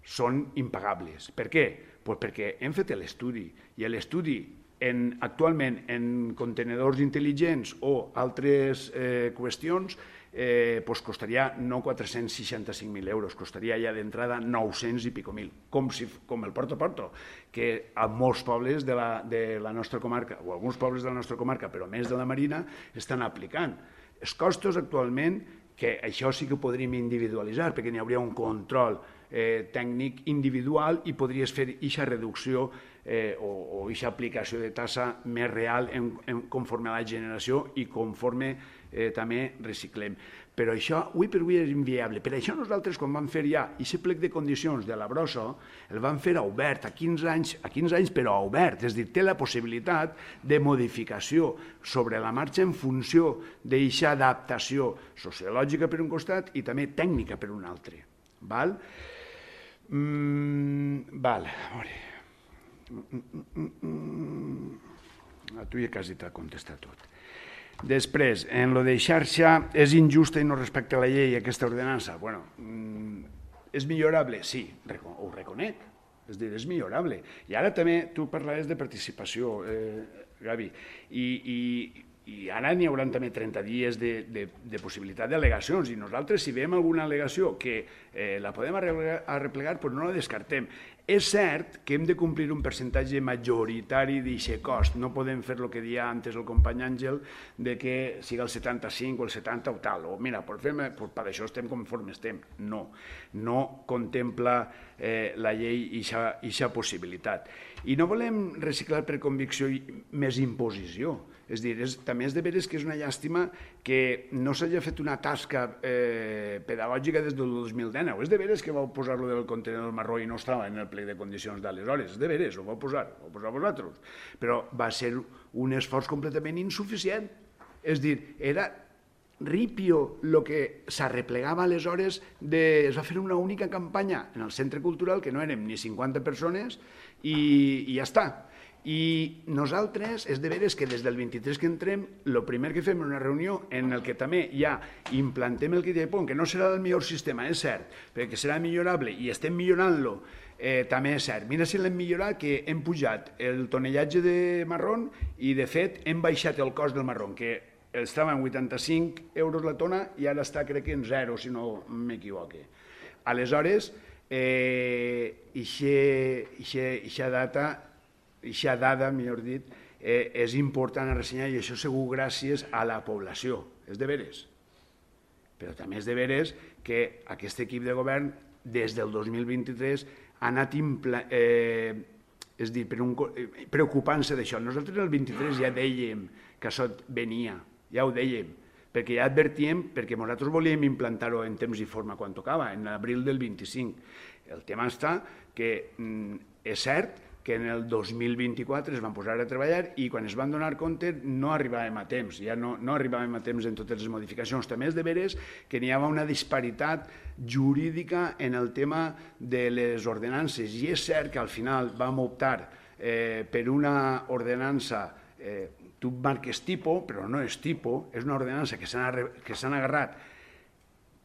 són impagables. Per què? Pues perquè hem fet l'estudi, i l'estudi en, actualment en contenedors intel·ligents o altres eh, qüestions eh, pues costaria no quatre-cents seixanta-cinc mil euros, costaria ja d'entrada nou-cents i pico mil, com, si, com el Porto Porto, que a molts pobles de la, de la nostra comarca, o alguns pobles de la nostra comarca, però més de la Marina, estan aplicant. Els costos actualment, que això sí que ho podríem individualitzar, perquè n'hi hauria un control eh, tècnic individual i podries fer aquesta reducció eh, o aquesta aplicació de tassa més real en, en, conforme a la generació i conforme eh, també reciclem. Però això, avui per avui, és inviable. Per això nosaltres, quan vam fer ja aquest plec de condicions de la brossa, el vam fer obert, a quinze anys, a quinze anys però obert, és a dir, té la possibilitat de modificació sobre la marxa en funció d'aquesta adaptació sociològica per un costat i també tècnica per un altre. Val? Mm, val, a veure... Mm, mm, mm. A tu ja quasi t'ha contestat tot. Després, en lo de xarxa, és injusta i no respecta la llei aquesta ordenança? Bueno, és millorable? Sí, ho reconec, és dir, és millorable. I ara també tu parlaves de participació, eh, Gavi, i, i, i ara n'hi haurà també trenta dies de, de, de possibilitat d'al·legacions, i nosaltres si veiem alguna al·legació que eh, la podem arreplegar, arreplegar doncs no la descartem. És cert que hem de complir un percentatge majoritari d'aquest cost. No podem fer el que deia antes el company Àngel, de que siga el setanta-cinc o el setanta o tal, o mira, per, fer, per això estem conforme estem. No, no contempla eh, la llei aquesta possibilitat. I no volem reciclar per convicció més imposició. És dir, és, també és de veres que és una llàstima que no s'hagi fet una tasca eh, pedagògica des del dos mil dinou. És de veres que vau posar-lo del contenedor marró i no estava en el plec de condicions d'aleshores. És de veres, ho vau posar, ho vau posar vosaltres. Però va ser un esforç completament insuficient. És dir, era ripio el que s'arreplegava aleshores, de, es va fer una única campanya en el centre cultural, que no érem ni cinquanta persones, i, i ja està. I nosaltres, és de veres que des del vint-i-tres que entrem, el primer que fem és una reunió en el que també ja implantem el kit de pont, que no serà el millor sistema, és cert, perquè serà millorable i estem millorant-lo, eh, també és cert. Mira si l'hem millorat, que hem pujat el tonellatge de marrón i, de fet, hem baixat el cost del marrón, que estava en vuitanta-cinc euros la tona i ara està, crec que, en zero, si no m'equivoque. Aleshores, eh, ixa data... Ixa dada, millor dit, eh, és important a ressenyar i això segur gràcies a la població, és de veres. Però també és de veres que aquest equip de govern des del dos mil vint-i-tres ha anat eh, és dir, per un, preocupant-se d'això. Nosaltres el vint-i-tres ja dèiem que això venia, ja ho dèiem, perquè ja advertíem, perquè nosaltres volíem implantar-ho en temps i forma quan tocava, en l'abril del vint-i-cinc. El tema està que mm, és cert que en el dos mil vint-i-quatre es van posar a treballar i quan es van donar compte no arribàvem a temps, ja no, no arribàvem a temps en totes les modificacions. També és de veres que n'hi havia una disparitat jurídica en el tema de les ordenances i és cert que al final vam optar eh, per una ordenança, eh, tu marques tipo, però no és tipo, és una ordenança que s'han agarrat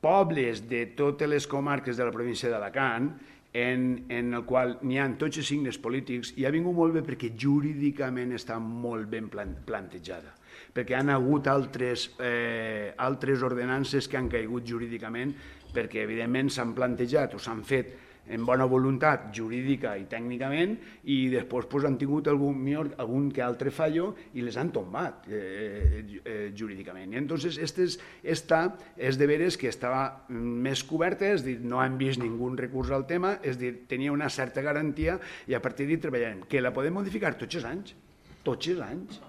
pobles de totes les comarques de la província d'Alacant, en, en el qual n'hi ha tots els signes polítics i ha vingut molt bé perquè jurídicament està molt ben plantejada, perquè han hagut altres, eh, altres ordenances que han caigut jurídicament perquè evidentment s'han plantejat o s'han fet en bona voluntat jurídica i tècnicament i després pues, han tingut algun, algun que altre fallo i les han tombat eh, eh, jurídicament. I entonces estes, esta és de veres que estava més coberta, és dir, no han vist ningú recurs al tema, és dir, tenia una certa garantia i a partir d'hi treballarem. Que la podem modificar tots els anys, tots els anys,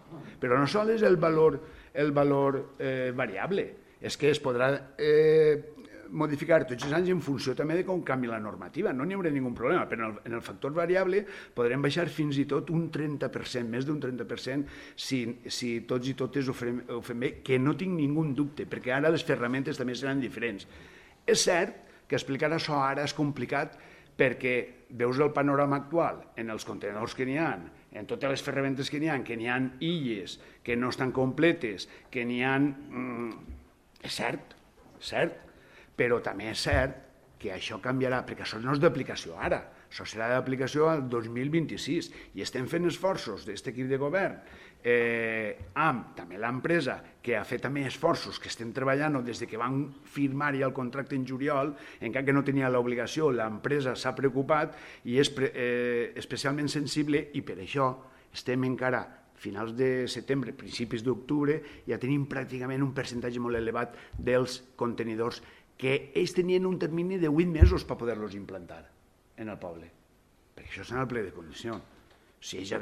però no sol és el valor, el valor eh, variable, és que es podrà eh, modificar tots els anys en funció també de com canvi la normativa, no n'hi haurà ningun problema, però en el, en el factor variable podrem baixar fins i tot un trenta per cent, més d'un trenta per cent si, si tots i totes ho fem, ho fem bé, que no tinc ningú dubte, perquè ara les ferramentes també seran diferents. És cert que explicar això ara és complicat perquè veus el panorama actual en els contenedors que n'hi ha, en totes les ferramentes que n'hi ha, que n'hi ha illes que no estan completes, que n'hi ha... Mm, és cert, cert, però també és cert que això canviarà, perquè això no és d'aplicació ara, això serà d'aplicació al dos mil vint-i-sis i estem fent esforços d'aquest equip de govern eh, amb també l'empresa que ha fet també esforços que estem treballant des de que van firmar ja el contracte en juliol, encara que no tenia l'obligació, l'empresa s'ha preocupat i és eh, especialment sensible i per això estem encara finals de setembre, principis d'octubre, ja tenim pràcticament un percentatge molt elevat dels contenidors que ells tenien un termini de vuit mesos per poder-los implantar en el poble, perquè això és en el ple de condicions. Si ells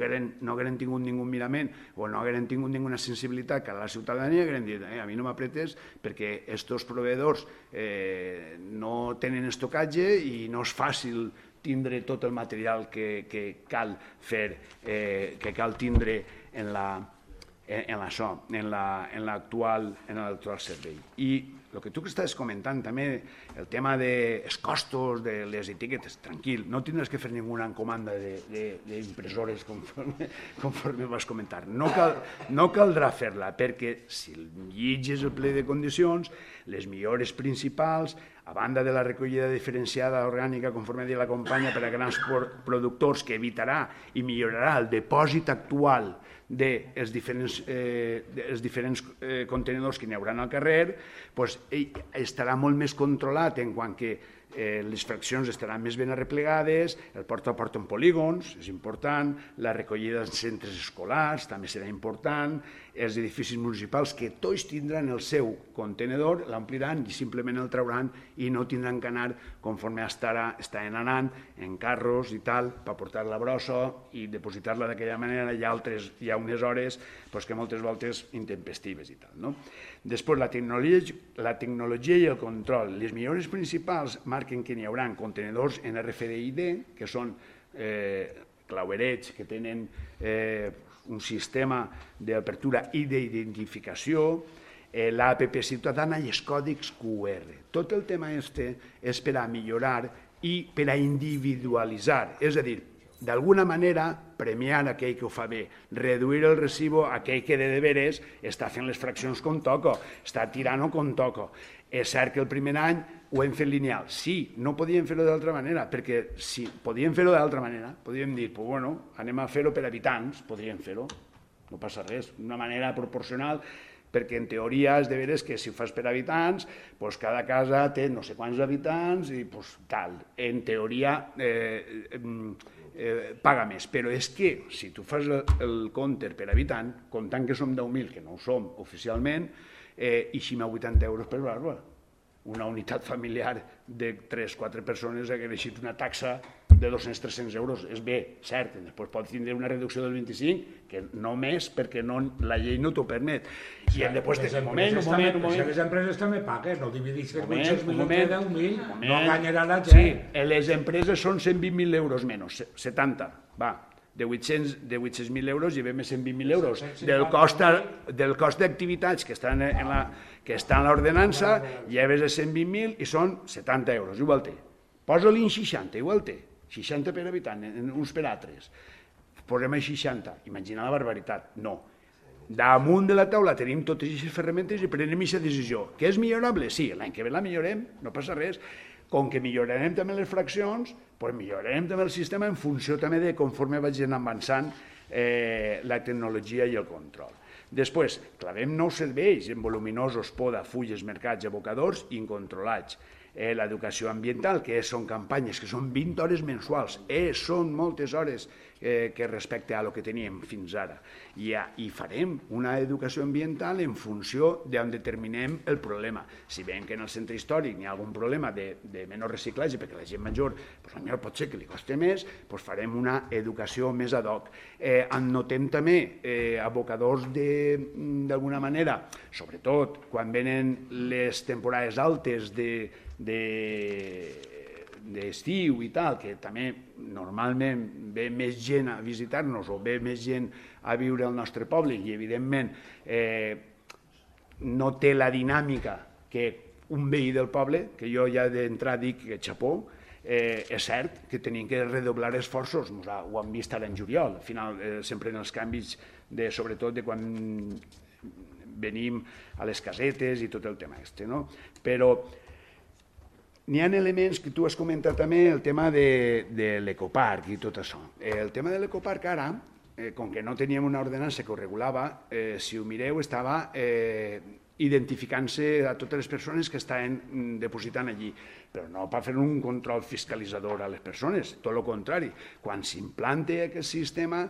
no hagueren tingut ningú mirament o no hagueren tingut ninguna sensibilitat que a la ciutadania, hagueren dit, eh, a mi no m'apretes perquè estos proveedors eh, no tenen estocatge i no és fàcil tindre tot el material que, que cal fer, eh, que cal tindre en la en això, en l'actual en l'actual servei. I el que tu que estàs comentant també, el tema dels costos, de les etiquetes, tranquil, no tindràs que fer ninguna encomanda d'impressores conforme, conforme vas comentar. No, cal, no caldrà fer-la, perquè si llitges el ple de condicions, les millores principals, a banda de la recollida diferenciada orgànica conforme diu la companya per a grans productors que evitarà i millorarà el depòsit actual dels diferents, eh, els diferents eh, contenidors que n'hi haurà al carrer, doncs, estarà molt més controlat en quant que eh, les fraccions estaran més ben arreplegades, el porta a porta en polígons, és important, la recollida en centres escolars també serà important, els edificis municipals que tots tindran el seu contenedor, l'ompliran i simplement el trauran i no tindran que anar conforme estarà, estaven anant en carros i tal, per portar la brossa i depositar-la d'aquella manera. Hi ha, altres, hi ha unes hores pues, que moltes voltes intempestives i tal. No? Després, la tecnologia, la tecnologia i el control. Les millores principals marquen que n'hi haurà contenidors en R F D I D, que són eh, clauerets que tenen eh, un sistema d'apertura i d'identificació, eh, l'A P P ciutadana i els còdics Q R. Tot el tema este és per a millorar i per a individualitzar, és a dir, d'alguna manera, premiar aquell que ho fa bé, reduir el recibo a aquell que de deberes està fent les fraccions com toco, està tirant-ho com toco. És cert que el primer any ho hem fet lineal. Sí, no podíem fer-ho d'altra manera, perquè si podíem fer-ho d'altra manera, podíem dir, pues bueno, anem a fer-ho per habitants, podríem fer-ho, no passa res, d'una manera proporcional, perquè en teoria és de veres que si ho fas per habitants, pues cada casa té no sé quants habitants i pues tal. En teoria eh, eh, paga més, però és que si tu fas el, el compte per habitant, comptant que som deu mil, que no ho som oficialment, eh, eixim a vuitanta euros per barba. Una unitat familiar de tres o quatre persones ha creixit una taxa de dos-cents a tres-cents euros. És bé, cert, després pot tindre una reducció del vint-i-cinc, que no més, perquè no, la llei no t'ho permet. I hem de posar un moment, un moment, un moment. Les empreses també paguen, no divideixen vuit-cents mil entre deu mil, no guanyarà la gent. Sí, les empreses són cent vint mil euros menys, setanta, va. De vuit-cents mil euros llevem cent vint mil euros. Del cost, del cost d'activitats que estan en la, que està en l'ordenança, lleves a cent vint mil i són setanta euros, igual té. Posa-li en seixanta, igual té. seixanta per habitant, uns per altres. Posem a seixanta, imagina la barbaritat. No. Damunt de la taula tenim totes aquestes ferramentes i prenem aquesta decisió. Que és millorable? Sí, l'any que ve la millorem, no passa res. Com que millorarem també les fraccions, doncs millorarem també el sistema en funció també de conforme vagin avançant eh, la tecnologia i el control. Després, clavem nous serveis en voluminosos, poda, fulles, mercats, abocadors incontrolats. Eh, L'educació ambiental, que són campanyes que són vint hores mensuals, eh, són moltes hores eh, que respecte a lo que teníem fins ara. I, I farem una educació ambiental en funció d'on determinem el problema. Si veiem que en el centre històric hi ha algun problema de, de menor reciclatge, perquè la gent major pues, potser pot ser que li costi més, pues farem una educació més ad hoc. Eh, notem també eh, abocadors d'alguna manera, sobretot quan venen les temporades altes de d'estiu i tal, que també normalment ve més gent a visitar-nos o ve més gent a viure al nostre poble i evidentment eh, no té la dinàmica que un veí del poble, que jo ja d'entrada dic que xapó, eh, és cert que tenim que redoblar esforços, ho hem vist ara en juliol, al final eh, sempre en els canvis, de, sobretot de quan venim a les casetes i tot el tema este, no? Però n'hi ha elements que tu has comentat també, el tema de, de l'ecoparc i tot això. El tema de l'ecoparc ara, eh, com que no teníem una ordenança que ho regulava, eh, si ho mireu, estava eh, identificant-se a totes les persones que estaven depositant allí, però no per fer un control fiscalitzador a les persones, tot el contrari. Quan s'implante aquest sistema,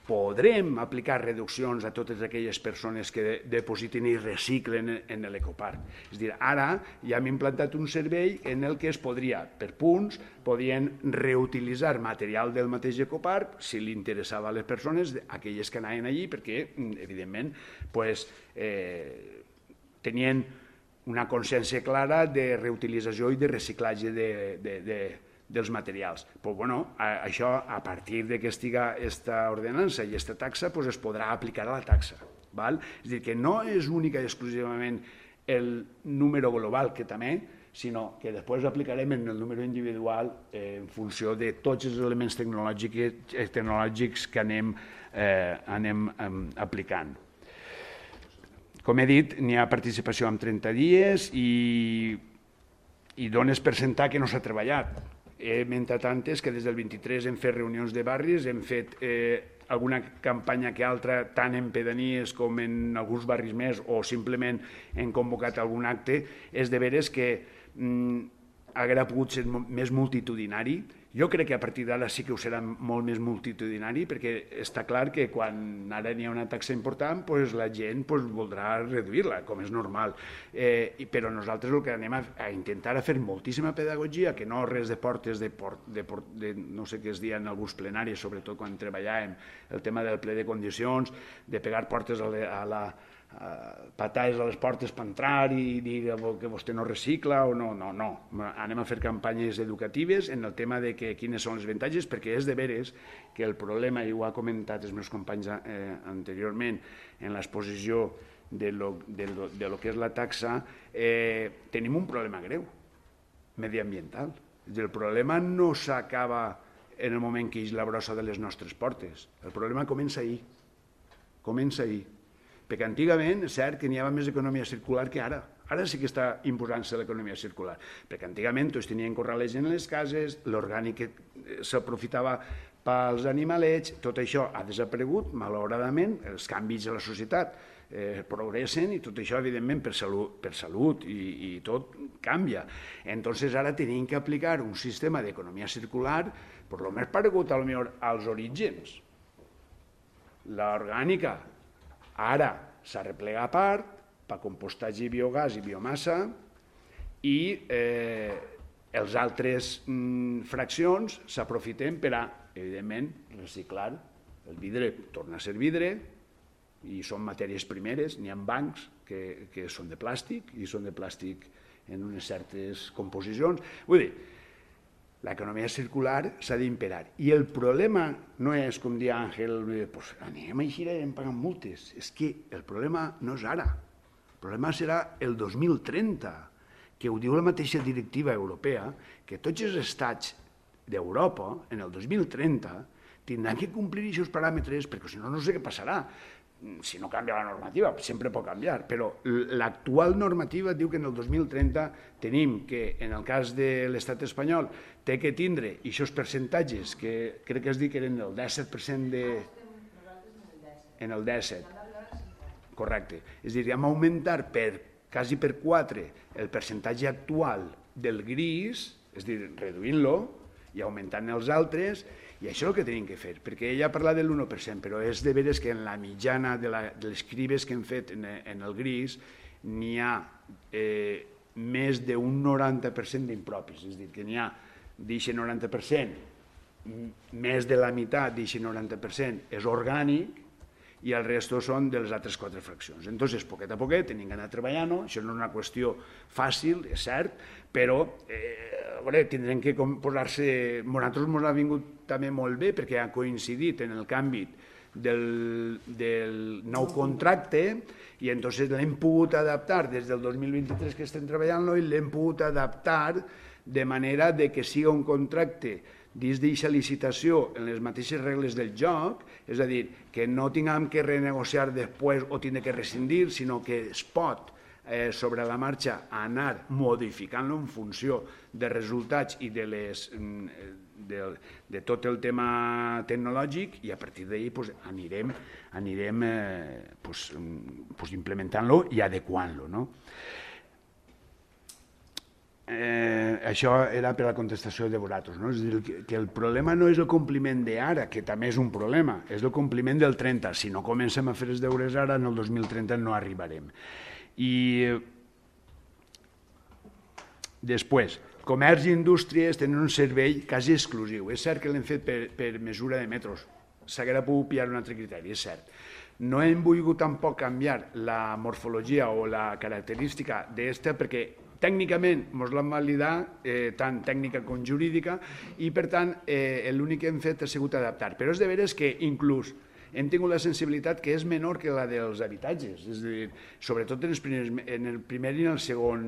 podrem aplicar reduccions a totes aquelles persones que depositen i reciclen en l'ecoparc. És a dir, ara ja hem implantat un servei en el que es podria, per punts, podien reutilitzar material del mateix ecoparc si li interessava a les persones, aquelles que anaven allí, perquè, evidentment, pues, eh, tenien una consciència clara de reutilització i de reciclatge de, de, de dels materials. Pues, bueno, a, això, a partir de que estiga esta ordenança i esta taxa, pues, es podrà aplicar a la taxa. Val? És a dir, que no és única i exclusivament el número global, que també, sinó que després aplicarem en el número individual eh, en funció de tots els elements tecnològics, tecnològics que anem, eh, anem eh, aplicant. Com he dit, n'hi ha participació en trenta dies i, i dones per sentar que no s'ha treballat. He mentat antes que des del vint-i-tres hem fet reunions de barris, hem fet eh, alguna campanya que altra, tant en pedanies com en alguns barris més, o simplement hem convocat algun acte. És de veres que mm, haguera pogut ser més multitudinari. Jo crec que a partir d'ara sí que ho serà molt més multitudinari, perquè està clar que quan ara n'hi ha una taxa important, pues la gent pues, voldrà reduir-la, com és normal. Eh, però nosaltres el que anem a, a intentar a fer moltíssima pedagogia, que no res de portes de, port, de, port, de no sé què es dia en alguns plenaris, sobretot quan treballàvem el tema del ple de condicions, de pegar portes a, le, a la Uh, patades a les portes per entrar i dir que vostè no recicla o no, no, no. Anem a fer campanyes educatives en el tema de que, quines són els avantatges, perquè és de veres que el problema, i ho ha comentat els meus companys eh, anteriorment en l'exposició de lo, de, lo, de lo que és la taxa, eh, tenim un problema greu mediambiental. El problema no s'acaba en el moment que és la brossa de les nostres portes. El problema comença ahir. Comença ahir. Perquè antigament és cert que n'hi havia més economia circular que ara. Ara sí que està imposant-se l'economia circular. Perquè antigament tots tenien corralets en les cases, l'orgànic s'aprofitava pels animalets, tot això ha desaparegut, malauradament, els canvis de la societat eh, progressen i tot això, evidentment, per salut, per salut i, i tot canvia. Entonces ara tenim que aplicar un sistema d'economia circular per lo més paregut als orígens. L'orgànica ara s'ha replegat a part per compostatge i biogàs i biomassa i eh, els altres mm, fraccions s'aprofiten per a, evidentment, reciclar. El vidre torna a ser vidre i són matèries primeres, n'hi ha bancs que, que són de plàstic i són de plàstic en unes certes composicions. Vull dir, l'economia circular s'ha d'imperar. I el problema no és, com dia Àngel, pues, anem a eixir i anem pagant multes. És que el problema no és ara. El problema serà el dos mil trenta, que ho diu la mateixa directiva europea, que tots els estats d'Europa, en el dos mil trenta, tindran que complir aquests paràmetres, perquè si no, no sé què passarà. Si no canvia la normativa, sempre pot canviar, però l'actual normativa diu que en el dos mil trenta tenim que, en el cas de l'estat espanyol, té que tindre aquests percentatges, que crec que es diu que eren el disset per cent de... En el disset. Correcte. És a dir, hem augmentar per, quasi per quatre el percentatge actual del gris, és a dir, reduint-lo i augmentant els altres, i això és el que tenim que fer, perquè ella parla de l'u per cent, però és de veres que en la mitjana de, la, de les cribes que hem fet en, en el gris n'hi ha eh, més d'un noranta per cent d'impropis, és a dir, que n'hi ha d'aquest noranta per cent, més de la meitat d'aquest noranta per cent és orgànic i el resto són de les altres quatre fraccions. Entonces, poquet a poquet, tenim que anar treballant-ho, això no és una qüestió fàcil, és cert, però eh, veure, tindrem que posar-se... Nosaltres ens ha vingut també molt bé perquè ha coincidit en el canvi del, del nou contracte i entonces l'hem pogut adaptar des del dos mil vint-i-tres que estem treballant-lo i l'hem pogut adaptar de manera de que siga un contracte dins d'aquesta licitació en les mateixes regles del joc, és a dir, que no tinguem que renegociar després o tindre que rescindir, sinó que es pot eh, sobre la marxa anar modificant-lo en funció de resultats i de, les, de, de tot el tema tecnològic i a partir d'ahir pues, anirem, anirem eh, pues, pues, implementant-lo i adequant-lo, no? Eh, això era per la contestació de vosaltres, no? És a dir, que, que el problema no és el compliment d'ara, que també és un problema, és el compliment del trenta. Si no comencem a fer els deures ara, en el dos mil trenta no arribarem. I després, comerç i indústries tenen un servei quasi exclusiu. És cert que l'hem fet per, per mesura de metros, s'haguera pogut pillar un altre criteri, és cert. No hem volgut tampoc canviar la morfologia o la característica d'esta perquè tècnicament ens l'han validat, eh, tant tècnica com jurídica, i per tant eh, l'únic que hem fet ha sigut adaptar. Però és de veres que inclús hem tingut la sensibilitat que és menor que la dels habitatges, és a dir, sobretot en, els primers, en el primer i en el segon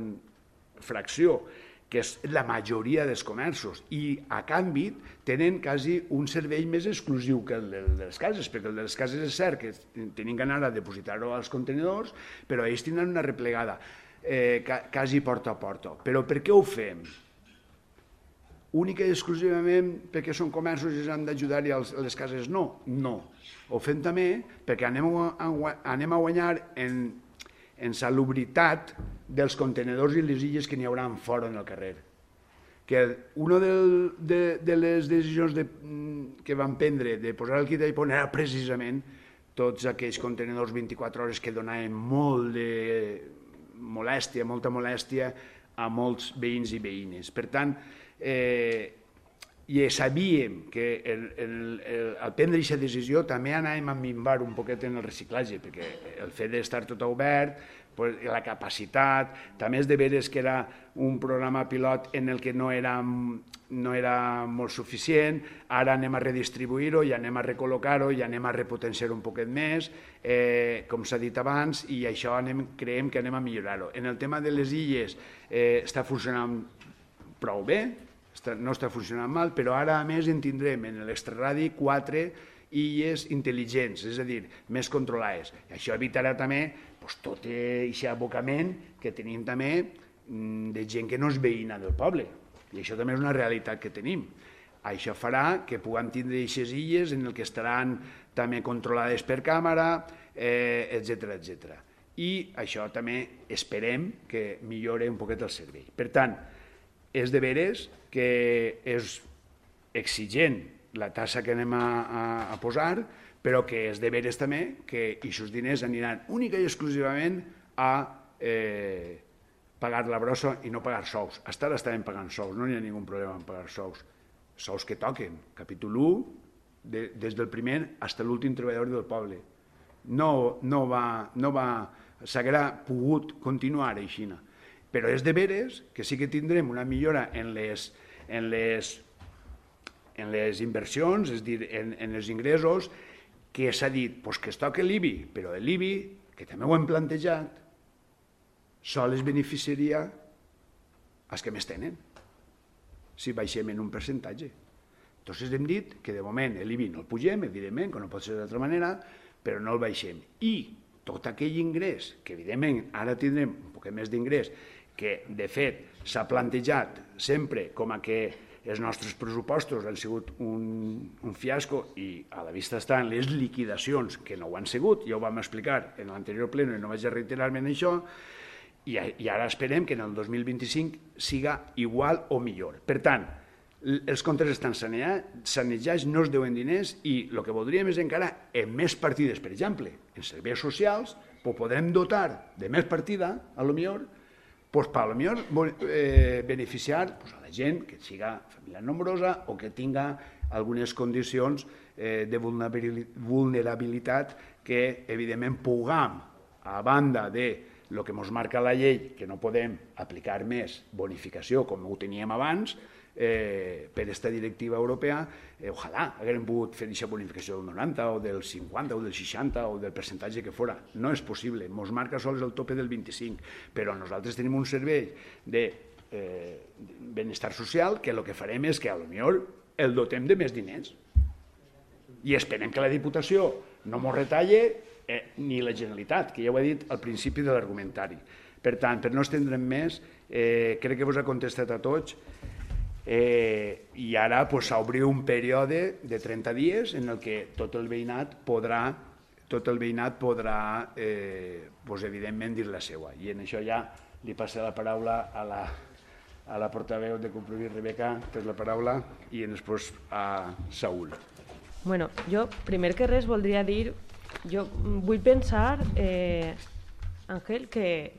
fracció, que és la majoria dels comerços, i a canvi tenen quasi un servei més exclusiu que el de les cases, perquè el de les cases és cert que tenim que anar a depositar-ho als contenidors, però ells tindran una replegada Eh, quasi porta a porta. Però per què ho fem? Única i exclusivament perquè són comerços i han d'ajudar i a les cases no? No. Ho fem també perquè anem a, anem a guanyar en, en salubritat dels contenedors i les illes que n'hi haurà fora en el carrer. Que una del, de, de les decisions de, que van prendre de posar el quita i poner era precisament tots aquells contenidors vint-i-quatre hores que donaven molt de molèstia, molta molèstia a molts veïns i veïnes. Per tant, eh, i sabíem que el, el, el, al prendre aquesta decisió també anàvem a minvar un poquet en el reciclatge, perquè el fet d'estar tot obert, pues, la capacitat, també és de veres que era un programa pilot en el que no era, no era molt suficient, ara anem a redistribuir-ho i anem a recol·locar-ho i anem a repotenciar-ho un poquet més, eh, com s'ha dit abans, i això anem, creiem que anem a millorar-ho. En el tema de les illes eh, està funcionant prou bé, no està funcionant mal, però ara a més en tindrem en l'extraradi quatre illes intel·ligents, és a dir, més controlades. I això evitarà també pues, tot aquest abocament que tenim també de gent que no és veïna del poble. I això també és una realitat que tenim. Això farà que puguem tindre aquestes illes en el que estaran també controlades per càmera, eh, etcètera, etcètera. I això també esperem que millore un poquet el servei. Per tant, és de veres que és exigent la tassa que anem a, a, a posar, però que és de veres també que aquests diners aniran única i exclusivament a eh, pagar la brossa i no pagar sous. Hasta ara estàvem pagant sous, no hi ha ningú problema en pagar sous. Sous que toquen, capítol u, de, des del primer fins a l'últim treballador del poble. No, no va, no va, s'haguera pogut continuar així. Però és de veres que sí que tindrem una millora en les, en les, en les inversions, és a dir, en, en els ingressos, que s'ha dit pues, que es toca l'I B I, però l'I B I, que també ho hem plantejat, sols es beneficiaria els que més tenen, si baixem en un percentatge. Entonces hem dit que de moment l'I B I no el pugem, evidentment, que no pot ser d'altra manera, però no el baixem. I tot aquell ingrés, que evidentment ara tindrem un poc més d'ingrés, que de fet s'ha plantejat sempre com a que els nostres pressupostos han sigut un, un fiasco i a la vista estan les liquidacions que no ho han sigut, ja ho vam explicar en l'anterior pleno i no vaig a reiterar-me en això, i, i ara esperem que en el dos mil vint-i-cinc siga igual o millor. Per tant, els comptes estan sanejats, no es deuen diners i el que voldríem és encara en més partides, per exemple, en serveis socials, ho podrem dotar de més partida, a lo millor, pues, per a lo millor eh, beneficiar pues, a la gent que siga família nombrosa o que tinga algunes condicions eh, de vulnerabilitat que, evidentment, puguem, a banda de el que ens marca la llei, que no podem aplicar més bonificació com ho teníem abans, Eh, per aquesta directiva europea, eh, ojalà haguem pogut fer aquesta bonificació del noranta o del cinquanta o del seixanta o del percentatge que fora. No és possible, ens marca sols el tope del vint-i-cinc, però nosaltres tenim un servei de eh, benestar social que el que farem és que a lo millor el dotem de més diners i esperem que la Diputació no ens retalle eh, ni la Generalitat, que ja ho he dit al principi de l'argumentari. Per tant, per no estendre'm més, eh, crec que vos ha contestat a tots. Eh, i ara pues, s'obri un període de trenta dies en el que tot el veïnat podrà tot el veïnat podrà eh, pues, evidentment dir la seva, i en això ja li passaré la paraula a la, a la portaveu de Compromís, Rebeca, que és la paraula, i després a Saúl. Bueno, jo primer que res voldria dir, jo vull pensar, eh, Àngel, que,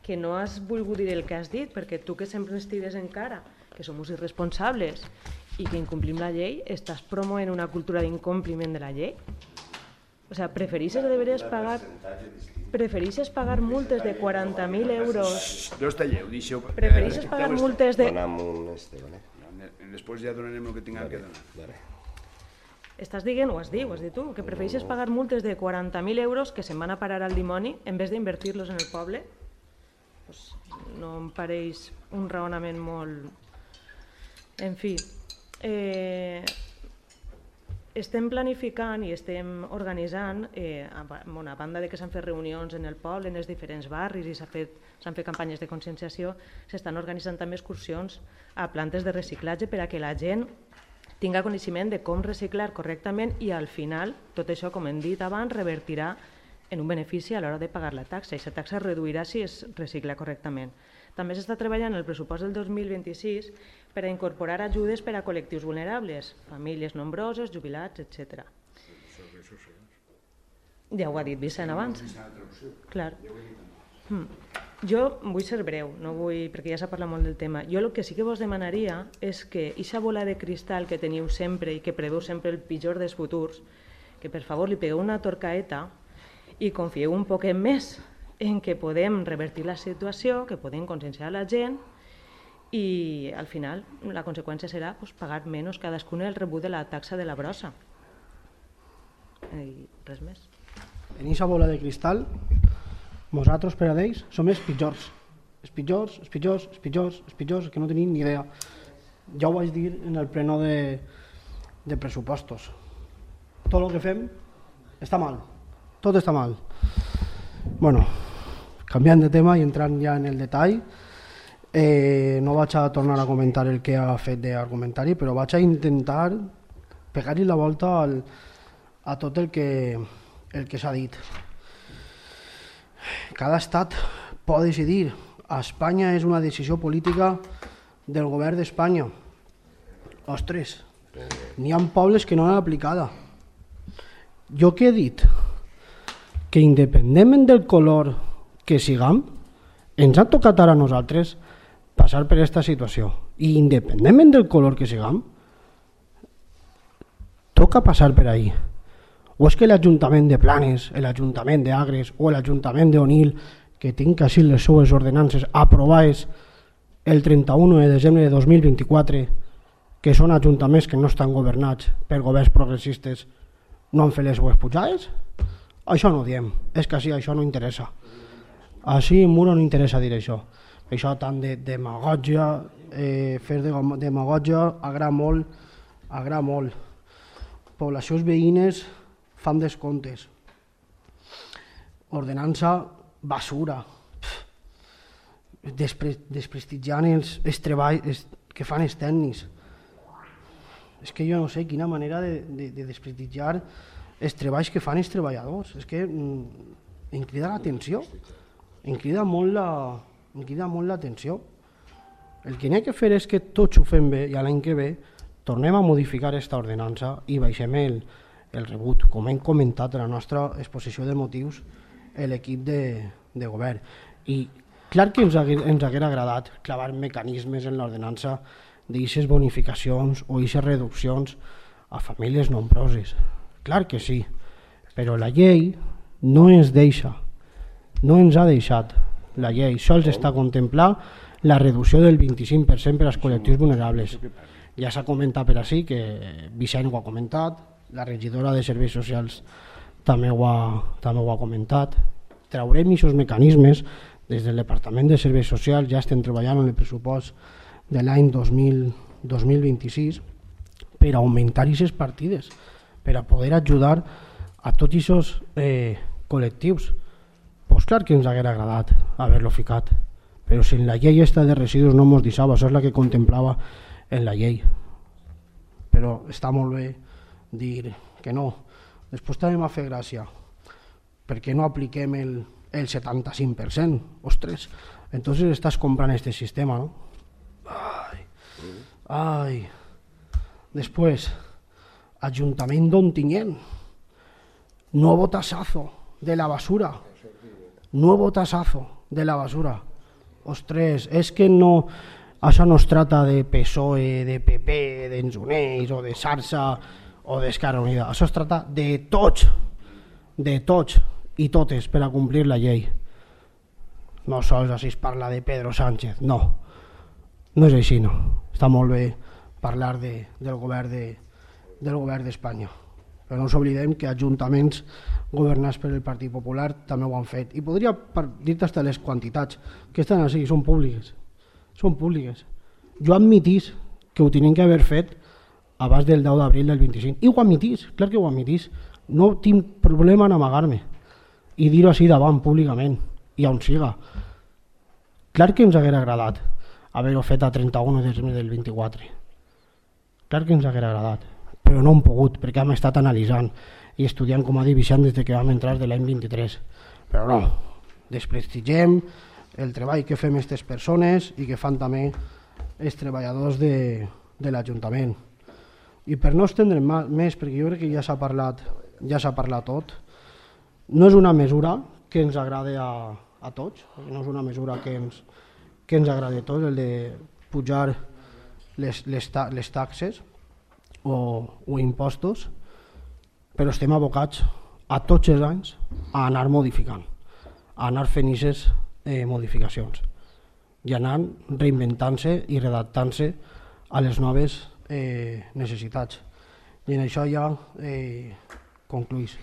que no has volgut dir el que has dit, perquè tu que sempre ens tires en cara que som irresponsables i que incomplim la llei, estàs promovent una cultura d'incompliment de la llei? O sea, prefereixes de veres pagar prefereixes pagar multes de quaranta mil euros... No està lleu, deixeu... Prefereixes pagar multes de... Després ja donarem el que tinguem que donar. Estàs dient, ho has dit, ho has dit tu, que prefereixes pagar multes de quaranta mil euros que se'n van a parar al dimoni en vez d'invertir-los en el poble? Pues no em pareix un raonament molt... En fi, eh, estem planificant i estem organitzant, eh, a, bueno, a banda de que s'han fet reunions en el poble, en els diferents barris i s'han fet, s'han fet campanyes de conscienciació, s'estan organitzant també excursions a plantes de reciclatge per a que la gent tinga coneixement de com reciclar correctament i al final tot això, com hem dit abans, revertirà en un benefici a l'hora de pagar la taxa. I aquesta taxa es reduirà si es recicla correctament. També s'està treballant el pressupost del dos mil vint-i-sis per a incorporar ajudes per a col·lectius vulnerables, famílies nombroses, jubilats, etcètera. Ja ho ha dit Vicent abans. Clar. Mm. Jo vull ser breu, no vull, perquè ja s'ha parlat molt del tema. Jo el que sí que vos demanaria és que aquesta bola de cristal que teniu sempre i que preveu sempre el pitjor dels futurs, que per favor li pegueu una torcaeta i confieu un poquet més en que podem revertir la situació, que podem conscienciar la gent i al final la conseqüència serà pues, pagar menys cadascun el rebut de la taxa de la brossa. I res més. En aquesta bola de cristal, nosaltres per a ells som els pitjors. Els pitjors, els pitjors, els pitjors, els pitjors, que no tenim ni idea. ja ho vaig dir en el pleno de, de pressupostos. Tot el que fem està mal, tot està mal. Bueno, canviant de tema i entrant ja en el detall, eh, no vaig a tornar a comentar el que ha fet d'argumentari, però vaig a intentar pegar-hi la volta al, a tot el que, el que s'ha dit. Cada estat pot decidir. A Espanya és una decisió política del govern d'Espanya. Ostres, n'hi ha pobles que no l'han aplicada. Jo què he dit? Que independentment del color que siguem, ens ha tocat ara a nosaltres passar per aquesta situació. I independentment del color que siguem, toca passar per ahí. O és que l'Ajuntament de Planes, l'Ajuntament d'Agres o l'Ajuntament d'Onil, que tinc així les seues ordenances aprovades el trenta-u de desembre de dos mil vint-i-quatre, que són ajuntaments que no estan governats per governs progressistes, no han fet les seues pujades? Això no ho diem, és que així això no interessa. Així en Muro no interessa dir això. Això tant de demagògia, eh, fer de demagògia agrada molt, agrada molt. Poblacions veïnes fan descomptes. Ordenança, basura. Despre, desprestigiant els, els treballs els, que fan els tècnics. És que jo no sé quina manera de, de, de desprestigiar els treballs que fan els treballadors. És que mm, em crida l'atenció. Em crida molt la, em crida molt l'atenció. El que n'hi ha que fer és que tots ho fem bé i l'any que ve tornem a modificar aquesta ordenança i baixem el, el rebut, com hem comentat a la nostra exposició de motius l'equip de, de govern. I clar que ens hagués, ens hagués agradat clavar mecanismes en l'ordenança d'aixes bonificacions o d'aixes reduccions a famílies nombroses. Clar que sí, però la llei no ens deixa, no ens ha deixat. La llei sols està contemplant la reducció del vint-i-cinc per cent per als col·lectius vulnerables. Ja s'ha comentat per així, que Vicent ho ha comentat, la regidora de Serveis Socials també ho ha, també ho ha comentat. Traurem aquests mecanismes des del Departament de Serveis Socials, ja estem treballant en el pressupost de l'any dos mil vint-i-sis per augmentar aquestes partides, per a poder ajudar a tots aquests eh, col·lectius. Pues clar que ens hauria agradat haver-lo ficat, però si en la llei esta de residus no ens deixava, això és la que contemplava en la llei. Però està molt bé dir que no. Després també m'ha fet gràcia, perquè no apliquem el, el setanta-cinc per cent. Ostres, entonces estàs comprant este sistema, no? Ai, ai. Després, Ajuntament d'Ontinyent, nuevo tasazo de la basura, nuevo tasazo de la basura. Ostres, és que no, això no es trata de P S O E, de P P, d'Enzuneix o de Sarsa o d'Esquerra Unida. Això es trata de tots, de tots i totes per a complir la llei. No sols així es parla de Pedro Sánchez, no. No és així, no. Està molt bé parlar de, del govern de, del govern d'Espanya. Però no ens oblidem que ajuntaments governats per el Partit Popular també ho han fet. I podria dir-te hasta les quantitats que estan així, són públiques. Són públiques. Jo admitís que ho tenien que haver fet abans del deu d'abril del vint-i-cinc. I ho admitís, clar que ho admitís. No tinc problema en amagar-me i dir-ho així davant, públicament, i on siga. Clar que ens hagués agradat haver-ho fet a trenta-u de desembre del vint-i-quatre. Clar que ens hagués agradat, però no hem pogut, perquè hem estat analitzant i estudiant, com ha dit Vicent, des que vam entrar de l'any vint-i-tres. Però no, desprestigem el treball que fem aquestes persones i que fan també els treballadors de, de l'Ajuntament. I per no estendre'm més, perquè jo crec que ja s'ha parlat, ja s'ha parlat tot, no és una mesura que ens agrade a, a tots, no és una mesura que ens, que ens agrade a tots, el de pujar les, les, ta, les taxes o, o impostos, però estem abocats a tots els anys a anar modificant, a anar fent aquestes eh, modificacions i anar reinventant-se i redactant-se a les noves eh, necessitats. I en això ja eh, concluís.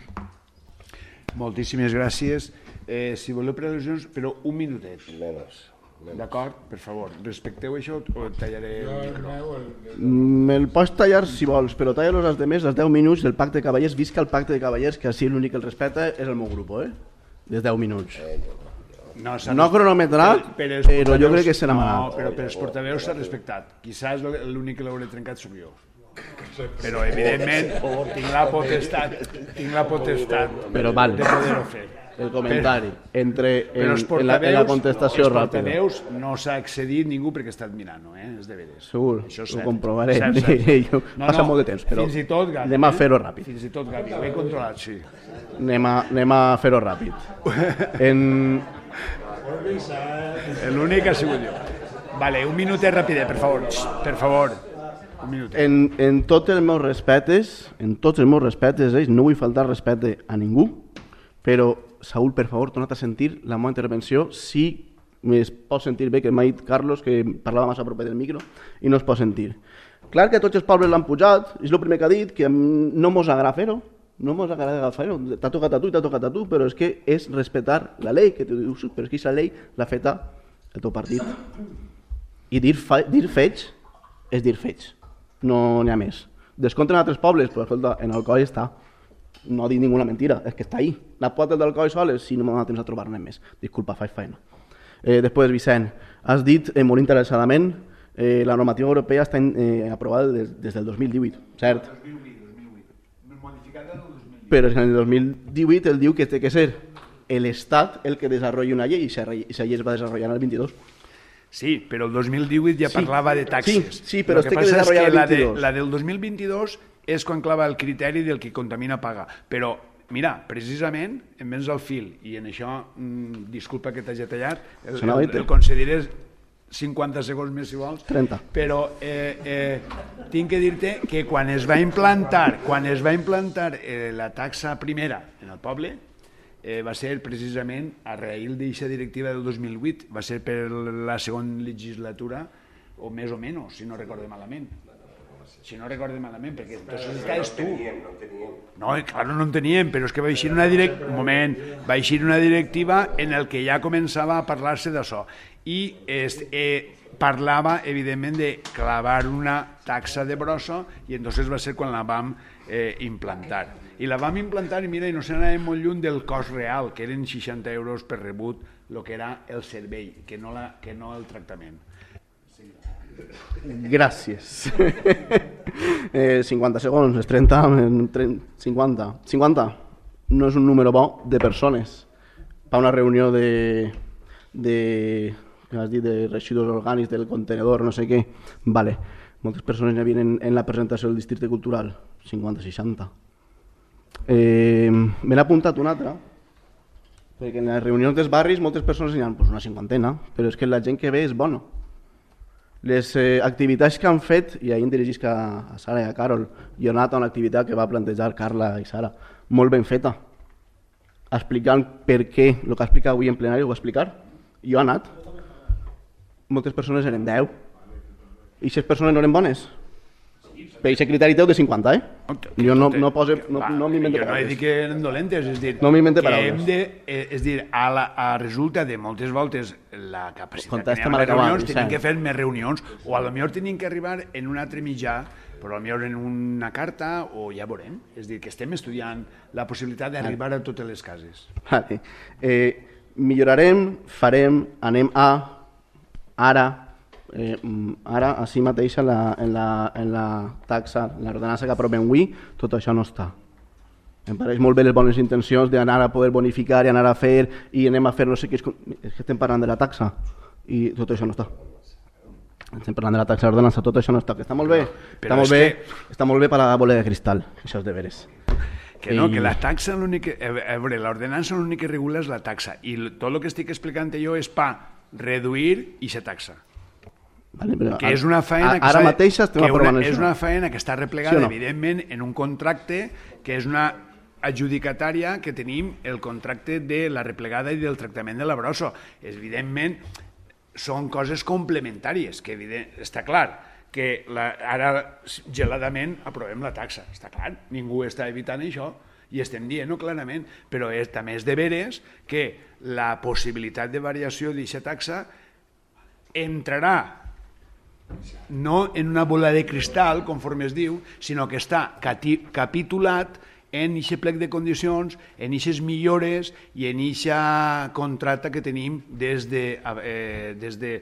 Moltíssimes gràcies. Eh, si voleu per al·lusions, però un minutet. Menos. D'acord? Per favor, respecteu això o et tallaré el micro? Me'l pots tallar si vols, però talla-los els demés, els deu minuts del Pacte de Cavallers. Visca el Pacte de Cavallers, que així l'únic que el respecta és el meu grup, eh? Des deu minuts. No, no cronometrat, però, però jo crec que serà manat. No, però per els portaveus s'ha respectat. Quizás l'únic que l'hauré trencat sóc jo. Però, evidentment, tinc la potestat, tinc la potestat però, vale. de poder-ho fer. El comentari, entre en, en, la, en la contestació ràpida. Els portaveus ràpida. No s'ha accedit ningú perquè he estat mirant-ho, eh? És de veres. Segur, això ho comprovaré. Cert, cert. No, Passa no, molt de temps, però fins i tot, Gavi, anem a fer-ho ràpid. Fins i tot, Gavi, ho he controlat, sí. Anem a, anem a fer-ho ràpid. En... L'únic ha sigut jo. Vale, un minutet ràpid, per favor. Per favor. Un minutet. En, en tots els meus respectes, en tots els meus respectes, eh, no vull faltar respecte a ningú, però, Saúl, per favor, torna't a sentir la meva intervenció, si es pot sentir bé, que m'ha dit Carlos, que parlava massa a propet del micro, i no es pot sentir. Clar que tots els pobles l'han pujat, és el primer que ha dit, que no mos agrada fer-ho, no mos agrada fer-ho, t'ha tocat a tu i t'ha tocat a tu, però és que és respectar la llei, que tu dius, però és que aquesta llei l'ha feta el teu partit. I dir, fa, dir fets és dir fets, no n'hi ha més. Descompte en altres pobles, però escolta, en Alcoi està. No dic ninguna mentira, és que està ahí. Les potes del coll soles, si no m'ha temps a trobar-ne més. Disculpa, faig feina. Eh, després, Vicent, has dit eh, molt interessadament eh, la normativa europea està eh, aprovada des, des del dos mil divuit, cert? dos mil vuit, dos mil vuit. Modificada del dos mil divuit. Però en el dos mil divuit el diu que té que ser l'Estat el que desenvolupi una llei i aquesta llei es va desenvolupar en el vint-i-dos. Sí, però el dos mil divuit ja sí. parlava de taxes. Sí, sí però el que té que desenvolupar el vint-i-dos. La, de, la del dos mil vint-i-dos és quan clava el criteri del que contamina paga. Però, mira, precisament, em vens al fil, i en això, mmm, disculpa que t'hagi tallat, el, el, el concediré cinquanta segons més, si vols. trenta. Però eh, eh, tinc que dir-te que quan es va implantar, quan es va implantar eh, la taxa primera en el poble, eh, va ser precisament a raïl d'aquesta directiva del dos mil vuit, va ser per la segona legislatura, o més o menys, si no recorde malament. Si no recordo malament, perquè entonces estaves tu. No teníem. No, claro, no en teníem, però és que va eixir una direct... un moment, va eixir una directiva en el que ja començava a parlar-se d'això. I es, eh, parlava, evidentment, de clavar una taxa de brossa, i entonces va ser quan la vam eh, implantar. I la vam implantar, i mira, i no se n'anàvem molt lluny del cost real, que eren seixanta euros per rebut, el que era el servei, que no, la, que no el tractament. Gràcies. eh, cinquanta segons, és trenta, cinquanta. cinquanta no és un número bo de persones. Per una reunió de, de, has dit, de residus orgànics del contenedor, no sé què. Vale. Moltes persones hi havia en, en la presentació del districte cultural. cinquanta seixanta. Eh, me n'he apuntat una altra, perquè en les reunions dels barris moltes persones hi ha pues, una cinquantena, però és que la gent que ve és bona. Les eh, activitats que han fet, i ahir em dirigisc a, a Sara i a Carol, jo he anat a una activitat que va plantejar Carla i Sara, molt ben feta, explicant per què, el que ha explicat avui en plenari ho va explicar, i jo he anat. Moltes persones eren deu, i aquestes persones no eren bones. Per aquest criteri teu de cinquanta, eh? Jo no, no, pose, no, no m'invento paraules. Jo no he dit que eren dolentes, és dir, no m'invento que paraules. hem de, eh, és dir, a, la, a resulta de moltes voltes la capacitat Contesta que teníem les reunions, sí. tenim que fer més reunions, o a lo millor tenim que arribar en un altre mitjà, però a lo millor en una carta, o ja veurem. És dir, que estem estudiant la possibilitat d'arribar a totes les cases. Vale. Eh, millorarem, farem, anem a, ara, Eh, ara, així mateix, en la, en la, en la taxa, l'ordenança que aprovem avui, tot això no està. Em pareix molt bé les bones intencions d'anar a poder bonificar i anar a fer i anem a fer no sé què. És que estem parlant de la taxa i tot això no està. Estem parlant de la taxa d'ordenança, tot això no està. Que està molt bé, però, està, molt bé que... està molt bé per a la bola de cristal, això és de veres. Que no, I... que la taxa, l'únic... A veure, l'ordenança l'únic que regula és la taxa i tot el que estic explicant jo és per reduir aquesta taxa. Vale, però que és una faena que, ara mateix estem aprovant una, això. És una faena que està replegada, sí no? evidentment, en un contracte que és una adjudicatària que tenim el contracte de la replegada i del tractament de la brossa. Evidentment, són coses complementàries, que evident, està clar que la, ara geladament aprovem la taxa, està clar, ningú està evitant això i estem dient-ho clarament, però és, també és de veres que la possibilitat de variació d'aquesta taxa entrarà no en una bola de cristal, conforme es diu, sinó que està capitulat en aquest plec de condicions, en aquestes millores i en aquest contracte que tenim des de, eh, des de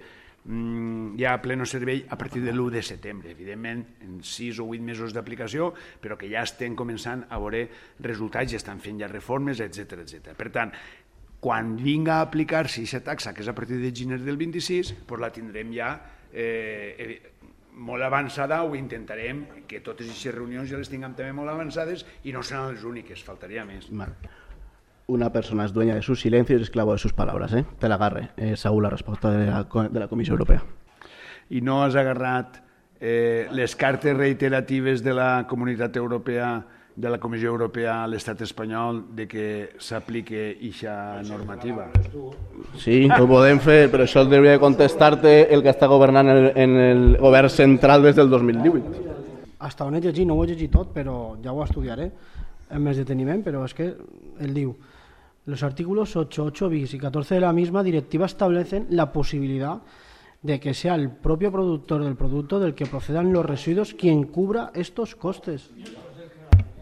mm, ja a pleno servei a partir de l'u de setembre. Evidentment, en sis o vuit mesos d'aplicació, però que ja estem començant a veure resultats, ja estan fent ja reformes, etcètera, etcètera. Per tant, quan vinga a aplicar-se aquesta taxa, que és a partir de gener del vint-i-sis, doncs la tindrem ja eh, molt avançada, o intentarem que totes aquestes reunions ja les tinguem també molt avançades i no seran les úniques, faltaria més. Una persona es dueña de sus silencios y esclavo de sus palabras, ¿eh? Te la agarre, eh, Saúl, la respuesta de la, de la Comissió Europea. I no has agarrat eh, les cartes reiteratives de la Comunitat Europea, de la Comissió Europea a l'estat espanyol de que s'aplique aquesta normativa? Sí, ho podem fer, però això hauria de contestar-te el que està governant en el, en el govern central des del dos mil divuit. Hasta on he llegit, no ho he llegit tot, però ja ho estudiaré amb més deteniment, però és que ell diu: los artículos ocho, ocho bis y catorce de la misma directiva establecen la posibilidad de que sea el propio productor del producto del que procedan los residuos quien cubra estos costes.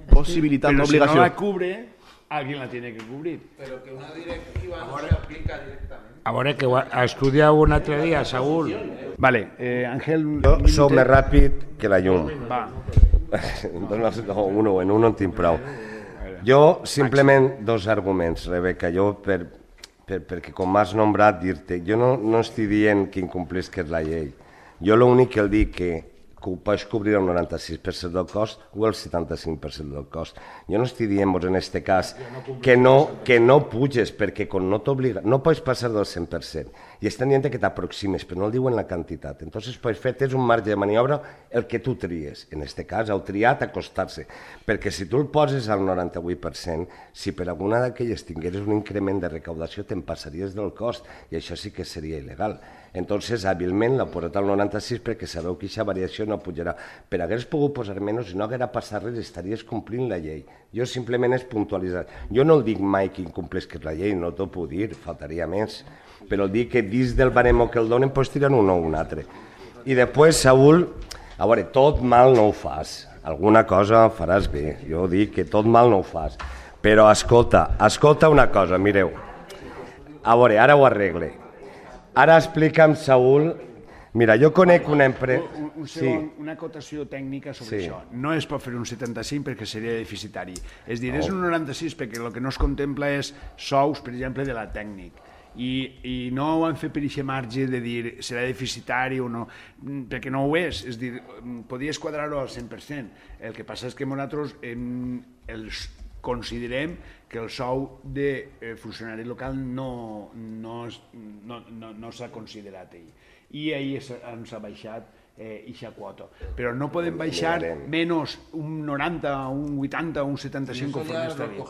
Posibilitando Pero obligación. Si no la cubre, alguien la tiene que cubrir. Pero que una directiva no se aplica directamente. A veure, que ha estudiat un altre dia, Saúl. Vale, eh, Ángel... Jo sóc més ràpid que la llum. Va. No, uno, en uno en tinc prou. Jo, simplement, dos arguments, Rebeca. Jo, per, per, perquè com m'has nombrat, dir-te, jo no, no estic dient que incomplisques la llei. Jo l'únic que el dic que que ho pots cobrir el noranta-sis per cent del cost o el setanta-cinc per cent del cost. Jo no estic dient-vos en aquest cas que no, que no puges, perquè com no t'obliga, no pots passar del cent per cent. I estan dient que t'aproximes, però no el diuen la quantitat. Entonces, pots fer, tens un marge de maniobra el que tu tries. En aquest cas, heu triat acostar-se. Perquè si tu el poses al noranta-vuit per cent, si per alguna d'aquelles tingueres un increment de recaudació, te'n passaries del cost, i això sí que seria il·legal. Entonces, hàbilment l'ha posat al noranta-sis perquè sabeu que aquesta variació no pujarà. Però hagués pogut posar menys i no haguera passat res, estaries complint la llei. Jo simplement és puntualitzar. Jo no el dic mai que incomplesques la llei, no t'ho puc dir, faltaria més. Però el dic que dins del baremo que el donen pots tirar un o un altre. I després, Saúl, a veure, tot mal no ho fas. Alguna cosa faràs bé. Jo dic que tot mal no ho fas. Però escolta, escolta una cosa, mireu. A veure, ara ho arregle. Ara explica'm, Saúl, mira, jo conec una empresa... Un, un segon, sí. Una acotació tècnica sobre sí. això. No es pot fer un setanta-cinc perquè seria deficitari. És dir, no. És un noranta-sis perquè el que no es contempla és sous, per exemple, de la tècnic. I, i no ho han fet per aquest marge de dir serà deficitari o no, perquè no ho és. És dir, podies quadrar-ho al cent per cent. El que passa és que nosaltres em, els considerem que el sou de eh, funcionari local no, no, no, no, no s'ha considerat ell. I ahir ens ha baixat aquesta eh, quota. Però no podem baixar menys un noranta, un vuitanta, un setanta-cinc conforme està bé.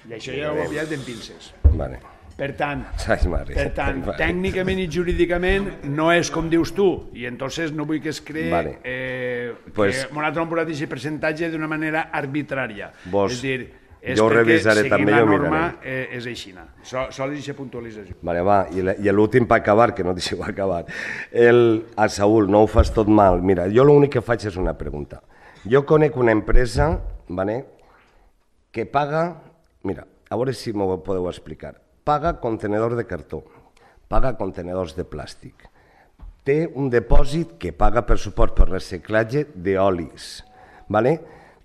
I això ja ho he pillat en pinces. Vale. Per tant, per tant, tècnicament i jurídicament no és com dius tu, i entonces no vull que es cree vale. eh, pues, que nosaltres hem posat aquest percentatge d'una manera arbitrària. Vos, és dir, és jo perquè revisaré, seguint també la jo norma miraré. eh, és aixina. Sol, sol és aquesta puntualització. Vale, va, i l'últim per acabar, que no deixeu acabar. El, a Saúl, no ho fas tot mal. Mira, jo l'únic que faig és una pregunta. Jo conec una empresa, vale, que paga, mira, a veure si m'ho podeu explicar, paga contenedors de cartó, paga contenedors de plàstic, té un depòsit que paga per suport per reciclatge d'olis, ¿vale?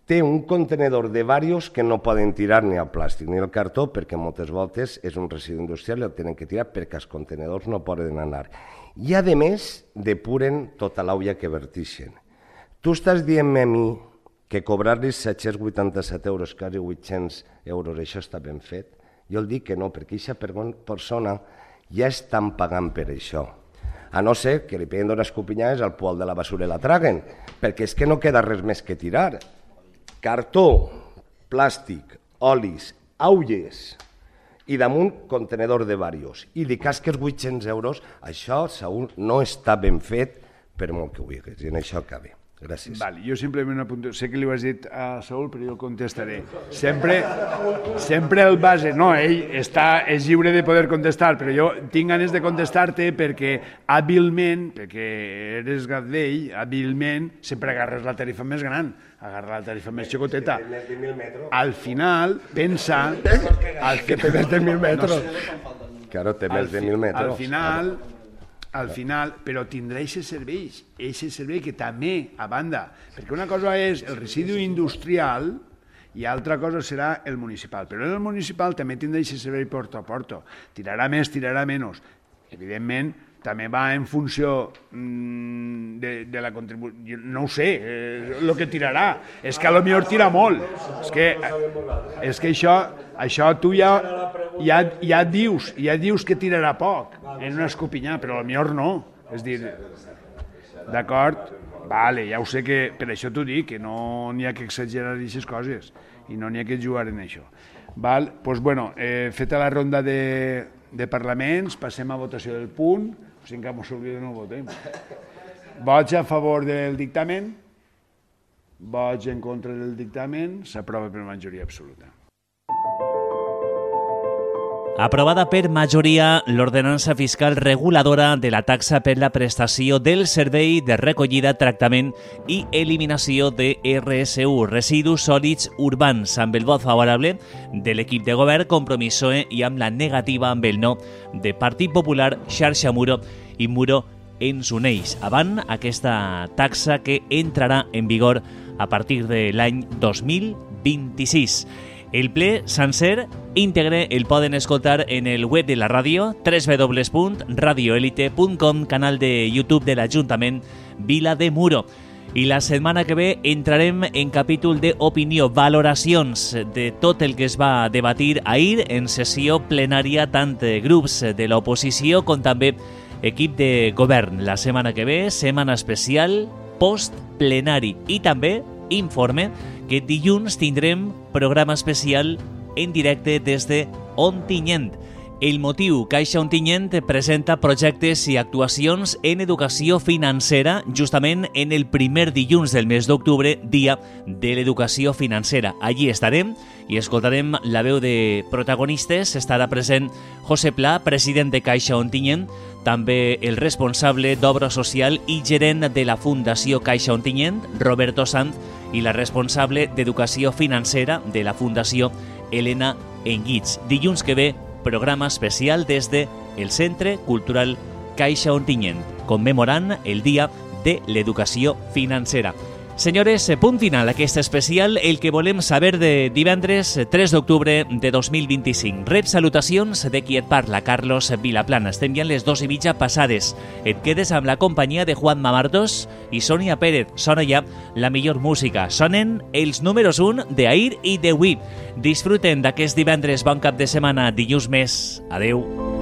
Té un contenedor de varios que no poden tirar ni el plàstic ni el cartó perquè moltes voltes és un residu industrial i el tenen que tirar perquè els contenedors no poden anar. I a més depuren tota l'auia que vertixen. Tu estàs dient-me a mi que cobrar-li set-cents vuitanta-set euros, quasi vuit-cents euros, això està ben fet? Jo el dic que no, perquè aquesta persona ja estan pagant per això. A no ser que li peguen d'unes copinyades al poal de la basura i la traguen, perquè és que no queda res més que tirar. Cartó, plàstic, olis, aulles i damunt contenedor de varios. I li casques vuit-cents euros, això, Saúl, no està ben fet per molt que ho digues, i en això acaba. Gràcies. Vale, jo simplement apunto, sé que li ho has dit a Saúl, però jo el contestaré. Sempre, sempre el base, no, ell està, és lliure de poder contestar, però jo tinc ganes de contestar-te perquè hàbilment, perquè eres gat d'ell, hàbilment sempre agarres la tarifa més gran, agarres la tarifa més xicoteta. Al final, pensa... Al que té més de mil metres. Claro, té més de mil metres. Al final... al final, però tindrà aquests serveis, aquest servei que també, a banda, perquè una cosa és el residu industrial i altra cosa serà el municipal, però el municipal també tindrà aquest servei porta a porta, tirarà més, tirarà menys, evidentment també va en funció mmm, de, de la contribució, no ho sé, eh, el que tirarà, és que a lo millor tira molt, és que, és que això, això tu ja, ja, ja dius, ja dius que tirarà poc en una escopinyà, però a lo millor no, és dir, d'acord, vale, ja ho sé que, per això t'ho dic, que no n'hi ha que exagerar aquestes coses i no n'hi ha que jugar en això. Val? Pues bueno, eh, feta la ronda de, de parlaments, passem a votació del punt, o sigui que mos oblida no votem. Vots a favor del dictamen, vots en contra del dictamen, s'aprova per majoria absoluta. Aprovada per majoria l'ordenança fiscal reguladora de la taxa per la prestació del servei de recollida, tractament i eliminació de R S U, residus sòlids urbans, amb el vot favorable de l'equip de govern Compromís P S O E i amb la negativa amb el no de Partit Popular, Xarxa Muro i Muro ens uneix. Avant aquesta taxa que entrarà en vigor a partir de l'any dos mil vint-i-sis. El ple sencer íntegre el poden escoltar en el web de la ràdio, doble u doble u doble u punt radio elite punt com, canal de YouTube de l'Ajuntament Vila de Muro. I la setmana que ve entrarem en capítol d'opinió, valoracions de tot el que es va debatir ahir en sessió plenària, tant grups de l'oposició com també equip de govern. La setmana que ve, setmana especial post-plenari i també informe que dilluns tindrem programa especial en directe des de Ontinyent. El motiu, Caixa Ontinyent presenta projectes i actuacions en educació financera justament en el primer dilluns del mes d'octubre, dia de l'educació financera. Allí estarem i escoltarem la veu de protagonistes. Estarà present José Pla, president de Caixa Ontinyent, també el responsable d'Obra Social i gerent de la Fundació Caixa Ontinyent, Roberto Sanz, i la responsable d'Educació Financera de la Fundació, Elena Enguits. Dilluns que ve, programa especial des de el Centre Cultural Caixa Ontinyent, commemorant el Dia de l'Educació Financera. Senyores, punt final aquest especial, el que volem saber de divendres tres d'octubre de dos mil vint-i-cinc. Rep salutacions de qui et parla, Carlos Vilaplana. Estem ja en les dos i mitja passades. Et quedes amb la companyia de Juan Mamartos i Sònia Pérez. Sona ja la millor música. Sonen els números un d'ahir i d'avui. Disfruten d'aquest divendres, bon cap de setmana, dilluns més. Adeu.